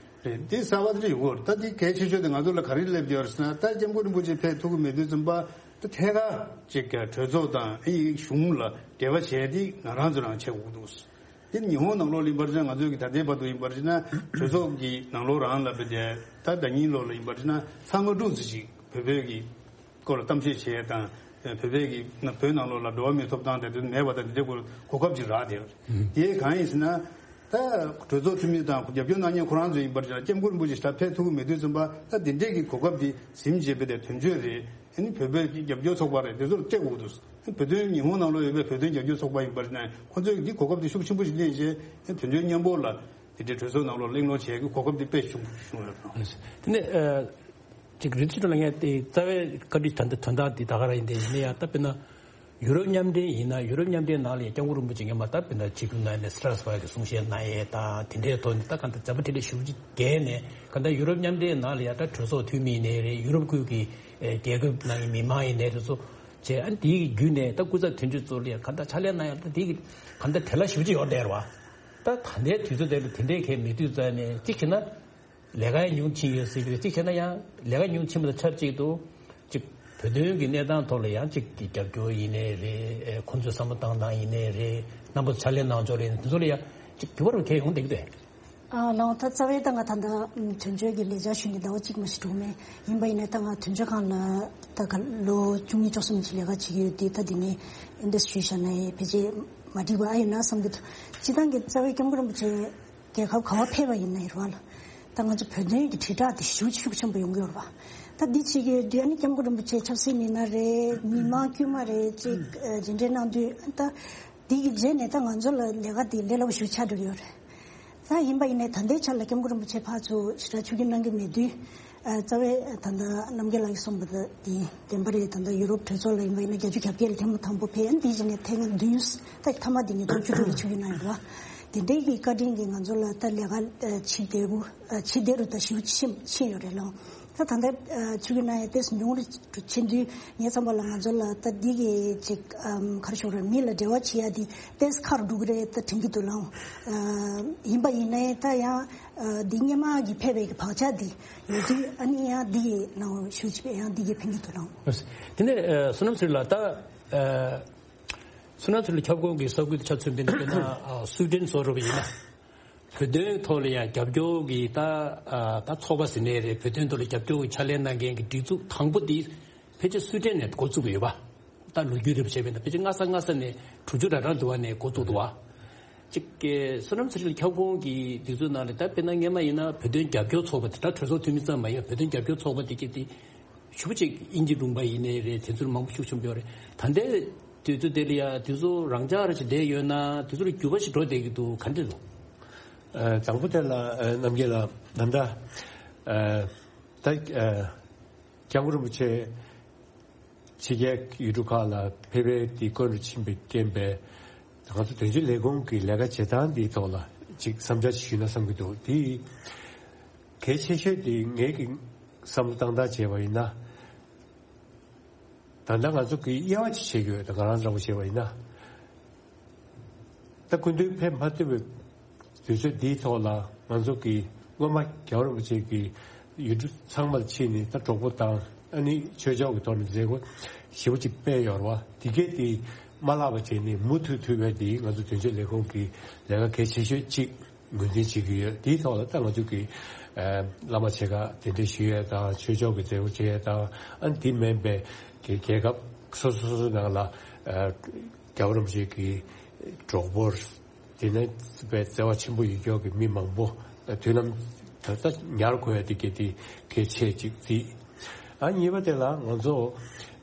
རེད། འདི་གསར་པ་དེ་འདྲ་ཡོང་གི་ཡོད་རེད། ད་འདི་གལ་ཆེ་ཤོས་དེ་ང་ཚོ་ལ་ག་རེ་སླེབས་ཡོད་རེད་ཟེར་ན། ད་སྐྱབས་མགོན་རིན་པོ་ཆེ་ཕེབས་ཐུབ་ཀྱི་མེད་དུས་ཙམ་པ་ད་ཐད་ཀར་ཅིག་གྲོས་ཚོགས་དང་ཨི་གཞུང་ལ་འབྲེལ་བ་བྱས་ཏེ་ང་རང་ཚོ་རང་བྱེད་དགོས་ཀྱི་འདུག་དེ་ཉི་ཧོང་ནང་ལོགས་ལ་ཡིན་པར་བྱས་ན། ང་ཚོའི་གི་ད་ལྟའི་བར་དུ་ཡིན་པར་བྱས་ན་གྲོས་ཚོགས་ཀྱི་ནང་ལོགས་རང་ལ་བེད་དེ་ད་ཟླ་ཉིན་ལོགས་ལ་ཡིན་པར་བྱས་ན་ཚང་མ་འགྲོ་ཚུལ་ཞིག་བོད་བོད་ཀྱི་སྐོར་ལ་གཏམ་བཤད་བྱེད་ཡས་དང་། བོད་པའི་གི་བོད་ནང་ལོགས་ལ་འགྲོ་བ་མིའི་ཐོབ་ཐང་དེ་ཚོ་མེད་པ་དང་དེ་འདྲའི་སྐོར་གོ་སྐབས་ཅིག་རག་བསྡད་ཡོད་རེད། དེ་གང་ཡིན་ཟེར་ན། ད་གྲོས་ཚོགས་འཐུས་མི་དང་རྒྱབ་སྐྱོར་གནང་མཁན་ཁོ་རང་ཚོ་ཡིན་པར་བྱས་ན་སྐྱབས་མགོན་རིན་པོ་ཆེ་ད་ཕེབས་ཐུབ་ཀྱི་མེད་དུས་ཙམ་པ་ད་དེ་འདྲའི་གི་གོ་སྐབས་དེ་ཟིན་བྱས་པའི་དེ་དོན་གཅོད་རེད། ཨ་ནི་བོད་པའི་རྒྱབ་སྐྱོར་ཚོགས་པ་རེད། དེ་ཚོར་སྤྲད་དགོས་འདུག་བོད་དོན་ཉི་ཧོང་ནང་ལོགས་ཡོད་པའི་བོད་དོན་རྒྱབ་སྐྱོར་ཚོགས་པ་ཡིན་པར་བྱས་ན་ཁོ་ཚོས་འདི་གོ་སྐབས་དེ་ཤུགས་ཆེན་པོ་ཞིག་ལེན་བྱས་དོན་གཅོད་མཉམ་པོ་ལ་དེ་འདྲའི་གྲོས་ཚོགས་ནང་ལོགས་གླེང་སློང་བྱེད་ཀྱི་གོ་སྐབས་དེ་དཔེ་ཆེན་པོ་བྱུང་ཡོད་རེད། དེ་ནས་ཨ། ཅིག་རིན་ཆེན་ལགས་ངས་དེ་རྩ་བའི་བཀའ་འདྲི་ད་ལྟ་དོན་དག་འདི་ད་ག་རང་ཡིན་དེ་ཡིན་ན་ཡང་ད་དཔེར་ན་ཡུ་རོབ་མཉམ་འབྲེལ་ཡིན་ན་ཡུ་རོབ་མཉམ་འབྲེལ་ནང་ལ་ཡང་སྐྱབས་མགོན་རིན་པོ་ཆེ་སྔོན་མ་ད་དཔེར་ན་ཆིབས་བསྒྱུར་གནང་ནས་སི་ཊ་སི་བྷག་གི་གསུང་བཤད་གནང་ཡས་དང་དེ་འདྲའི་ཐོག་ནས་ད་གང་ལྟར་མཛད་པ་འཕྲིན་ལས་ཞེ་པོ་ཅིག་རྒྱས་ནས་གང་ལྟར་ཡུ་རོབ་མཉམ་འབྲེལ་ནང་ལ་ཡང་ད་གྲོས་ཚོགས་འཐུས་མི་ཡིན་ནའི་རེད། ཡུ་རོབ་ཁུལ་གྱི་ཨེ་རྒྱལ་ཁབ་ནང་གི་མི་མང་ཡིན་ནའི་རེད། ཚོ་བྱས་ཨ་ནི་དེའི་བརྒྱུད་ནས་ད་སྐུ་ཚབ་དོན་གཅོད་ཚོ་ལ་ཡང་གང་ལྟར་ཕྱག་ལས་གནང་ཡག་ད་དེའི་གང་ལྟར་བྲེལ་བ་ཞེ་པོ་ཅིག་ཡོད་བསྡད་རེད་བ། ད་ད་ལྟའི་དུས་ཚོད་དེ་ལ་དེ་འདྲའི་གལ་མེད་དུས་ཙང་ནས་གཅིག་བྱས་ན། ལས་ཀ་ཡང་ཉུང་ཕྱིན་ཡོད་སྲིད་པས། གཅིག་བྱས་ན་ཡང་ལས་ཀ་ཉུང་ཕྱིན་པ་དང་ཆབས་ཅིག་ཏུ་གཅིག་བོད་དོན་གྱི་གནས་སྟངས་ཐོག་ལ་ཡང་གཅིག་གི་རྒྱབ་སྐྱོར་ཡིན་ནའི་རེད། ཁོང་ཚོས་བསམ་བློ་བཏང་སྟངས་ཡིན་ནའི་རེད། རྣམ་པ་ཚོ་ཕྱག་ལས་གནང་ཕྱོགས་རེད། དེ་ཚོ་ལ་ཡང་གཅིག་འགྱུར་བ་རུ་གལ་ཡོང་བསྡད་ཀྱི་འདུག་ཨ་ལགས། ད་རྩ་བའི་ད་ང་ད་ལྟ་དོན་གཅོད་ཀྱི་ལས་བྱ་ཞུས་ནས་ཟླ་བ་གཅིག་མ་ཞིག་འགྲོ་མེད་ཡིན་པ་ཡིན་ནའི་ད་ང་དོན་གཅོད་ཁང་ལ་ད་ག་ལོ་བཅུ་གཉིས་བཅུ་གསུམ་ཅིག་ལས་ཀ་བྱེད་ཀྱི་ཡོད་དུས་ད་འདི་ནས་ཨེ་འདྲ་ཞུས་བཞག་ན་ཡང་ཕལ་ཆེར་མ་འགྲིག་པ་ཨ་ཡོད་ན་བསམ་གྱི་འདུག་སྤྱིར་བཏང་གི་རྩ་བའི་སྐྱབས་མགོན་རིན་པོ་ཆེ་རྒྱལ་ཁབ་ག་བ་ཕེབས་པ་ཡིན་ན་ཡོད་རེད་བ་ལ། ད་ང་ཚོ་བོད་དོན་གྱི་དྲིལ་བསྒྲགས་དེ་ཞེ་པོ་ཅིག་ཤུགས་ཆེན་པོ་ཡོང་གི་ཡོད་རེད་བ། ད་འདི་བྱེད་ཀྱི་ཡོད་དུས་ཨ་ནི་སྐྱབས་མགོན་རིན་པོ་ཆེ་ཆབ་སྲིད་མི་སྣ་རེད། མི་མང་དཀྱུས་མ་རེད་ཅིག་ཨ་མཇལ་འཕྲད་གནང་དུས་ད་འདི་གི་རྗེས་ནས་ད་ང་ཚོ་ལ་ལས་ཀ་དེ་ལས་སླ་པོ་ཞེ་པོ་ཆགས་འགྲོ་གི་ཡོད་རེད། ད་ཡིན་པ་ཡིན་ནའི་ད་ལྟའི་ཆ་ལ་སྐྱབས་མགོན་རིན་པོ་ཆེ་ཕར་ཚུར་ཞེ་དྲག་ཆིབས་བསྒྱུར་གནང་གི་མེད་དུས། ཨ་རྩ་བའི་ད་ལྟ་རྣམ་རྒྱལ་ལགས་ཀྱིས་གསུངས་པ་དང་དེ་བདེན་པ་རེད། ད་ལྟ་ཡུ་རོབ་གྲོས་ཚོགས་ལ་ཡིན་པ་ཡིན་ན་བརྒྱད་ཅུ་གྱ་བརྒྱད་ལ་ཐེངས་མ་དང་པོ་ཕེབས། ཨ་ནི་དེའི་རྗེས་ནས་ཐེངས་བདུན། ད་མཐའ་མ་དེ་ཉིས་སྟོང་བཅུ་དྲུག་ལ་ཆིབས་བསྒྱུར་གནང་ཡོད་རེད་བ། དེ་འདྲའི་གི་བཀའ་དྲིན་གྱིས་ང་ཚོ་ལ་ད་ལས་ཀ་ཨ་ཇེ་བདེ་པོ་ཨ་ཇེ་བདེ་རུ་ད་ཞེ་པོ་ཕྱིན་ཕྱིན་ཡོད་རེད་ལགས། ད་ད་ལྟ་ཨ་ཆིབས་བསྒྱུར་གནང་ཡ་ཏོག་ཙམ་ཉུང་རུ་ཕྱིན་དུས་ངའི་བསམ་པ་ལ་ང་ཚོ་ལ་ད་འདི་གི་ཅིག་ཨམ་ག་རེ་ཞུ་དགོས་རེད། མི་ལ་འབྲེལ་བ་བྱེད་ཡ་འདི་ཏོག་ཙམ་ཁག་རུ་འགྲོ་གི་རེད་ད་དྲན་གྱི་འདུག་ལགས། ཨ་ཡིན་པ་ཡིན་ནའི་ད་ཡང་། ཨ་འདི་སྔོན་མ་གི་ཕེབས་པའི་གི་བག་ཆགས་འདི་ཡོད་དུས་ཨ་ནི་ཡང་འདི་གི་ནང་ཞུགས་བྱས་པའི་ཡང་འདི་གི་ཕན་གྱི་འདུག་ལགས། དེ་ནས་ཨ་བསོད་ནམས་ཚེ་རིང་ལགས། ད་ཨ་བསོད་ནམས་ཚེ་རིང་ཁྱབ་ཁོངས་ཀྱི་ས་ཁུལ་དུ་ཆ་མཚོན་པ་ཡིན་ན་དཔེར་ན་ཨ་སུའེ་ཏེན་བཟོ་འདྲ་པོ་ཡིན་ན་བོད་དོན་ཐོག་ལ་ཡང་རྒྱབ་སྐྱོར་གྱི་ད་ཨ་ད་ཚོགས་པ་ཟེར་ནའི་རེད། བོད་དོན་ཐོག་ལ་རྒྱབ་སྐྱོར་གྱི་ཕྱག་ལས་གནང་མཁན་གྱི་སྒྲིག་འཛུགས་དང་པོ་འདི་ཕལ་ཆེར་སུའེ་ཏེན་ནས་འགོ་བཙུགས་པ་ཡོད་པ། ད་ལོ་རྒྱུས་རེ་བྱས་པ་ཡིན་ན་ཕལ་ཆེར་སྔ་ས་སྔ་ས་ནས་དྲུག་ཅུ་རེ་གྲངས་འདུག་པ་ནས་འགོ་བཙུགས་འདུག་པ། གཅིག་གི་བསོད་ནམས་ཚེ་རིང་ཁྱབ་ཁོངས་ཀྱི་དུས་ཚོད་ནང་ལ་ད་དཔེར་ན་སྔོན་མ་ཡིན་ན་བོད་དོན་རྒྱབ་སྐྱོར་ཚོགས་པ་དེ་ད་གྲོས་ཚོགས་འཐུས་མི་ཙམ་མ་ཡིན་པར་བོད་དོན་རྒྱབ་སྐྱོར་ཚོགས་པ་དེ་གྱད་དེ་ཞེ་པོ་ཅིག་དབྱིན་ཇི་ལུང་པ་ཡིན་ནའི་རེད། དེ་ཚོར་མང་པོ་ཤུགས་ཆེན་པོ་ཡོད་རེད། ད་ལྟའི་དུས་ཚོད་དེ་ལ་ཡ་དུས་ཚོད་རང་འཇགས་རེ་ཞིག་བསྡད་ཡོད་ན་དུས་ཚོད་ལ་འགྱུར་བ་ཞིག་འགྲོ་བསྡད་ཀྱི་འདུག་ག་འདྲ་འདུག་ཨ་དང་པོ་དེ་ལ་ཨ་རྣམ་རྒྱལ་ལགས་ད་ལྟ་ཨ་ད་ཨ་སྐྱབས་མགོན་རིན་པོ་ཆེ་ཕྱི་རྒྱལ་ཡུལ་གྲུ་ཁག་ལ་ཕེབས་པའི་དེ་སྐོར་རུ་ཕྱིན་པའི་རྐྱེན་པས་ང་ཚོ་དོན་གཅོད་ལས་ཁུངས་ཀྱི་ལས་ཀ་བྱེད་སྟངས་འདིའི་ཐོག་ལ་ཅིག་བསམ་འཆར་ཞིག་ཞུས་ན་བསམ་གྱི་འདུག་དེ་གལ་ཆེ་ཤོས་དེ་ངེད་ཀྱི་བསམ་བློ་བཏང་སྟངས་བྱས་པ་ཡིན་ན། ད་ལྟ་ང་ཚོ་གི་དབྱེ་བ་ཅིག་བྱེད་དགོས། ད་ང་རང་འདྲ་པོ་བྱས་པ་ཡིན་ན། ད་སྐུ་མདུན་ཕེབས་མ་ཐུབ་པའི་དུས་ཚོད་འདིའི་ཐོག་ལ་ང་ཚོ་གི་སྔོན་མ་རྒྱལ་བ་རིན་པོ་ཆེ་གི་ཡུལ་གྲུ་ཚང་མར་ཕྱིན་ནས་ད་གྲོགས་པོ་དང་ཨ་ནི་ཆོས་ཕྱོགས་ཀྱི་ཐོག་ནས་མཛད་སྒོ་ཞེ་པོ་ཅིག་སྤེལ་ཡོད་རེད་བ། དེ་གས་དེ་མ་བརླག་པ་བྱས་ནས་མུ་མཐུད་ཐུབ་པའི་དེ་ང་ཚོ་དོན་གཅོད་ལས་ཁུངས་ཀྱི་ལས་ཀ་གལ་ཆེ་ཤོས་གཅིག་ངོས་འཛིན་བྱེད་ཀྱི་ཡོད། དེའི་ཐོག་ལ་ད་ང་ཚོ་གི་ཨ་བླ་མ་ཆེ་ཁག་གདན་འདྲེན་ཞུ་ཡས་དང་ཆོས་ཕྱོགས་ཀྱི་མཛད་སྒོ་བྱེད་ཡས་དང་ཨ་ནི་དེ་མིན་པའི་གི་རྒྱལ་ཁབ་སོ་སོ་སོ་སོའི་ནང་ལ་ཨ་རྒྱལ་བ་རིན་པོ་ཆེ་གི་གྲོགས་པོ་དེ་ནས་བརྩེ་བ་ཆེན་པོ་ཡོད་ཀྱོག་གི་མི་མང་པོ་དུས་ནམ་ད་ལྟ་ཉར་དགོས་ཡ་དེ་གི་དེ་གལ་ཆེ་གཅིག་བརྩིས། ཨ་གཉིས་པ་དེ་ལ་ང་ཚོ་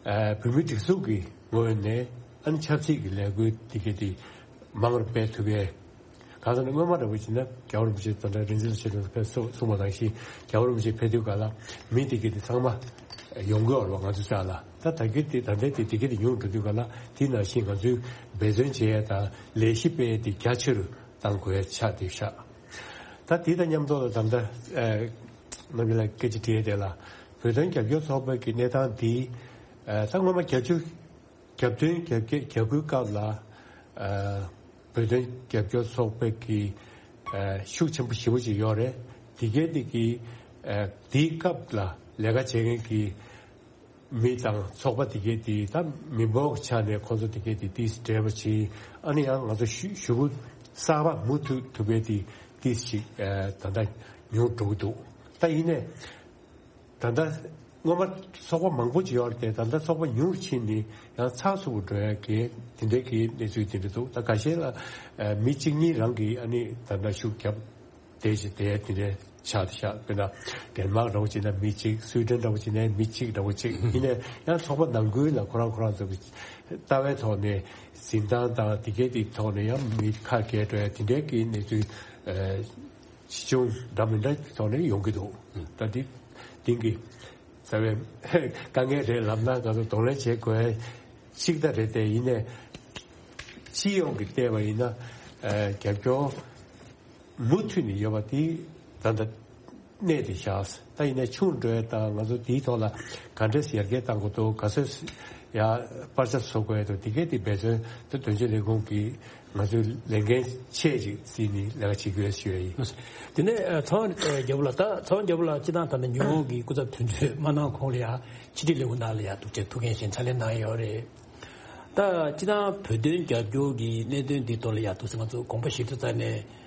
ཨ་བོད་མིའི་སྒྲིག་འཛུགས་ཀྱི་ངོས་ནས་ཨ་ནི་ཆབ་སྲིད་ཀྱི་ལས་འགུལ་དེ་གི་དེ་མང་རུ་སྤེལ་ཐུབ་ཡས། གང་ཟེར་ན་སྔོན་མ་འདྲ་པོ་བྱས་ན་རྒྱལ་བ་རིན་པོ་ཆེ་དང་འདྲ་རིག་འཛིན་ལ་ཆེ་དྲགས་ཕེབས་གསུངས་པ་ནང་བཞིན་རྒྱལ་བ་རིན་པོ་ཆེ་ཕེབས་དུས་ག་ལ་མི་དེ་གས་དེ་ཚང་མ་ཡོང་གི་ཡོད་རེད་བ། ང་ཚོ་ཅག་ལ་ད་ད་གས་དེ་ད་ལྟའི་དེ་དེ་གས་དེ་ཉུང་འགྲོ་དུས་ག་ལ་དེ་ནང་བཞིན་ང་ཚོའི་འབད་བརྩོན་བྱེད་ཡ་དང་ལས་གཞི་སྤེལ་ཡ་དེ་རྒྱ་ཆེ་རུ་གཏང་དགོས་ཡ་ཆགས་བསྡད་ཤག་ད་དེ་དང་མཉམ་དུ་ལ་ད་ལྟ་ཨ་རྣམ་པ་ལ་སྐད་ཆ་དྲིས་ཡ་དེ་ལ་བོད་དོན་རྒྱབ་སྐྱོར་ཚོགས་པའི་གི་གནས་སྟངས་འདི་ཨ་ད་སྔོན་མ་བརྒྱད་ཅུ། རྒྱབ་རྟེན་རྒྱབ་སྐྱེད་རྒྱབ་སྐྱོར་སྐབས་ལ་ཨ་བོད་དོན་རྒྱབ་སྐྱོར་ཚོགས་པའི་གི་ཨ་ཤུགས་ཆེན་པོ་ཞེ་པོ་ཅིག་ཡོད་རེད། དེ་གས་དེ་གི་ཨ་དེའི་སྐབས་ལ་ལས་ཀ་བྱེད་མཁན་གྱི་མི་དང་ཚོགས་པ་དེ་གས་དེ་ད་མི་འབོར་གྱི་ཆ་ནས་ཁོང་ཚོ་དེ་གས་དེ་ཏིས་འབྲེལ་བ་བྱེད། ཨ་ནི་ཡང་ང་ཚོ་ཞུ་ཞུ་སྐུལ་གསར་པ་མུ་མཐུད་ཐུབ་པའི་དེ་ཏིས་ཅིག་ཨ་ད་ལྟ་ཉུང་འགྲོ་གི་འདུག་ད་ཡིན་ནའི། ད་ལྟ་སྔོན་མ་ཚོགས་པ་མང་པོ་ཅིག་ཡོད་རེད་དེ། ད་ལྟ་ཚོགས་པ་ཉུང་རུ་ཕྱིན་ནས་ཡང་ཚགས་ཚུད་པོ་འགྲོ་ཡ་གི་དེ་འདྲའི་གི་གནས་ཚུལ་དེ་འདྲ་འདུག་ད་ཁ་ཤས་ལ་ཨ་མི་གཅིག་གཉིས་རང་གིས་ཨ་ནི་ད་ལྟ་ཤུགས་རྒྱབ་བསྡད་ཅིག་བསྡད་དེ་འདྲའི་ཆགས་བཞག་དཔེར་ན་ཌེན་མཱག་འདྲ་བོ་བྱས་ན་མི་གཅིག་སུའི་ཌེན་འདྲ་བོ་བྱས་ན་མི་གཅིག་འདྲ་བོ་གཅིག་ཡིན་ནའི་ཡང་ཚོགས་པ་ནང་ཁུལ་ལ་ཁོ་རང་ཁོ་རང་ཚོ་གི་ལྟ་བའི་ཐོག་ནས་འཛིན་སྟངས་དང་དེ་གའི་དེ་ཐོག་ནས་ཡང་མི་ཁ་གས་འགྲོ་ཡ་དེ་འདྲའི་གི་གནས་ཚུལ་ཨ། ཆེ་ཆུང་འདྲ་མི་འདྲ་ཐོག་ནས་ཡོང་གི་འདུག་ད་འདི་དེང་གི་རྩ་བའི་དཀའ་ངལ་རེད་ལབ་ན་ང་ཚོ་གདོང་ལེན་བྱེད་དགོས་ཅིག་ད་རེད་དེ། ཡིན་ནའི་སྤྱི་ཡོངས་ཀྱི་བལྟས་པ་ཡིན་ན་ཨ་རྒྱབ་སྐྱོར་མུ་མཐུད་ནས་ཡོད་པ་དེ་ད་ལྟ་གནས་དེ་བཞག་ད་ཡིན་ནའི་ཆུང་འགྲོ་ཡ་དང་ང་ཚོ་དེའི་ཐོག་ལ་ག་འདྲས་ཡར་རྒྱས་གཏང་དགོས་འདུག་ག་ཚོད་ཡ་པར་ཆ་བཟོ་དགོས་ཡ་འདུག་དེ་གའི་དེ་འབད་བརྩོན་དེ་དོན་གཅོད་ལས་ཁུངས་ཀྱི་ང་ཚོའི་ལས་འགན་ཆེ་ཅིག་བརྩིས་ནས་ལས་ཀ་བྱེད་དགོས་ཞུ་ཡ་ཡིན། དེ་ནས་ཚོང་རྒྱལ་པོ་ལགས། ད་ཚོང་རྒྱལ་པོ་ལགས་སྤྱི་བཏང་ད་ལྟ་ཉི་ཧོང་གི་སྐུ་ཚབ་དོན་གཅོད་མ་གནང་གོང་ལ་ཡ་ཕྱི་དྲིལ་ལས་ཁུངས་ནང་ལ་ཡ་འདུག་ཅེས་ཐུགས་འགན་བཞེས་ཕྱག་ལས་གནང་ཡོད་རེད། ད་སྤྱི་བཏང་བོད་དོན་རྒྱབ་སྐྱོར་གྱི་གནད་དོན་འདི་ཐོག་ལ་ཡ་འདུག་ཟེར་ང་ཚོ་དགོངས་པ་བཞེས་དུས་ཙམ་ནས་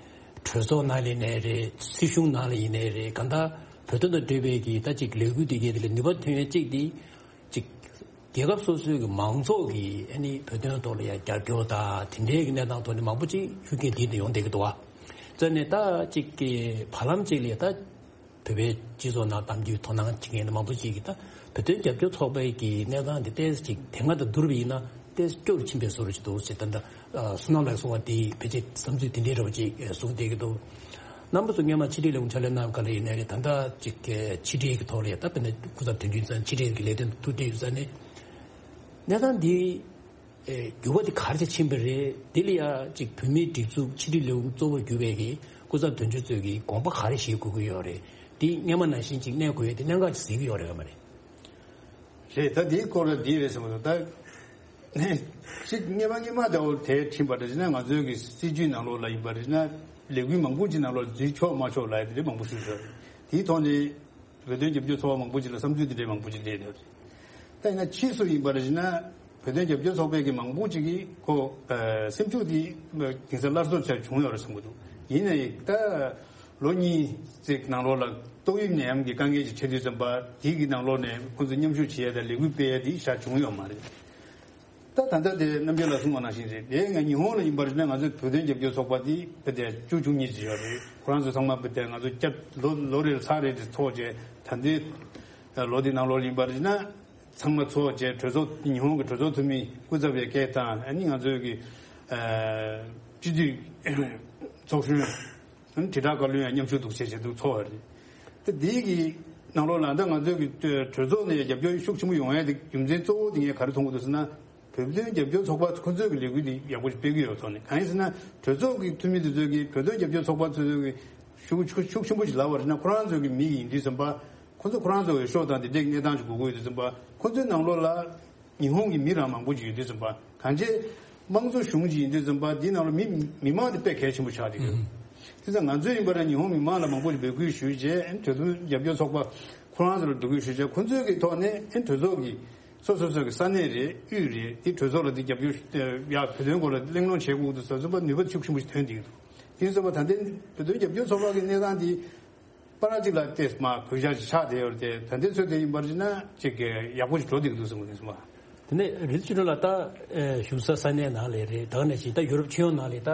གྲོས་ཚོགས་ནང་ལ་ཡིན་ནའི་རེད། སྲིད་གཞུང་ནང་ལ་ཡིན་ནའི་རེད། གང་ལྟར་བོད་དོན་དང་འབྲེལ་བའི་གི་ད་ཅིག་ལས་འགུལ་འདི་གའི་དེ་ལ་ནུས་པ་ཐོན་ཡས་གཅིག་འདི། ཅིག་རྒྱལ་ཁབ་སོ་སོའི་གི་མང་ཚོགས་ཀྱི་ཨ་ནི་བོད་དོན་ཐོག་ལ་ཡང་རྒྱབ་སྐྱོར་དང་དེ་འདྲའི་གི་གནས་སྟངས་ཐོག་ནས་མང་པོ་ཅིག་ཤུགས་རྐྱེན་འདི་འདི་ཡོང་བསྡད་ཀྱི་འདུག་བ། བཙལ་ནས་ད་ཅིག་གི་བར་ལམ་ཅིག་ལ་ད་བོད་པའི་སྤྱི་ཚོགས་ནང་གཏམ་རྒྱུད་དོ་སྣང་བྱེད་མཁན་མང་པོ་ཅིག་གིས་ད་བོད་དོན་རྒྱབ་སྐྱོར་ཚོགས་པའི་གི་གནས་སྟངས་འདི་ཏོག་ཙམ་ཅིག་དེ་སྔ་དང་བསྡུར་བ་ཡིན་ན་ཏོག་ཙམ་སྐྱོ་རུ་ཕྱིན་པའི་བཟོ་འདྲ་ཅིག་འདུག་ཟེར། ད་ལྟ་བསོད་ནམས་ལགས་གསུངས་པ་འདི་ཕལ་ཆེར་བསམ་ཚུལ་དེ་འདྲའི་འདྲ་བོ་ཅིག་གསུངས་བསྡད་ཀྱི་འདུག་རྣམ་པ་ཚོ་སྔོན་མ་ཕྱི་དྲིལ་ལས་ཁུངས་ཕྱག་ལས་གནང་ག་ལ་ཡིན་ནའི་རེད། ད་ལྟ་ཅིག་ཕྱི་དྲིལ་གྱི་ཐོག་ལ་ཡ་ད་དཔེར་ན་སྐུ་ཚབ་དོན་གཅོད་ཚང་ཕྱི་དྲིལ་གྱི་ལས་དོན་ཐུགས་འདྲི་ཡོད་ས་ནས་གནས་སྟངས་འདི་འགྱུར་བ་འདི་ག་རེ་ཕྱིན་པ་རེད། འདི་ལ་ཡ་ཅིག་བོད་མིའི་སྒྲིག་འཛུགས་ཕྱི་དྲིལ་ལས་ཁུངས་གཙོ་བོར་གྱུར་པའི་གི་སྐུ་ཚབ་དོན་གཅོད་ཚོས་ཀྱི་དགོངས་པ་ག་རེ་བཞེས་དགོས་ཀྱི་ཡོད་རེད། འདི་སྔོན་མ་ནང་བཞིན་ཅིག་གནས་དགོས་ཡ་འདི་གནད་འགག་ཅིག་གཟིགས་ཀྱི་ཡོད་རེད་ག་མ་རེད། རེད། ད་འདིའི་སྐོར་ལ་འདི་རེད་ཟེར་མ་གཏོགས་ད་ཅིག་སྔོན་མ་སྔོན་མ་ད་འོ་དེ་ཕྱིན་པ་རེད་ཟེར་ན་ང་ཚོའི་གི་སྲིད་ཇུས་ནང་ལོགས་ལ་ཡིན་པ་རེད་ཟེར་ན་ལས་འགུལ་མང་པོ་ཅིག་ནང་ལོགས་འཛུལ་ཆོག་མ་ཆོག་ལབ་ཡ་དེ་འདྲ་མང་པོ་ཞིག་ཡོད་རེད། དེའི་ཐོག་ནས་བོད་དོན་རྒྱབ་སྐྱོར་ཚོགས་པ་མང་པོ་ཅིག་ལ་བསམ་ཚུལ་དེ་འདྲའི་མང་པོ་ཅིག་སླེབས་ཡོད་རེད། ད་ཡིན་ན་ཕྱིས་སུ་ཡིན་པ་རེད་ཟེར་ན་བོད་དོན་རྒྱབ་སྐྱོར་ཚོགས་པའི་གི་མང་པོ་ཅིག་གིས་ཁོ་ཨ་སེམས་ཤུགས་དེ་དེང་སང་སླར་གསོ་བྱས་བྱུང་ཡོད་རེད་བསམ་གྱི་འདུག་ཡིན་ནའི་ད་ལོ་གཉིས་ཙམ་ནང་ལོགས་ལ་ཏོག་དབྱིབས་ནད་ཡམས་ཀྱི་དཀའ་ངལ་ཅིག་འཕྲད་དུས་ཙམ་པ་དེའི་གི་ནང་ལོགས་ནས་ཁོང་ཚོས་མཉམ་ཞུགས་བྱེད་ཡ་དང་ལས་འགུལ་སྤེལ་ཡ་དེ་ཞེ་དྲག་བྱུང་ཡོད་མ་རེད། ད་ད་ལྟ་དེ་རྣམ་རྒྱལ་ལགས་གསུངས་པ་ནང་བཞིན་རེད། དེ་ང་ཉི་ཧོང་ལ་ཡིན་པ་རེད་ན་ང་ཚོའི་བོད་དོན་རྒྱབ་སྐྱོར་ཚོགས་པ་དེ་བོད་དེ་བཅུ་བཅུ་གཉིས་ཅིག་ཡོད་རེད། ཁོ་རང་ཚོ་ཚང་མ་བོད་དེ་ང་ཚོ་སྐྱབས་ལོ་ལོ་རེར་ཚར་རེ་དེ་ཚོགས་བྱས་ད་ལྟའི་ལོ་དེ་ནང་ལོགས་ཡིན་པ་རེད་ན་ཚང་མ་ཚོགས་བྱས་གྲོས་ཚོགས་ཉི་ཧོང་གི་གྲོས་ཚོགས་འཐུས་མི་སྐུ་ཚབ་པའི་སྐད་དང་ཨ་ནི་ང་ཚོའི་གི་སྤྱི་འཐུས་ཚོགས་གཞོན་དྲིལ་བསྒྲགས་བཀའ་བློན་ཡང་མཉམ་ཞུགས་འདུག་བྱས་བྱས་འདུག་ཚོགས་པ་རེད། དེ་དེའི་གི་ནང་ལོགས་ལ་ད་ང་ཚོའི་གི་གྲོས་ཚོགས་ནས་རྒྱབ་སྐྱོར་ཤུགས་ཆེན་པོ་ཡོང་ཡ་དེ་རྒྱུ་མཚན་གཙོ་བོ་དེ་ངས་ག་རེ་མཐོང་གི་འདུག་ཟེར་ན། བོད་དོན་རྒྱབ་སྐྱོར་ཚོགས་པ་ཁོ་ཚོས་ཀྱི་ལས་འགུལ་འདི་ཡག་པོ་ཞིག་སྤེལ་གྱི་ཡོད་ཐོག་ནས་གང་ཡིན་ཟེར་ན་གྲོས་ཚོགས་ཀྱི་འཐུས་མི་དེ་ཚོས་ཀྱི་བོད་དོན་རྒྱབ་སྐྱོར་ཚོགས་པ་ཚོས་ཀྱི་ཤུགས་ཤུགས་ཤུགས་ཆེན་པོ་ཞིག་ལབ་པ་རེད་ན་ཁོ་རང་ཚོས་ཀྱི་མི་ཡིན་དུས་ཙམ་པ་ཁོ་ཚོ་ཁོ་རང་ཚོ་འོས་ཤོག་དང་དེ་འདྲའི་གནས་སྟངས་ཞིག་དགོས་ཀྱི་ཡོད་དུས་ཙམ་པ་ཁོ་ཚོའི་ནང་ལོགས་ལ་ཉི་ཧོང་གི་མི་རང་མང་པོ་ཞིག་ཡོད་དུས་ཙམ་པ་གང་ཅི་དམངས་གཙོ་གཞུང་ཞིག་ཡིན་དུས་ཙམ་པ་འདི་ནང་ལ་མི་མི་མང་དེ་དཔེ་གལ་ཆེན་པོ་ཆགས་བསྡད་ཡོད། དེ་ཙང་ང་ཚོས་ཡིན་པ་རེད་ཉི་ཧོང་མི་མང་ལ་མང་པོ་ཞིག་འབོད་སྐུལ་ཞུས་རྗེས་བོད་དོན་རྒྱབ་སྐྱོར་ཚོགས་པ་ཁོ་རང་ཚོ་ལ་འབོད་སྐུལ་ཞུས་རྗེས་ཁོ་ཚོའི་གི་ཐོག་ནས་གྲོས་ཚོགས་ཀྱི་སོ་སོ་སོ་གི་ས་གནས་རེད་དབུས་རེད་དེ་གྲོས་ཚོགས་ལ་དེ་རྒྱབ་སྐྱོར་ཡ་བོད་དོན་སྐོར་ལ་གླེང་སློང་བྱེད་དགོས་འདུག་ཟེར་ཙམ་པ་ནུས་པ་ཤུགས་ཆེན་པོ་ཞིག་ཐོན་བསྡད་ཀྱི་འདུག་དེ་ཙམ་པ་ད་ལྟའི་བོད་དོན་རྒྱབ་སྐྱོར་ཚོགས་པ་གི་གནས་སྟངས་དེ་པ་ར་གཅིག་ལ་ཏེ་མ་གོད་ཆག་ཅིག་ཆགས་བསྡད་ཡོད་རེད་དེ་ད་ལྟའི་ཚོད་དེ་ཡིན་པར་བྱས་ན་ཅིག་གི་ཡག་པོ་ཞིག་འགྲོ་བསྡད་ཀྱི་འདུག་ཟེར་གོ་ནས་སོང་བ། དེ་ནས་རི་ཆུ་ལ་ད་བཞུགས་ས་ས་གནས་ནང་ལས་རེད་ད་ག་ནས་ཤིག་ད་ཡུ་རོབ་སྤྱི་ཡོངས་ནང་ལས་ད།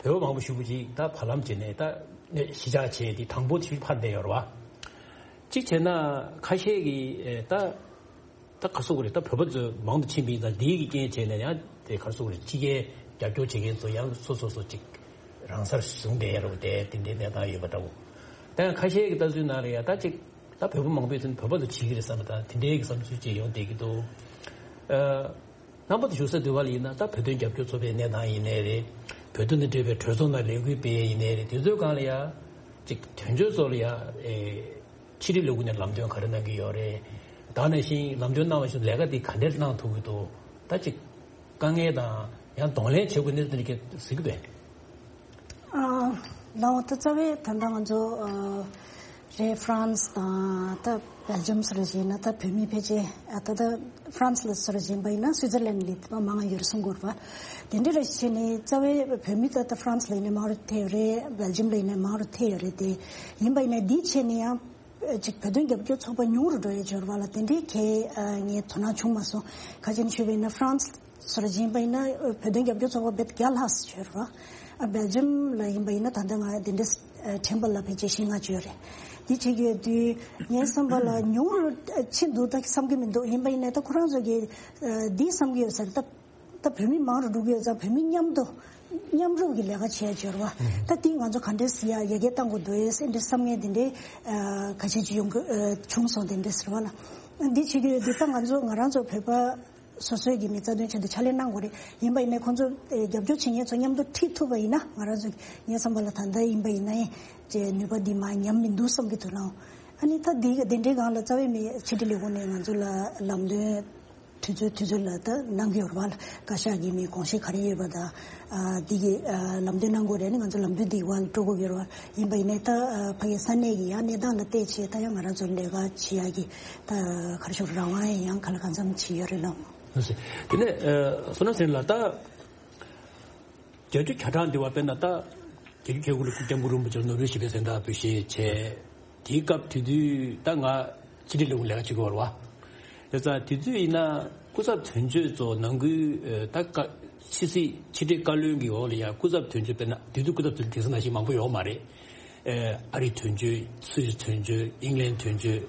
བོད་པ་མང་པོ་ཞེ་པོ་ཅིག་ད་བར་ལམ་བྱས་ནས་ད་གཞིས་ཆགས་བྱས་ཏེ་དང་པོ་དེ་ཕར་བསྡད་ཡོད་རེད་བ། གཅིག་བྱས་ན་ཁ་ཤས་ཀྱིས་ད་ད་ག་རེ་ཟེར་དགོས་རེད་ད་བོད་པ་ཚོ་མང་དུ་ཕྱིན་པ་ཡིན་ཙང་འདིའི་གི་རྐྱེན་བྱས་ནས་ཡང་དེ་ག་རེ་ཟེར་དགོས་རེད་ཕྱི་རྒྱལ་རྒྱབ་སྐྱོར་བྱེད་མཁན་ཚོ་ཡང་སོ་སོ་སོ་ཅིག་ རང་སར་བཟུང་བསྡད་ཡ་རོགས་དེ་དེ་འདྲའི་གནས་སྟངས་ཡོད་པ་འདྲ་བོ། ད་ཡང་ཁ་ཤས་ཀྱི་ལྟ་ཚུལ་ནང་ལ་ཡ་ད་ཅིག་ད་བོད་པ་མང་པོས་ཚུན་བོད་པ་ཚོ་བྱེད་ཀྱི་རེད་བསམ་པ་དང་དེ་འདྲའི་གི་བསམ་ཚུལ་ཅིག་ཡོང་བསྡད་ཀྱི་འདུག་ཨ། རྣམ་པ་ཚོ་བཞུགས་ས་འདི་བ་ལ་ཡིན་ན་ད་བོད་དོན་རྒྱབ་སྐྱོར་ཚོགས་པའི་གནས་སྟངས་ཡིན་ནའི་རེད། བོད་དོན་དང་འབྲེལ་བའི་གྲོས་ཚོགས་ནང་ལས་འགུལ་སྤེལ་ཡ་ཡིན་ནའི་རེད། དེ་ཚོའི་སྒང་ལ་ཡ་ཅིག་དོན་གཅོད་ཚོ་ལ་ཡ་ཨེ་ཕྱི་དྲིལ་ལས་ཁུངས་ནས་ལམ་སྟོན་ག་རེ་གནང་གི་ཡོད་རེད། ད་ནང་བཞིན་ལམ་སྟོན་གནང་བ་བཞིན་ལས་ཀ་འདི་ག་འདྲས་གནང་ཐུབ་ཀྱི་འདུག་ད་ཅིག་དཀའ་ངལ་དང་ཡང་གདོང་ལེན་བྱེད་དགོས་གནས་ཚུལ་འདི་གས་གཟིགས་པས། ཨ། ལའོ་ད་རྩ་བའི་ད་ལྟ་ང་ཚོ་ཨ་རེད་ཧྥ་རན་སི་དང་ད་སྦེལ་ཇམ་སོགས་ལ་བྱས་ན་ད་བོད་མི་ཕལ་ཆེར་ཨ་ད་ད་ཧྥ་རན་སི་ལ་སོགས་ལ་བྱས་པ་ཡིན་ན་སུའི་ཙར་ལན་ལ་ད་མང་ང་ཡོད་རེད་གསུང་གི་ཡོད་རེད་པ། དེ་འདྲ་རེད་བྱས་ནས་རྩ་བའི་བོད་མི་ད་ད་ཧྥ་རན་སི་ལ་ཡིན་ན་མང་རུ་ཐེབས་རེད། སྦེལ་ཇམ་ལ་ཡིན་ན་མང་རུ་ཐེབས་ཡོད་རེད། དེ་ཡིན་པ་ཡིན་ན་འདི་བྱས་ནས་ཡང་ཅིག་བོད་དོན་རྒྱབ་སྐྱོར་ཚོགས་པ་ཉུང་རུ་འགྲོ་ཡས་ཡོད་རེད་པ་ལ། དེ་འདྲའི་གལ་ཨ་ངས་དོ་སྣང་བྱུང་མ་སོང་། ཁ་ཅིག་ཞུས་པ་ཡིན་ན་ཧྥ་རན་སི་སོགས་ལ་ཕྱིན་པ་ཡིན་ན་བོད་དོན་རྒྱབ་སྐྱོར་ཚོགས་པ་རྦད་བརྒྱ་ལྷག་ཙམ་ཡོད་རེད་པ། ཨ་སྦེལ་ཇམ་ལ་ཡིན་པ་ཡིན་ན་ད་ལྟ་ང་དེ་འདྲའི་ཨ་ཁྲིམས་པ་ལ་ཕལ་ཆེར་བཞི་ལྔ་ཅིག་ཡོད་རེད། འདི་བྱེད་ཀྱི་ཡོད་དུས་ངའི་བསམ་པ་ལ་ཉུང་རུ་ཕྱིན་འདུག་ད་བསམ་གྱི་མི་འདུག་ཡིན་པ་ཡིན་ན་ད་ཁོ་རང་ཚོ་གི་ཨ་འདི་བསམ་གྱི་ཡོད་ས་རེད། ད་ད་བོད་མི་མང་རུ་འགྲོ་གི་ཡོད་ཙང་བོད་མི་མཉམ་དུ་མཉམ་རུབ་ཀྱི་ལས་ཀ་བྱས་ཡོད་རེད་པ། ད་འདི་ང་ཚོ་ག་འདྲས་སེ་ཡ་ཡར་རྒྱས་གཏང་དགོས་འདུག་ཨེ་འདྲའི་བསམ་ངན་འདི་འདྲའི་ཨ་ཁ་ཤས་ཅིག་ཡོང་གི་ཨ་བྱུང་སོང་། དེ་འདྲས་ཟེར་བ་ལ་འདི་བྱེད་ཀྱི་ཡོད་དུས་ད་ང་ཚོ་ང་རང་ཚོ་བོད་པ་སོ་སོའི་གི་མི་རྩ་དོན་ཆེད་དུ་ཕྱག་ལས་གནང་དགོས་རེད། ཡིན་པ་ཡིན་ནའི་ཁོང་ཚོ་ཨེ་རྒྱབ་སྐྱོར་བྱེད་མཁན་ཚོ་མཉམ་དུ་ཁྲིད་ཐུབ་པ་ཡིན་ན་ང་རང་ཚོ་ངའི་བསམ་པ་ལ་ད་ལྟ་ཡིན་པ་ཡིན་ནའི་ཅེ་ནུས་པ་འདི་མར་ཉམས་མི་འདུག་བསམ་གྱི་འདུག་ལགས། ཨ་ནི་ད་འདི་ག་དེ་འདྲའི་སྒང་ལ་རྩ་བའི་མི་ཕྱི་དྲིལ་ལས་ཁུངས་ནས་ང་ཚོ་ལ་ལམ་སྟོན་དུས་ཚོད་དུས་ཚོད་ལ་ད་གནང་གི་ཡོད་རེད་པ། བཀའ་ཤག་གི་མི་དགོངས་བཞེད་ག་རེ་ཡོད་པ་དང་ཨ་འདི་གི་ཨ་ལམ་སྟོན་གནང་དགོས་རེད། ཨ་ནི་ང་ཚོ་ལམ་སྟོན་འདི་བར་ལ་སྤྲོད་དགོས་ཀྱི་ཡོད་རེད་པ། ཡིན་པ་ཡིན་ནའི་ད་ཨ་ཕ་གི་ས་གནས་ཀྱི་ཡང་གནས་སྟངས་ལ་བལྟས་བྱས་ད་ཡང་ང་རང་ཚོ་ལས་ཀ་བྱེད་ཡག་གི་ད་ག་རེ་ཞུ་རང་དབང་ཡང་གང་ལ་གང་འཚམ་ཅིག་ཡོད་རེད་ལགས། དེ་ནས་ཨ་བསོད་ནམས་ཟེར་ལགས་ད། བརྒྱད་ཅུ་གྱ་གྲངས་འདི་བ་དཔེར་ན་ད་བརྒྱད་ཅུ་གྱ་དགུ་ལ་སྐུ་སྐྱབས་མགོན་རིན་པོ་ཆེ་ནོ་བེལ་ཞི་བདེའི་གཟེངས་རྟགས་འབུལ་བཞེས་བྱས། དེའི་སྐབས་དེ་དུས་ད་ང་ཕྱི་དྲིལ་ལས་ཁུངས་ལས་ཀ་བྱེད་ཀྱི་ཡོད་རེད་པ། ཡོད་ཙང་དེ་དུས་ཡིན་ན་སྐུ་ཚབ་དོན་གཅོད་ཚོ་ནང་ཁུལ་ད་བཀའ་ཕྱི་སྲིད་ཕྱི་དྲིལ་བཀའ་བློན་གྱི་འོག་ལ་ཡ་སྐུ་ཚབ་དོན་གཅོད་དཔེར་ན་དེ་དུས་སྐུ་ཚབ་དོན་གཅོད་དེང་སང་ནང་བཞིན་མང་པོ་ཡོད་མ་རེད། ཨ་རིའི་དོན་གཅོད་སུད་སི་དོན་གཅོད་ཨིང་ལན་དོན་གཅོད་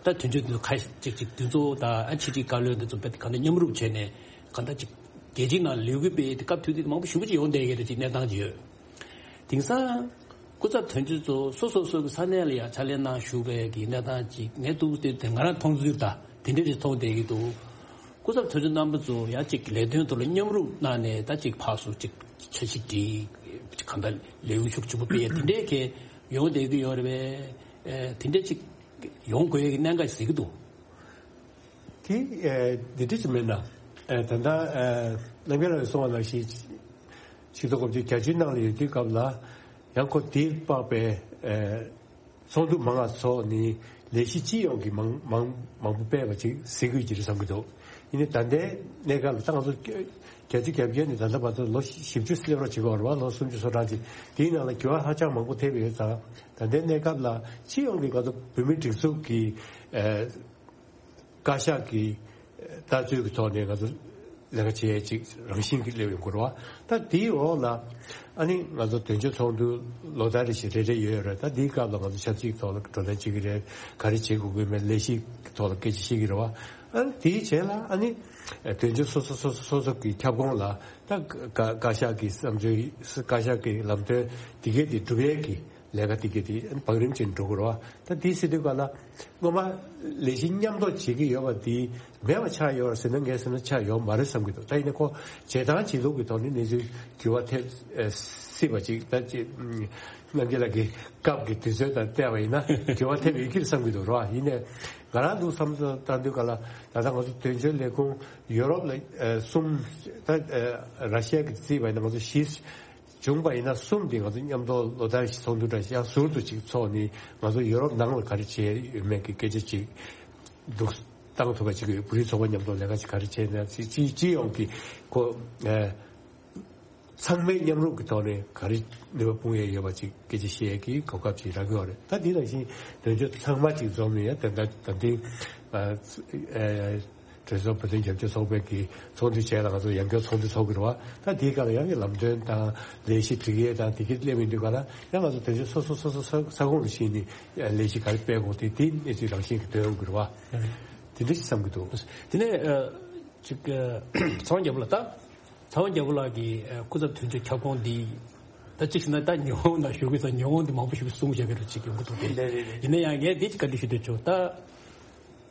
ད་དོན་གཅོད་དེ་ཚོ་ཁ་ཅིག་ཅིག་དེ་ཚོ་ད་ཕྱི་དྲིལ་བཀའ་བློན་དེ་ཚོ་དཔེ་གང་ལྟར་མཉམ་རུབ་བྱས་ནས་གང་ལྟར་ཅིག་རྒྱལ་སྤྱིའི་ནང་ལས་འགུལ་སྤེལ་ཡས་དེ་སྐབས་དུས་དེ་མང་པོ་ཞེ་པོ་ཅིག་ཡོང་བསྡད་ཀྱི་རེད། ཅིག་གནས་སྟངས་ཅིག་ཡོད། དེང་སང་སྐུ་ཚབ་དོན་གཅོད་ཚོ་སོ་སོ་སོ་གི་ས་གནས་ལ་ཡང་ཕྱག་ལས་གནང་བཞུགས་པའི་གི་གནས་སྟངས་ཅིག་ངས་ཐུག་དེ་དེ་ང་རང་མཐོང་ཚུལ་ད་དེ་འདྲ་ཞིག་མཐོང་བསྡད་ཀྱི་འདུག་སྐུ་ཚབ་དོན་གཅོད་རྣམ་པ་ཚོ་ཡང་ཅིག་ལས་དོན་ཐོག་ལ་མཉམ་རུབ་གནང་ནས་ད་ཅིག་ཕར་ཚུར་ཅིག་འཆར་གཞི་སྒྲིག་གང་ལྟར་ལས་འགུལ་ཤུགས་ཆེན་པོ་སྤེལ་ཡས་དེ་འདྲའི་གི་ཡོང་བསྡད་ཀྱི་ཡོད་རེད་པས། དེ་འདྲ་ཅིག་ཡོང་དགོས་ཡས་ཀྱི་གནད་འགག་ཞིག་གཟིགས་ཀྱི་འདུག་དེ་ཨེ་འདི་འདྲ་ཅིག་མིན་ན། ཨེ་ད་ལྟ་ཨེ་རྣམ་རྒྱལ་ལགས་གསུངས་པ་ནང་བཞིན་ཆིག་སྟོང་དགུ་བརྒྱ་བརྒྱད་ཅུའི་ནང་ལ་ཡོད་དུས་སྐབས་ལ་ཡང་ཁོ་དེའི་དཔག་པའི་ཨེ་ཚོགས་འདུ་མང་ང་ཚོགས་ནས་ལས་གཞི་སྤྱི་ཡོངས་ཀྱི་མང་མང་མང་པོ་སྤེལ་བ་ཅིག་གཟིགས་དགོས་ཀྱི་རེད་བསམ་གྱི་འདུག་ཡིན་ནའི་ད་ལྟའི་གནས་སྐབས་ལ་ད་ང་ཚོ་བརྒྱད་ཅུ་གྱ་བརྒྱད་ནས་ད་ལྟ་བར་དུ་ལོ་བཞི་བཅུ་སླེབས་རོགས་བྱེད་དགོས་རེད་པ། ལོ་སུམ་ཅུ་སོ་གྲངས་ཅིག་དེའི་ནང་ལ་འགྱུར་བ་ཧ་ཅང་མང་པོ་ཐེབས་ཡོད་ཙང་ད་ལྟའི་གནས་སྐབས་ལ་སྤྱི་ཡོངས་ཀྱི་ང་ཚོ་བོད་མིའི་སྒྲིག་འཛུགས་ཀྱི་ཨེ། བཀའ་ཤག་གི་ལྟ་ཚུལ་གྱི་ཐོག་ནས་ང་ཚོ་ལས་ཀ་བྱེད་ཡས་ཅིག་རང་བཞིན་གྱིས་སླེབས་ཡོང་གི་རེད་པ། ད་དེའི་འོག་ལ་ཨ་ནི་ང་ཚོ་དོན་གཅོད་ཚོགས་འདུ་ལོ་ལྟར་རེ་བཞིན་རེ་རེ་ཡོད་རེད། ད་དེའི་སྐབས་ལ་ང་ཚོ་ཆབ་སྲིད་ཐོག་ལ་བགྲོ་གླེང་བྱེད་ཀྱི་རེད། ག་རེ་བྱེད་དགོས་ཀྱི་མེད་ལས་གཞི་ཐོག་ལ་སྐད་ཆ་བཤད་ཀྱི་རེད་པ། ཨ་ནི་དེའི་རྗེས་ལ་ཨ་ནི་དོན་གཅོད་སོ་སོ་སོ་སོ་སོ་སོ་གི་ཁྱབ་ཁོངས་ལ་ད་བཀའ་བཀའ་ཤག་གི་བསམ་ཚུལ་བཀའ་ཤག་གི་ལམ་སྟོན་དེ་གས་དེ་སྒྲུབ་ཡས་ཀྱི་ལས་ཀ་དེ་གས་དེ་བང་རིམ་ཅན་འགྲོ་དགོས་རེད་པ། ད་དེ་ཟེར་དུས་ག་ལ་སྔོན་མ་ལས་གཞི་མཉམ་གཏོགས་བྱེད་ཀྱི་ཡོད་པ་དེ་མེད་པ་ཆགས་ཡོད་རེད་ཟེར་ན་ངས་ཟེར་ན་ཆགས་ཡོད་མ་རེད་བསམ་གྱི་འདུག་ད་ཡིན་ན་ཁོ་བྱེད་སྟངས་བྱེད་ལུགས་ཀྱི་ཐོག་ནས་གནས་ཚུལ་འགྱུར་བ་ཐེབས་ཨེ་སྲིད་པ་ཅིག་ད་ཅིག་རྣམ་རྒྱལ་ལགས་ཀྱི་སྐབས་ཀྱི་དུས་ཚོད་དང་བལྟས་པ་ཡིན་ན་འགྱུར་བ་ཐེབས་ཡོད་ཀྱི་རེད་བསམ་གྱི་འདུག་རེད་པ། ཡིན་ནའི་ང་རང་འདུག་བསམ་བློ་བཏང་དུས་ག་ལ་ད་ལྟ་ང་ཚོ་དོན་གཅོད་ལས་ཁུངས་ཡུ་རོབ་ལ་ཨེ་གསུམ་ད་ཨེ་ར་ཤི་ཡ་གི་རྩིས་པ་ཡིན་ན་ང་ཚོ་བཞི། བྱུང་བ་ཡིན་ན་གསུམ་དེ་ང་ཚོ་མཉམ་དུ་ལོ་ལྟར་ཞིག་ཚོགས་འདུ་འདྲ་ཞིག་ཡང་ཟུར་དུ་ཅིག་ཚོགས་ནས་ང་ཚོ་ཡུ་རོབ་ནང་ལ་ག་རེ་བྱས་ཡོད་མེད་ཀྱི་སྐད་ཆ་ཅིག་འདུག་བཏང་ཐུབ་པ་ཅིག་ཡོད། བོད་རིགས་ཚོགས་པ་མཉམ་དུ་ལས་ཀ་ཅིག་ག་རེ་བྱས་ན་ཅིག་ཅིག་སྤྱི་ཡོངས་ཀྱི་ཁོ་ཨེ་ཚང་མའི་མཉམ་རུབ་ཀྱི་ཐོག་ནས་ག་རེ་ནུས་པ་སྤུངས་ཡས་ཡོད་པ་ཅིག་སྐད་ཆ་བཤད་ཡས་ཀྱི་གོ་སྐབས་ཅིག་རག་གི་ཡོད་རེད། ད་དེ་ནང་བཞིན་དོན་གཅོད་ཚང་མ་ཅིག་འཛོམས་ནས་ཡང་དེ་འདྲ་ད་ལྟའི་ཨ་ཨེ། གྲོས་ཚོགས་བོད་དོན་རྒྱབ་སྐྱོར་ཚོགས་པའི་གི་ཚོགས་འདུ་བྱས་ལ་ང་ཚོ་ཡང་བསྐྱར་ཚོགས་འདུ་ཚོགས་ཀྱི་རེད་པ། ད་དེའི་སྐབས་ལ་ཡང་གི་ལམ་སྟོན་དང་ལས་གཞི་སྒྲིག་ཡས་དང་དེ་གི་སླེབས་ཡོང་དུས་ག་ལ་ཡང་ང་ཚོ་དོན་གཅོད་སོ་སོ་སོ་སོ་ས་ས་ཁོངས་ལ་ཕྱིན་ནས་ལས་གཞི་ག་རེ་སྤེལ་དགོས་དེ་དེ་གནས་ཚུལ་རང་བཞིན་གྱི་ཐོན་ཡོང་གི་རེད་པ། དེ་འདྲ་ཞིག་བསམ་གྱི་འདུག་དེ་ནས་ཨ་ཅིག་ཨ་ཚེ་དབང་རྒྱལ་པོ་ལགས་ད། ཚེ་དབང་རྒྱལ་པོ་ལགས་ཀྱི་ཨ་སྐུ་ཚབ་དོན་གཅོད་ཁྱབ་ཁོངས་འདི་ད་ ད་གཅིག་བྱས་ན་ད་ཉི་ཧོང་ནང་བཞུགས་ཀྱི་ས་ཉི་ཧོང་དེ་མང་པོ་ཞིག་གསུངས་བཞག་པའི་རུ་གཅིག་ཡོང་གི་འདུག་སྟེ། རེད་རེད་རེད། ཡིན་ན་ཡང་ངས་འདི་གཅིག་བཀའ་འདྲི་ཞུ་འདོད་བྱུང་ད།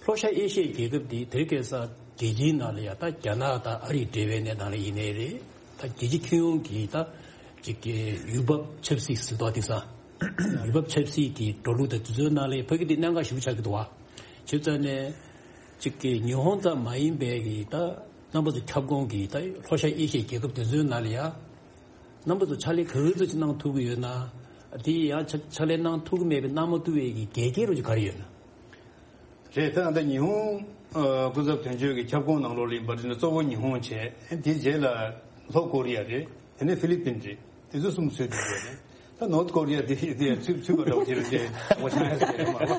ལྷོ་ཤར་ཨེ་ཤི་ཡའི་རྒྱལ་ཁབ་འདི་དེ་རིང་ཁ་སང་རྒྱལ་སྤྱིའི་ནང་ལ་ཡང་ད་རྒྱ་ནག་དང་ཨ་རི་འབྲེལ་བའི་གནས་སྟངས་ལ་ཡིན་ནའི་རེད། ད་རྒྱལ་སྤྱིའི་ཁྱོན་ཡོངས་ཀྱི་ད་ཅིག་གི་ཡུལ་བབ་ཆབ་སྲིད་ཟེར་དོ་དེང་སང་ཡུལ་བབ་ཆབ་སྲིད་ཀྱི་འགྲོ་ལུགས་དང་དུས་ཚོད་ནང་ལ་ཕ་གི་འདི་གནད་འགག་ཞིག་ཆགས་ཀྱི་འདུག་བ། བྱས་ཙང་ནས་ཅིག་གི་ཉི་ཧོང་ཙམ་མ་ཡིན་པའི་གི་ད་རྣམ་པ་ཚོ་ཁྱབ་ཁོངས་ཀྱི་ད་ལྷོ་ཤར་ཨེ་ཤི་ཡའི་རྒྱལ་ཁབ་དེ་ཚོའི་ནང་ལ་ཡང་རྣམ་པ་ཚོ་ཕྱག་ལས་ག་ཚོད་ཅིག་གནང་ཐུབ་ཀྱི་ཡོད་ན། དེ་ཡང་ཕྱག་ཕྱག་ལས་གནང་ཐུབ་ཀྱི་མེད་པའི་གནང་མ་ཐུབ་པའི་གི་འགལ་རྐྱེན་རུ་ཅིག་ག་རེ་ཡོད་ན། རེད། ད་ད་ཉི་ཧོང་ཨ་སྐུ་ཚབ་དོན་གཅོད་ཀྱི་ཁྱབ་ཁོངས་ནང་ལོགས་ལ་ཡིན་པ་རེད་ན་གཙོ་བོ་ཉི་ཧོང་བྱས། དེའི་རྗེས་ལ་ལྷོ་ཀོ་རི་ཡ་རེད། དེ་ནས་ཧྥི་ལི་པིན་རེད། དེ་ཚོ་གསུམ་ཚུད་འདུག་ཟེར་ནས། ད་ནོར་ཐ་ཀོ་རི་ཡ་དེ་དེ་ཚུད་ཚུད་པ་འདྲ་བོ་དེ་རེད་དེ་ངོ་ཤེས་ཡ་ཟེར་མ་རེད།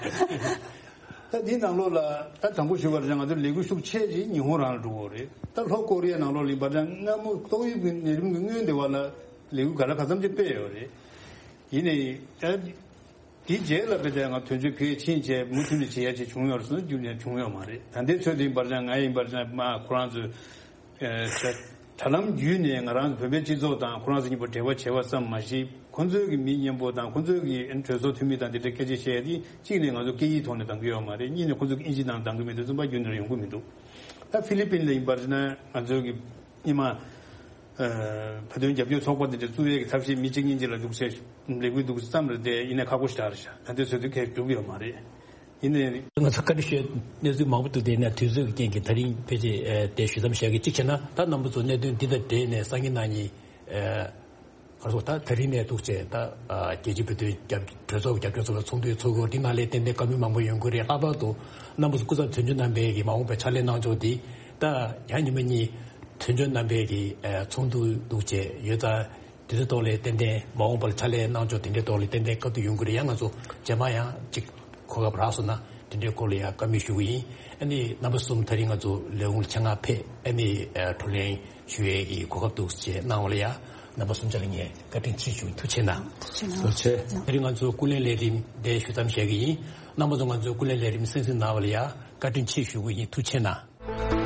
ད་དེའི་ནང་ལོགས་ལ་ད་དང་པོ་ཞུ་བ་རེད་ན་ང་ཚོ་ལས་འགུལ་ཤུགས་ཆེ་ཅིག་ཉི་ཧོང་རང་ལ་འགྲོ་གི་རེད། ད་ལྷོ་ཀོ་རི་ཡ་ནང་ལོགས་ལ་ཡིན་པ་རེད་ན་སྔ་མོ་ཏོག་དབྱིབས་ཀྱི་ནད་རིམས་ཀྱི་སྔོན་དེ་བ་ལ་ལས་འགུལ་ག་ལ་ག་ཚམ་ཅིག་སྤེལ་ཡོད་རེད། ཡིན་ནའི་ད། དེའི་རྗེས་ལ་དཔེ་དེ་ང་དོན་གཅོད་ཕེབས་ཕྱིན་བྱས་མུ་མཐུད་ནས་བྱེད་ཡ་ཅིག་བྱུང་ཡོད་རེད་ཟེར་ན་རྒྱུན་ནས་བྱུང་ཡོད་མ་རེད། ད་ལྟའི་ཚོད་དུ་ཡིན་པར་ཀྱང་ང་ཡིན་པར་ཀྱང་མ་ཁོ་རང་ཚོས་ཨེ་དྲ་དྲ་ལམ་བརྒྱུད་ནས་ང་རང་ཚོ་བོད་པའི་སྤྱི་ཚོགས་དང་ཁོ་རང་ཚོ་གཉིས་པོ་འབྲེལ་བ་བྱས་པ་ཙམ་མ་ཞིག་ཁོ་ཚོའི་གི་མི་མཉམ་པོ་དང་ཁོ་ཚོའི་གི་གྲོས་ཚོགས་འཐུས་མི་དང་དེ་འདྲའི་སྐད་ཆ་བཤད་ཡ་དེ་གཅིག་ནས་ང་ཚོ་སྐད་ཡིག་ཐོག་ནས་གཏང་གི་ཡོད་མ་རེད། གཉིས་ནས་ཁོ་ཚོ་གི་ཨིན་ཇི་ནང་གཏང་གི་མེད་དུས་ཙམ་པ་རྒྱུན་ནས་ཡོང་གི་མི་འདུག་ད་ཧྥི་ལི་པིན་ལ་ཡིན་པར་ན་ང་ཚོའི་གི་སྔོན་མ། ཨ་བོད་དོན་རྒྱབ་སྐྱོར་ཚོགས་པ་འདི་འདྲ་བཙུགས་ཡས་ཀྱི་ཐབས་ཤེས་མི་གཅིག་གཉིས་གཅིག་ལ་འདུག་སེ་ལས་འགུལ་འདུག་སེ་བརྩམས་རེད་དེ་ཡིན་ན་ཁག་པོ་ཞེ་དྲག་རེད་ཤག་ད་ལྟའི་ཚོད་དུ་ཁས་འགྲུབ་ཡོད་མ་རེད། ཡིན་ནའི། ང་ཚོ་བཀའ་འདྲི་ཞུ་གནས་ཚུལ་མང་པོ་འདུག་དེ་ནས་དུས་ཚོད་ཀྱི་རྐྱེན་གྱིས་ད་རིང་ཕལ་ཆེར་ཨ་དེ་ཞུ་མཚམས་བཞག་གི་གཅིག་བྱས་ན་ད་རྣམ་པ་ཚོ་གནད་དོན་འདི་དང་འབྲེལ་ནས་སང་ཉིན་གནངས་ཉིན་ཨ་ག་རེ་ཟེར་ད་ད་རིང་ནས་འདུག་བྱས་ད་ཨ་རྒྱལ་སྤྱིའི་བོད་དོན་རྒྱབ་གྲོས་ཚོགས་ཀྱི་རྒྱབ་སྐྱོར་ཚོགས་པ་ཚོགས་འདུ་ཚོགས་ཀྱི་འདི་ནང་ལས་ཏན་ཏན་བཀའ་མོལ་མང་པོ་ཡོང་གི་རེད། ལྷག་པར་དུ་རྣམ་པ་ཚོ་སྐུ་ཚབ་དོན་གཅོད་རྣམ་པས་ཀྱི་མ་འོངས་པའི་ཕྱག་ལས་གནང་ཕྱོགས་འདི་ད་ཡང་ཉི་མ་གཉིས། དོན་གཅོད་རྣམ་པས་ཀྱི་ཨ་ཚོགས་འདུ་འདུག་བྱས་ཡོད་ཙང་དེ་ཚོའི་ཐོག་ལས་ཏན་ཏན་མ་འོངས་པར་ཕྱག་ལས་གནང་ཕྱོགས་དེ་འདྲའི་ཐོག་ལས་ཏན་ཏན་བཀའ་བསྡུར་ཡོང་གི་རེད། ཡང་ང་ཚོ་རྗེས་མ་ཡང་གཅིག་གོ་སྐབས་རག་སོང་ན་དེ་འདྲའི་སྐོར་ལ་ཡང་བཀའ་མོལ་ཞུ་གི་ཡིན། ཨ་ནི་རྣམ་པ་གསུམ་ད་རིང་ང་ཚོ་ལས་ཁུངས་ལ་ཆེད་མངགས་ཕེབས་ཨ་ནི་ཨ་བགྲོ་གླེང་ཞུ་ཡས་ཀྱི་གོ་སྐབས་འདུག་བྱས་གནང་བ་ལ་ཡང་རྣམ་པ་གསུམ་ཆ་ལ་ངས་བཀའ་དྲིན་ཆེ་ཞུ། ཐུགས་རྗེ་གནང་། ཐུགས་རྗེ་གནང་། ཐུགས་རྗེ་ཆེ། ད་རིང་ང་ཚོ་སྐུ་ལས་ལས་རིམ་འདི་ཞུ་མཚམས་བཞག་གི་ཡིན། རྣམ་པ་ཚོ་ང་ཚོའི་སྐུ་ལས་ལས་རིམ་གསན་གཟིགས་གནང་བ་ལ་ཡང་བཀའ་དྲིན་ཆེ་ཞུ་གི་ཡིན། ཐུགས་རྗེ་གནང་།